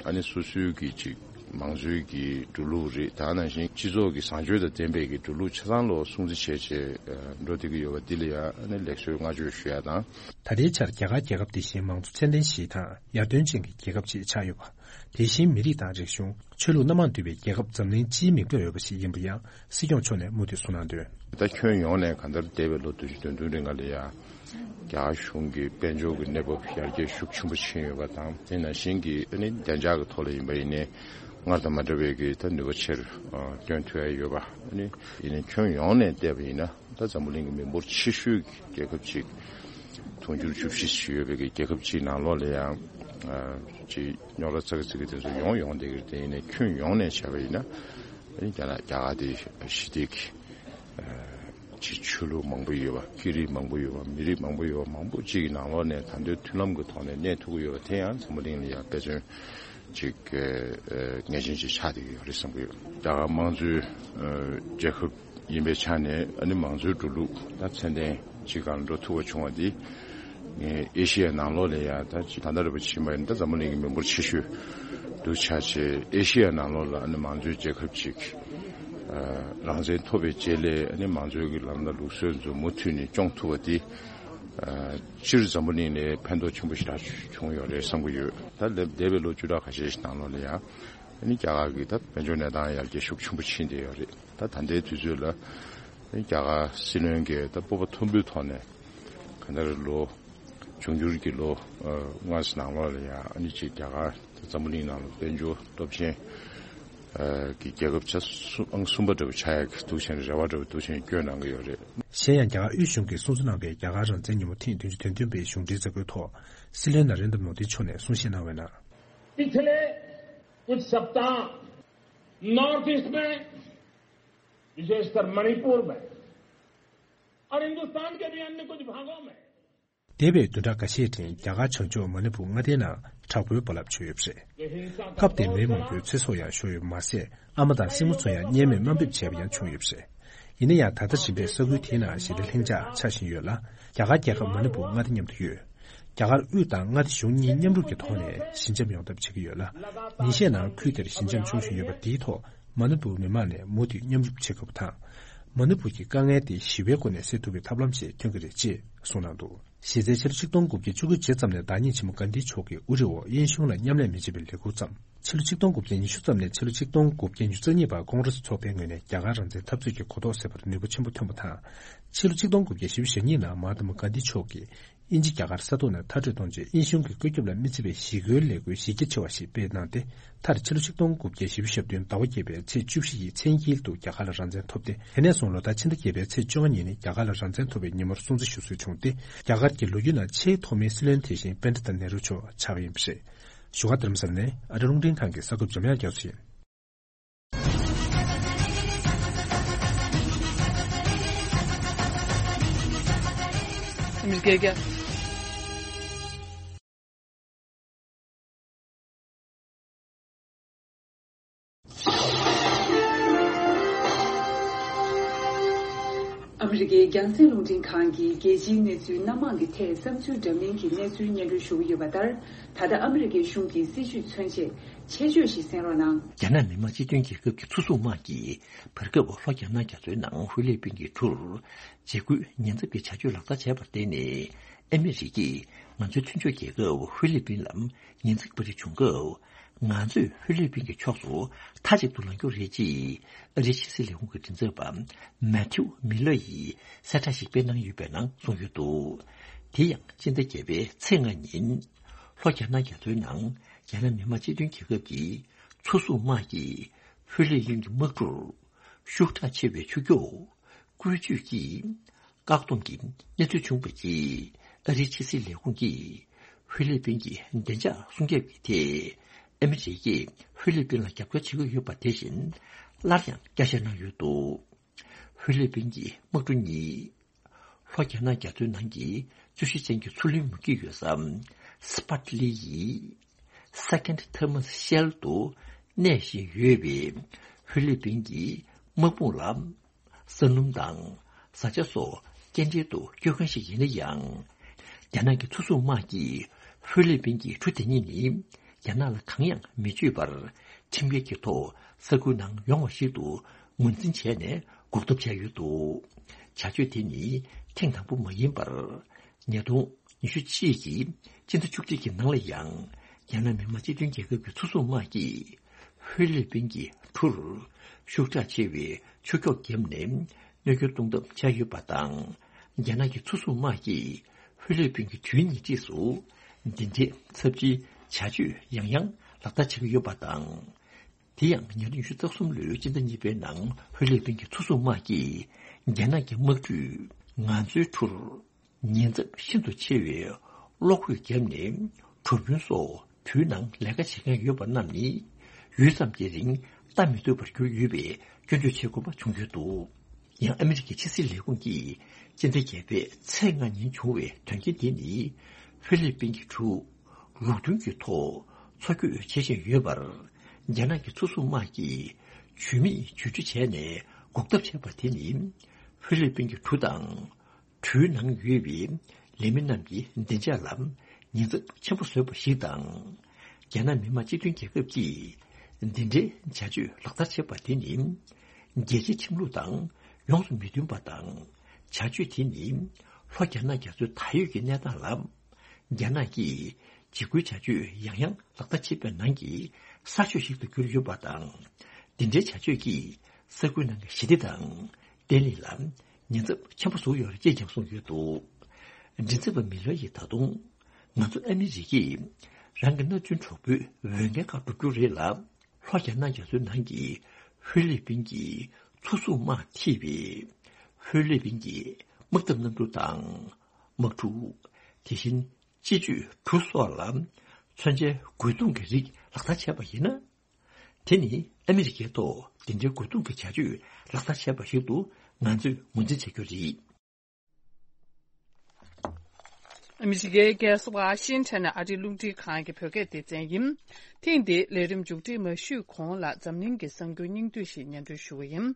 ཨ་ནི་སོ་སོའི་གི་ཅིག་མང་གཙོའི་གི་འགྲོ་ལུགས་རེད། ད་ནང་བཞིན་སྤྱི་ཚོགས་ཀྱི་བཟང་སྤྱོད་དང་ལྡན་པའི་གི་འགྲོ་ལུགས་ཆ་ཚང་ལོ་སྲུང་བརྩི་བྱས་བྱས་འགྲོ་བསྡད་ཀྱི་ཡོད་པ་འདི་ལ་ཡང་ཨ་ནི་ལེགས་གསོལ་བསྔགས་བརྗོད་ཞུ་ཡ་དང་། ད་ལྟའི་ཆར་རྒྱ་གར་རྒྱལ་ཁབ་དེ་བཞིན་མང་གཙོ་ཚད་ལྡན་ཞིག་དང་ཡར་ཐོན་ཅན་གྱི་རྒྱལ་ཁབ་ཅིག་ཆགས་ཡོད་པ། དེ་བཞིན་མི་རིགས་དང་རིག་གཞུང་། ཆོས་ལུགས་སྣ་མང་འདུས་པའི་རྒྱལ་ཁབ་འཛམ་གླིང་སྤྱིའི་མིག་ལྟོས་ཡོད་པ་ཞིག་ཡིན་པ་ཡང་སྲིད་སྐྱོང་མཆོག་ནས་མུ་མཐུད་གསུངས་གནང་དོན། ད་ཁྱོན་ཡོངས་ནས་གང་ལྟར་འདས་པའི་ལོ་བདུན་ཅུ་དོན་བདུན་རིང་ག་ལ་ཡ་རྒྱ་གར་གཞུང་གི་དཔལ་འབྱོར་གྱི་གནས་བབ་ཡར་རྒྱས་ཤུགས་ཆེན་པོ་ཕྱིན་ཡོད་པ་དང་། དེ་ནང་བཞིན་གྱི་ཨ་ནི་བདེ་འཇགས་ཀྱི་ཐོག་ལ་ཡིན་པ་ཡིན་ནའི་སྔར་དང་མ་འདྲ་བའི་གི་ད་ནུས་པ་ཆེར་ཨ་བཏོན་ཐུབ་ཡ་ཡོད་པ། ཨ་ནི་ཡིན་ནའི་ཁྱོན་ཡོངས་ནས་བལྟས་པ་ཡིན་ན། ད་འཛམ་བུ་གླིང་གི་མི་འབོར་ཆེ་ཤོས་ཀྱི་རྒྱལ་ཁབ་ཅིག་དུང་ཕྱུར་བཅུ་བཞི་ཞིག་ཡོད་པའི་གི་རྒྱལ་ཁབ་ཅིག་ནང་ལོགས་ལ་ཡང་ཨ་ཅིག་རྙོག་དྲ་ཙག་ཙིག་གི་དེ་ཚོ་ཡོང་ཡོང་བསྡད་ཀྱི་རེད། དེ་ཡིན་ནའི་ཁྱོན་ཡོངས་ནས་བྱས་པ་ཡིན་ན། ཨ་ནི་རྒྱ་ནག་རྒྱ་གར་དེ་ཞི་བདེ་གི་ཨ་ཅིག་ཆོས་ལུགས་མང་པོ་ཡོད་པ། སྐད་རིགས་མང་པོ་ཡོད་པ། མི་རིགས་མང་པོ་ཡོད་པ། མང་པོ་ཅིག་གི་ནང་ལོགས་ནས་ད་དུང་མཐུན་ལམ་གྱི་ཐོག་ནས་གནས་ཐུབ་ཀྱི་ཡོད་པ་དེ་ཡང་འཛམ་བུ་གླིང་ལ་ཡང་དཔེ་མཚོན་ཅིག་ཨ་ངེས་ཅན་ཅིག་ཆགས་བསྡད་ཀྱི་ཡོད་རེད་བསམ་གྱི་ཡོད། རྒྱ་གར་དམངས་གཙོའི་ཨ་རྒྱལ་ཁབ་ཡིན་པའི་ཆ་ནས། ཨ་ནི་མང་གཙོའི་འགྲོ་ལུགས་ད་ཚད་ལྡན་ཅིག་སྒང་ལ་འགྲོ་ཐུབ་པ་བྱུང་བ་འདི། ངས་ཨེ་ཤི་ཡ་ནང་ལོགས་ལ་ཡང་ད་ཅིག་ད་ལྟ་རེ་བ་ཕྱིན་པ་ཡིན་ན། ད་འཛམ་བུ་གླིང་གི་མི་འབོར་ཆེ་ཤོས་འདུག་ཆགས་བྱས། ཨེ་ཤི་ཡ་ནང་ལོགས་ལ་ཨ་ནི་མང་གཙོའི་རྒྱལ་ཁབ་ཅིག་ཨ་རང་བཙན་ཐོབ་པའི་རྗེས་ལ། ཨ་ནི་མང་གཙོའི་གི་ལམ་ལ་ལུགས་སྲོལ་ཚོ་མུ་མཐུད་ནས་སྐྱོང་ཐུབ་པ་འདི། ཨ་སྤྱིར་འཛམ་བུ་གླིང་ལ་ཕན་ཐོགས་ཆེན་པོ་ཞེ་དྲག་བྱུང་ཡོད་རེད་བསམ་གྱི་ཡོད། ད་ལས་འདས་པའི་ལོ་བཅུ་ཕྲག་ཁ་ཤས་ཤིག་ནང་ལོགས་ལ་ཡང་ཨ་ནི་རྒྱ་གར་གྱི་ད་དཔལ་འབྱོར་གནས་སྟངས་ཡར་རྒྱས་ཤུགས་ཆེན་པོ་ཕྱིན་བསྡད་ཡོད་རེད། ད་ད་ལྟའི་དུས་ཚོད་ལ་ཨ་ནི་རྒྱ་གར་སྲིད་བློན་གྱིས་ད་སྤོབས་པ་མཐོན་པོའི་ཐོག་ནས། གང་ལྟར་ལོ་འབྱུང་འགྱུར་གྱི་ལོ་ཨ་ལྔ་ཙམ་ནང་ལོགས་ལ་ཡང་ཨ་ནི་ཅིག་རྒྱ་གར་ད་འཛམ་བུ་གླིང་ནང་ལ་དཔལ་འབྱོར་སྟོབས་ཆེན་ཨ་གྱི་རྒྱལ་ཁབ་ཆ་གསུམ་ཨང་གསུམ་པ་འདྲ་བོ་ཆགས་ཡག་གི་འདུག་བྱས་ནས་རེ་བ་འདྲ་བོ་འདུག་བྱས་ནས་བསྐྱོན་གནང་གི་ཡོད་རེད། གཞན་ཡང་། རྒྱ་གར་དབུས་གཞུང་གིས་སྲུང་བརྩི་གནང་བའི་རྒྱ་གར་རང་བཙན་ཉིན་མོ་ཐེངས་བདུན་ཅུ་དོན་བདུན་པའི་གཞུང་འབྲེལ་མཛད་སྒོའི་ཐོག་སྲིད་བློན་ན་རེན་དྲ་མོ་དི་མཆོག་ནས་གསུང་བཤད་གནང་བའི་ནང་། पिछले कुछ सप्ताह नॉर्थ ईस्ट में, विशेषकर मणिपुर में और हिंदुस्तान के भी अन्य कुछ भागों में འདས་པའི་བདུན་ཕྲག་ཁ་ཤས་རིང་རྒྱ་གར་བྱང་ཕྱོགས་མ་ཎི་པུར་མངའ་སྡེའི་ནང་དྲག་པོའི་རྦ་རླབས་བྱུང་ཡོད་པ་རེད། སྐབས་དེར་མིའི་མང་པོའི་ཚེ་སྲོག་ཡང་ཤོར་ཡོད་པ་མ་ཟད། ཨ་མ་དང་སྲིང་མོ་ཚོ་ཡང་བརྙས་སྨོད་དམའ་འབེབས་བྱས་པ་ཡང་བྱུང་ཡོད་པ་རེད། ཡིན་ན་ཡང་། ད་ལྟ་རིམ་པས་ས་ཁུལ་དེའི་ནང་ཞི་བདེ་ལྷིང་འཇགས་ཆགས་བཞིན་ཡོད་ལ། རྒྱ་གར་རྒྱལ་ཁབ་མ་ཎི་པུར་མངའ་སྡེ་མཉམ་དུ་ཡོད། རྒྱ་གར་དབུས་དང་མངའ་སྡེ་གཞུང་གཉིས་མཉམ་རུབ་ཀྱི་ཐོག་ནས་ཞི་འཇམ་ཡོང་ཐབས་བྱེད་ཀྱི་ཡོད་ལ། ཉིན་ཤས་ནང་ཁུལ་དེར་ཞི་འཇམ་བྱུང་བཞིན་ཡོད་པ་འདིའི་ཐོག་མ་ཎི་པུར་མི་མང་ནས་མུ་མཐུད་མཉམ་རུབ་བྱེད་དགོས་པ་དང་། མ་ཎི་པུར་གྱི་དཀའ་ངལ་དེ་ཞི་བའི་སྒོ་ནས་སེལ་ཐུབ་པའི་ཐབས་ལམ་ཞིག་ཐོན་གྱི་རེད་ཅེས་གསུངས་གནང་འདུག་གཞི་རྩའི་ཕྱི་ལོ་ཆིག་སྟོང་དགུ་བརྒྱ་བཅུ་དགུ་རྗེས་ཙམ་ནས་བདག་ཉིད་ཆེན་མོ་གྷན་དྷི་མཆོག་གིས་དབུ་ཁྲིད་འོག་དབྱིན་གཞུང་ལ་མཉམ་ལས་མི་བྱེད་པའི་ལས་འགུལ་བརྩམས། ཕྱི་ལོ་ཆིག་སྟོང་དགུ་བརྒྱ་ཉི་ཤུ་ཙམ་ནས་ཕྱི་ལོ་ཆིག་སྟོང་དགུ་བརྒྱ་ཉི་ཤུ་རྩ་གཉིས་བར་ཀོང་རེ་སི་ཚོགས་པའི་ངོས་ནས་རྒྱ་གར་རང་བཙན་འཐབ་རྩོད་ཀྱི་གོ་རྟོགས་སད་པར་ནུས་པ་ཆེན་པོ་ཐོན་པ་དང་། ཕྱི་ལོ་ཆིག་སྟོང་དགུ་བརྒྱ་བཞི་བཅུ་ཞེ་གཉིས་ནང་མ་ཧཱ་ཏ་མ་གྷན་དྷི་མཆོག་གིས་དབྱིན་ཇི་རྒྱ་གར་ས་ཐོག་ནས་མཐར་སྐྲོད་གཏོང་ཆེད་དབྱིན་གཞུང་གི་བཀོད་ཁྱབ་ལ་མི་བརྩི་བའི་ཞི་རྒོལ་ལས་འགུལ་གཞི་རྒྱ་ཆེ་བ་ཞིག་སྤེལ་གནང་སྟེ། མཐར་ཕྱི་ལོ་ཆིག་སྟོང་དགུ་བརྒྱ་བཞི་བཅུ་ཞེ་བདུན་ཟླ་བ་བརྒྱད་པའི་ཚེས་བཅུ་བཞི་ཡི་མཚན་དཀྱིལ་དུ་རྒྱ་གར་ལ་རང་བཙན་ཐོབ་སྟེ། དེ་ནས་བཟུང་ལོ་ལྟར་ཕྱི་ཟླ་བརྒྱད་པའི་ཚེས་བཅོ་ལྔ་ཉིན་ནི་རྒྱ་གར་ལ་རང་བཙན་ཐོབ་པའི་ཉིན་མོར་སྲུང་བརྩི་ཞུ་སྲོལ་བྱུང་སྟེ། རྒྱ་གར་གྱི་ལོ་རྒྱུས་ནང་ཆེས་ཐོག་མའི་སྲིད་བློན་དེ་བཞིན་པཎྜི་ཏ་ནེ་རུ་མཆོག་ཆགས་པ་ཡིན་པ་རེད། བཞུགས་སྒར་རྡ་རམ་ས་ལ་ནས་ཨ་རི་རླུང་འཕྲིན་ཁང་གི་གསར་འགོད་པ་འཇམ་དབྱངས་རྒྱ་མཚོ་ཡིན། མི་སྐད་རྒྱ། ཨ་མི་རི་ཀའི་རྒྱང་སྲིང་རླུང་འཕྲིན་ཁང་གིས་རྒྱལ་སྤྱིའི་གནས་ཚུལ་སྣ་མང་གི་ཐད་བསམ་ཚུལ་འདྲ་མིན་གྱི་གནས་ཚུལ་སྙན་སྒྲོན་ཞུ་གི་ཡོད་པ་ལྟར། ད་ལྟ་ཨ་མི་རི་ཀའི་གཞུང་གི་སྲིད་བྱུས་མཚོན་ཆེད་ཆེད་བརྗོད་ཞིག་གསན་རོགས་གནང་། རྒྱ་ནག་མི་དམངས་སྤྱི་མཐུན་རྒྱལ་ཁབ་ཀྱི་མཚོ་སྲུང་དམག་གིས་བར་སྐབས་ལྷོ་རྒྱ་ནག་རྒྱ་མཚོའི་ནང་ཧྥི་ལི་པིན་གྱི་གྲུར་འཇིགས་སྐུལ་ཉེན་ཚབས་ཀྱི་བྱ་སྤྱོད་ལག་བསྟར་བྱས་པར་བརྟེན་ནས། ཨ་མི་རི་ཀས་ང་ཚོའི་མཐུན་ཕྱོགས་རྒྱལ་ཁབ་ཧྥི་ལི་པིན་ལ་ཉེན་ཚབས་པ་རེ་བྱུང་སྐབས། ང་ཚོས་ཧྥི་ལི་པིན་གྱི་ཕྱོགས་སུ་མཐའ་གཅིག་ཏུ་ལངས་རྒྱུ་རེད་ཅེས་ཨ་རིའི་ཕྱི་སྲིད་ལས་ཁུངས་ཀྱི་མགྲིན་ཚབ་པ་མེ་ཐིའུ་མི་ལར་ཡིས་གསལ་བསྒྲགས་ཤིག་སྤེལ་གནང་ཡོད་པའི་ནང་གསུངས་ཡོད་འདུག་དེ་ཡང་སྤྱི་ཟླ་བརྒྱད་པའི་ཚེས་ལྔ་ཉིན། ལྷོ་རྒྱ་ནག་རྒྱ་མཚོའི་ནང་རྒྱ་ནག་མི་དམངས་སྤྱི་མཐུན་རྒྱལ་ཁབ་ཀྱི་མཚོ་སྲུང་དམག་གིས་ཧྥི་ལི་པིན་གྱི་དམག་གྲུར་ཤུགས་དྲག་ཆེ་བའི་ཆུ་སྐྱོགས་བཀོལ་སྤྱོད་ཀྱིས། བཀག་སྡོམ་གྱི་གནས་ཚུལ་བྱུང་བའི་རྗེས། ཨ་རིའི་ཕྱི་སྲིད་ལས་ཁུངས་ཀྱིས་ཧྥི་ལི་པིན་གྱི་བདེ་འཇགས་སྲུང་སྐྱོབ་ཀྱི་ཐད། ཨ་མི་རི་ཀས་ཧྥི་ལི་པིན་ལ་རྒྱབ་སྐྱོར་བྱེད་ཀྱི་ཡོད་པ་དེ་བཞིན། སླར་ཡང་བསྐྱར་བཤད་གནང་ཡོད་འདུག་ཧྥི་ལི་པིན་གྱི་དམག་གྲུ་གཉིས། ལྷོ་རྒྱ་ནག་རྒྱ་མཚོའི་ནང་གི་རྩོད་གཞི་ཅན་གྱི་མཚོ་གླིང་མུ་གེ་ཡོད་ས་སི་པ་ཏི་ལི་ཡི་Second Thermos Shell དུ་གནས་བཞིན་ཡོད་པའི་ཧྥི་ལི་པིན་གྱི་དམག་དཔུང་ལ། ས་སྣུམ་དང་བཟའ་བཅའ་སོགས་སྐྱེལ་འདྲེན་དུ་སྐྱོད་མཁན་ཞིག་ཡིན་ན་ཡང་། རྒྱ་ནག་གི་མཚོ་སྲུང་དམག་གིས་ཧྥི་ལི་པིན་གྱི་གྲུ་དེ་གཉིས་ནི་རྒྱ་ནག་ལ་གང་ཡང་མི་སྤྱོད་པར་ཁྲིམས་འགལ་གྱི་ཐོག་ས་ཁུལ་ནང་ཡོང་བ་ཞིག་ཏུ་ངོས་འཛིན་བྱས་ནས་འགོག་ཐབས་བྱས་ཡོད་འདུག་བྱ་སྤྱོད་དེ་ནི་ཐེངས་དང་པོ་མ་ཡིན་པར། ཉིས་སྟོང་ཉི་ཤུ་གཅིག་གི་སྤྱི་ཟླ་བཅུ་གཅིག་གི་ནང་ལ་ཡང་རྒྱ་ནག་མི་དམངས་སྤྱི་མཐུན་རྒྱལ་ཁབ་ཀྱི་མཚོ་སྲུང་དམག་གིས་ཧྥི་ལི་པིན་གྱི་གྲུར་ཤུགས་དྲག་ཆེ་བའི་ཆུ་སྐྱོགས་བརྒྱབ་ནས་གནོད་སྐྱོན་གཏོང་ཐབས་བྱས་ཡོད་པ་དང་། རྒྱ་ནག་གི་མཚོ་སྲུང་དམག་གིས་ཧྥི་ལི་པིན་གྱི་དུས་ཉེར་གཅིག་སུ་འདི་འདྲའི་ཚབས་ཆེའི་བྱ་སྤྱོད་ཡང་ཡང་ལག་བསྟར་བྱེད་ཀྱི་ཡོད་པ་དང་། དེ་ཡང་ཉིས་སྟོང་ཉི་ཤུ་རྩ་གསུམ་ལོའི་སྤྱི་ཟླ་གཉིས་པའི་ནང་ཧྥི་ལི་པིན་གྱི་མཚོ་སྲུང་དམག་གིས་རྒྱ་ནག་གི་དམག་གྲུས་ང་ཚོའི་གྲུར། ཉེན་ཚབས་ཤིན་ཏུ་ཆེ་བའི་གློག་སྐུད་བརྒྱབ་ནས་གྲུ་དཔོན་སོགས་དུས་ནང་ལས་ཀ་བྱེད་མཁན་ཡོད་པ་རྣམས་ནི་ཡུད་ཙམ་གྱི་རིང་ལྟ་མི་ཐུབ་པར་གྱུར་ཡོད་པའི་སྐྱོན་བརྗོད་བྱེད་དགོས་པ་བྱུང་ཡོད་འདུག་ཡང་ཨ་མི་རི་ཀའི་ཕྱི་སྲིད་ལས་ཁུངས་ཀྱིས་སྤྱི་ཟླ་བརྒྱད་པའི་ཚེས་ལྔ་ཉིན་བྱུང་བའི་དོན་རྐྱེན་དེ་ནི་ཧྥི་ལི་པིན་གྱི་གྲུ་ལུགས་མཐུན་གྱི་ཐོག་འཚོ་སྐྱོད་བྱེད་བཞིན་ཡོད་པར། རྒྱ་ནག་གི་མཚོ་སྲུང་དམག་གིས་ཇུས་མེད་བརྗོད་སྤྲོད་བྱས་ནས་འགོག་ཐབས་བྱས་པ་དེ་ནི་ཧྥི་ལི་པིན་གྱི་གྲུ་དང་། གྲུའི་ནང་ཡོད་པའི་ལས་མི་རྣམས་ཀྱི་བདེ་འཇགས་ལ་ཉེན་ཚབས་ཆེན་པོ་བཟོས་པ་ཞིག་དང་། རྒྱ་ནག་མི་དམངས་སྤྱི་མཐུན་རྒྱལ་ཁབ་ཀྱིས་འདི་འདྲའི་བྱ་སྤྱོད་ལག་བསྟར་བྱས་པ་དེ་ནི། རྒྱལ་སྤྱིའི་ཁྲིམས་ལུགས་དང་ཡོངས་སུ་མི་མཐུན་པ་དང་། བྱ་སྤྱོད་དེ་ནི་ལྷོ་རྒྱ་ནག་རྒྱ་མཚོའི་ད་ཡོད་ཀྱི་གནས་སྟངས་ལ། རྒྱ་ནག་གིས་འཇིགས་སྐུལ་བྱ་སྤྱོད་ཡང་ཡང་ལག་བསྟར་བྱེད་པའི་ནང་གི་གསར་ཤོས་ཤིག་ཏུ་གྱུར་ཡོད་པ་དང་། འདི་འདྲའི་བྱ་སྤྱོད་ཀྱིས་ས་ཁུལ་ནང་གི་ཞི་བདེ་དང་བརྟན་ལྷིང་ལ་ཉེན་ཚབས་ཆེན་པོ་བཟོ་ཡོད་རེད་ཅེས་ཀྱང་གསུངས་ཡོད་འདུག་མགྲིན་ཚབ་པ་མི་ལོ་ཡིས་ད་དུང་། ང་ཚོ་ཨ་མི་རི་ཀས་རང་གི་མནའ་མཐུན་གྲོགས་པོའི་འོས་འགན་ཁག་སྒྲུབ་རྒྱུ་རེད་ལ། ལྷོ་རྒྱ་ནག་རྒྱ་མཚོའི་ནང་གི་ཧྥི་ལི་པིན་གྱི་མཚོ་སྲུང་དམག་ཐེ་བའི་ཧྥི་ལི་པིན་གྱི་དམག་འཐབ་གནམ་གྲུ་དང་དམག་འཁྲུག་དེ་བཞིན་སྤྱི་སྤྱོད་གྲུ་སོགས་ལ་མཚོན་ཆའི་རྒོལ་རྡུང་གི་རིགས་ལག་བསྟར་བྱས་པ་ཡིན་ན། དེ་ནི་ཨ་མི་རི་ཀའི་ཐོག་དེ་འདྲའི་རྒོལ་རྡུང་གི་བྱ་སྤྱོད་ལག་བསྟར་བྱས་པ་ཞིག་ཏུ་ང་ཚོས་ངོས་འཛིན་བྱ་རྒྱུ་རེད། ཨ་མི་རི་ཀའི་རྒྱལ་ས་ཝ་ཤིང་ཊོན་ནས་ཨ་རིའི་རླུང་འཕྲིན་ཁང་གི་བོད་སྐད་སྡེ་ཚན་ཡིན། ཐེངས་འདིའི་ལས་རིམ་མཇུག་སྒྲིལ་མ་ཞུས་གོང་ལ་འཛམ་གླིང་གི་གསར་འགྱུར་སྙིང་བསྡུས་ཤིག་སྙན་སྒྲོན་ཞུ་གི་ཡིན།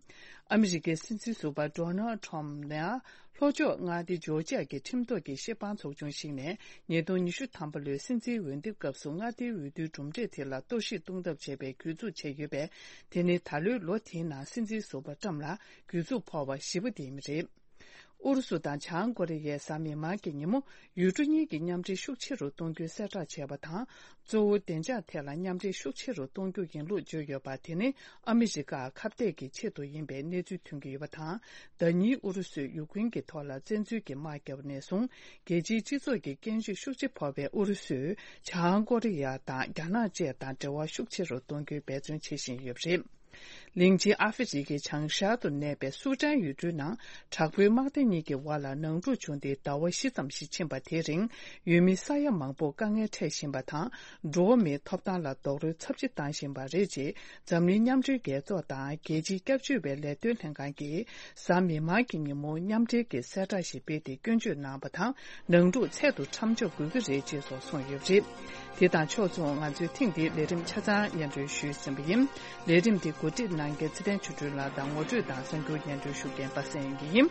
ཨ་མི་རི་ཀའི་སྲིད་འཛིན་ཟུར་པ་ཌོ་ནལ་ཊམ་ནས་ལྷོ་ཕྱོགས་མངའ་སྡེ་ཇོར་ཇི་ཡ་གི་ཁྲིམས་ཐོག་གི་བཤེར་དཔང་ཚོགས་ཆུང་ཞིག་ནས་ཉིས་སྟོང་ཉི་ཤུ་ཐམ་པ་ལོའི་སྲིད་འཛིན་འོས་འདེམས་སྐབས་སུ་མངའ་སྡེའི་འོས་བསྡུའི་གྲུབ་འབྲས་དེ་ལ་གཏོར་བཤིག་གཏོང་ཐབས་བྱས་པའི་གྱོད་འཛུགས་བྱས་ཡོད་པས། དེ་ནི་ད་ལོའི་ལོ་དེའི་ནང་སྲིད་འཛིན་ཟུར་པ་ཊམ་ལ་གྱོད་འཛུགས་ཕོག་པ་བཞི་པ་དེ་ཡིན་པ་རེད། ཨུ་རུ་སུ་དང་བྱང་ཀོ་རི་ཡས་གཟའ་མིག་དམར་གྱི་ཉིན་མོ་ཡུལ་གྲུ་གཉིས་ཀྱི་མཉམ་འབྲེལ་ཤུགས་ཆེ་རུ་གཏོང་རྒྱུའི་གསལ་བསྒྲགས་བྱས་པ་དང་། གཙོ་བོ་བདེ་འཇགས་ཐད་ལ་མཉམ་འབྲེལ་ཤུགས་ཆེ་རུ་གཏོང་རྒྱུ་ཡིན་ལུགས་བརྗོད་ཡོད་པ་དེ་ནི་ཨ་མི་རི་ཀར་ཁ་གཏད་ཀྱི་ཆེད་དུ་ཡིན་པའི་གནས་ཚུལ་ཐོན་གྱི་ཡོད་པ་དང་། ཟླ་ཉིན་ཨུ་རུ་སུས་ཡུཀ་རེན་གྱི་ཐོག་ལ་བཙན་འཛུལ་གྱི་དམག་བརྒྱབ་པ་ནས་བཟུང་རྒྱལ་སྤྱིའི་སྤྱི་ཚོགས་ཀྱི་སྐད་འབོད་ཤུགས་ཆེ་ཕོག་པའི་ཨུ་རུ་སུས་བྱང་ཀོ་རི་ཡ་དང་རྒྱ་ནག་བཅས་དང་འབྲེལ་བ་ཤུགས་ཆེ་རུ་གཏོང་རྒྱུའི་འབད་བརྩོན་བྱེད་བཞིན་ཡོད་པ་རེད། གླིང་ཆེན་ཨ་ཧྥེ་རི་ཁའི་བྱང་ཤར་དུ་གནས་པའི་སུ་ཏན་ཡུལ་གྲུའི་ནང་དྲག་པོའི་དམག་སྡེ་གཉིས་ཀྱི་དབར་ལ་ནང་འཁྲུག་བྱུང་སྟེ་ཟླ་བ་བཞི་ཙམ་ཞིག་ཕྱིན་པ་དེའི་རིང་ཡུལ་མི་ས་ཡ་མང་པོ་དཀའ་ངལ་འཕྲད་བཞིན་པ་དང་། འགྲོ་བ་མིའི་ཐོབ་ཐང་ལ་རྡོག་རོལ་ཚབས་ཆེ་བཏང་བཞིན་པ་རེད་ཅེས་འཛམ་གླིང་མཉམ་འབྲེལ་རྒྱལ་ཚོགས་དང་རྒྱལ་སྤྱིའི་སྐྱབས་བཅོལ་བའི་ལས་དོན་ལྷན་ཁང་གིས་གཟའ་མིག་དམར་གྱི་ཉིན་མོ་མཉམ་འབྲེལ་གྱི་གསལ་བསྒྲགས་ཤིག་སྤེལ་ཏེ་སྐྱོན་བརྗོད་གནང་བ་དང་། ནང་འཁྲུག་ཚད་དུ་མཚམས་འཇོག་དགོས་ཀྱི་རེད་ཅེས་སོགས་གསུངས་ཡོད་པ་རེད། དེ་དང་ཕྱོགས་མཚུངས་ང་ཚོས་ཐེངས་འདིའི་ལས་རིམ་ཆ་ཚང་སྙན་སྒྲོན་ཞུས་ཟིན་པ་ཡིན། ལས་རིམ་འདི་གོ་སྒྲིག་གནང་མཁན་ཚེ་བརྟན་ཆོས་སྒྲོན་ལགས་དང་ངོ་སྤྲོད་དང་གསར་འགྱུར་སྙན་སྒྲོན་ཞུ་མཁན་པ་སངས་དབྱངས་སྐྱིད་ཡིན།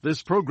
This program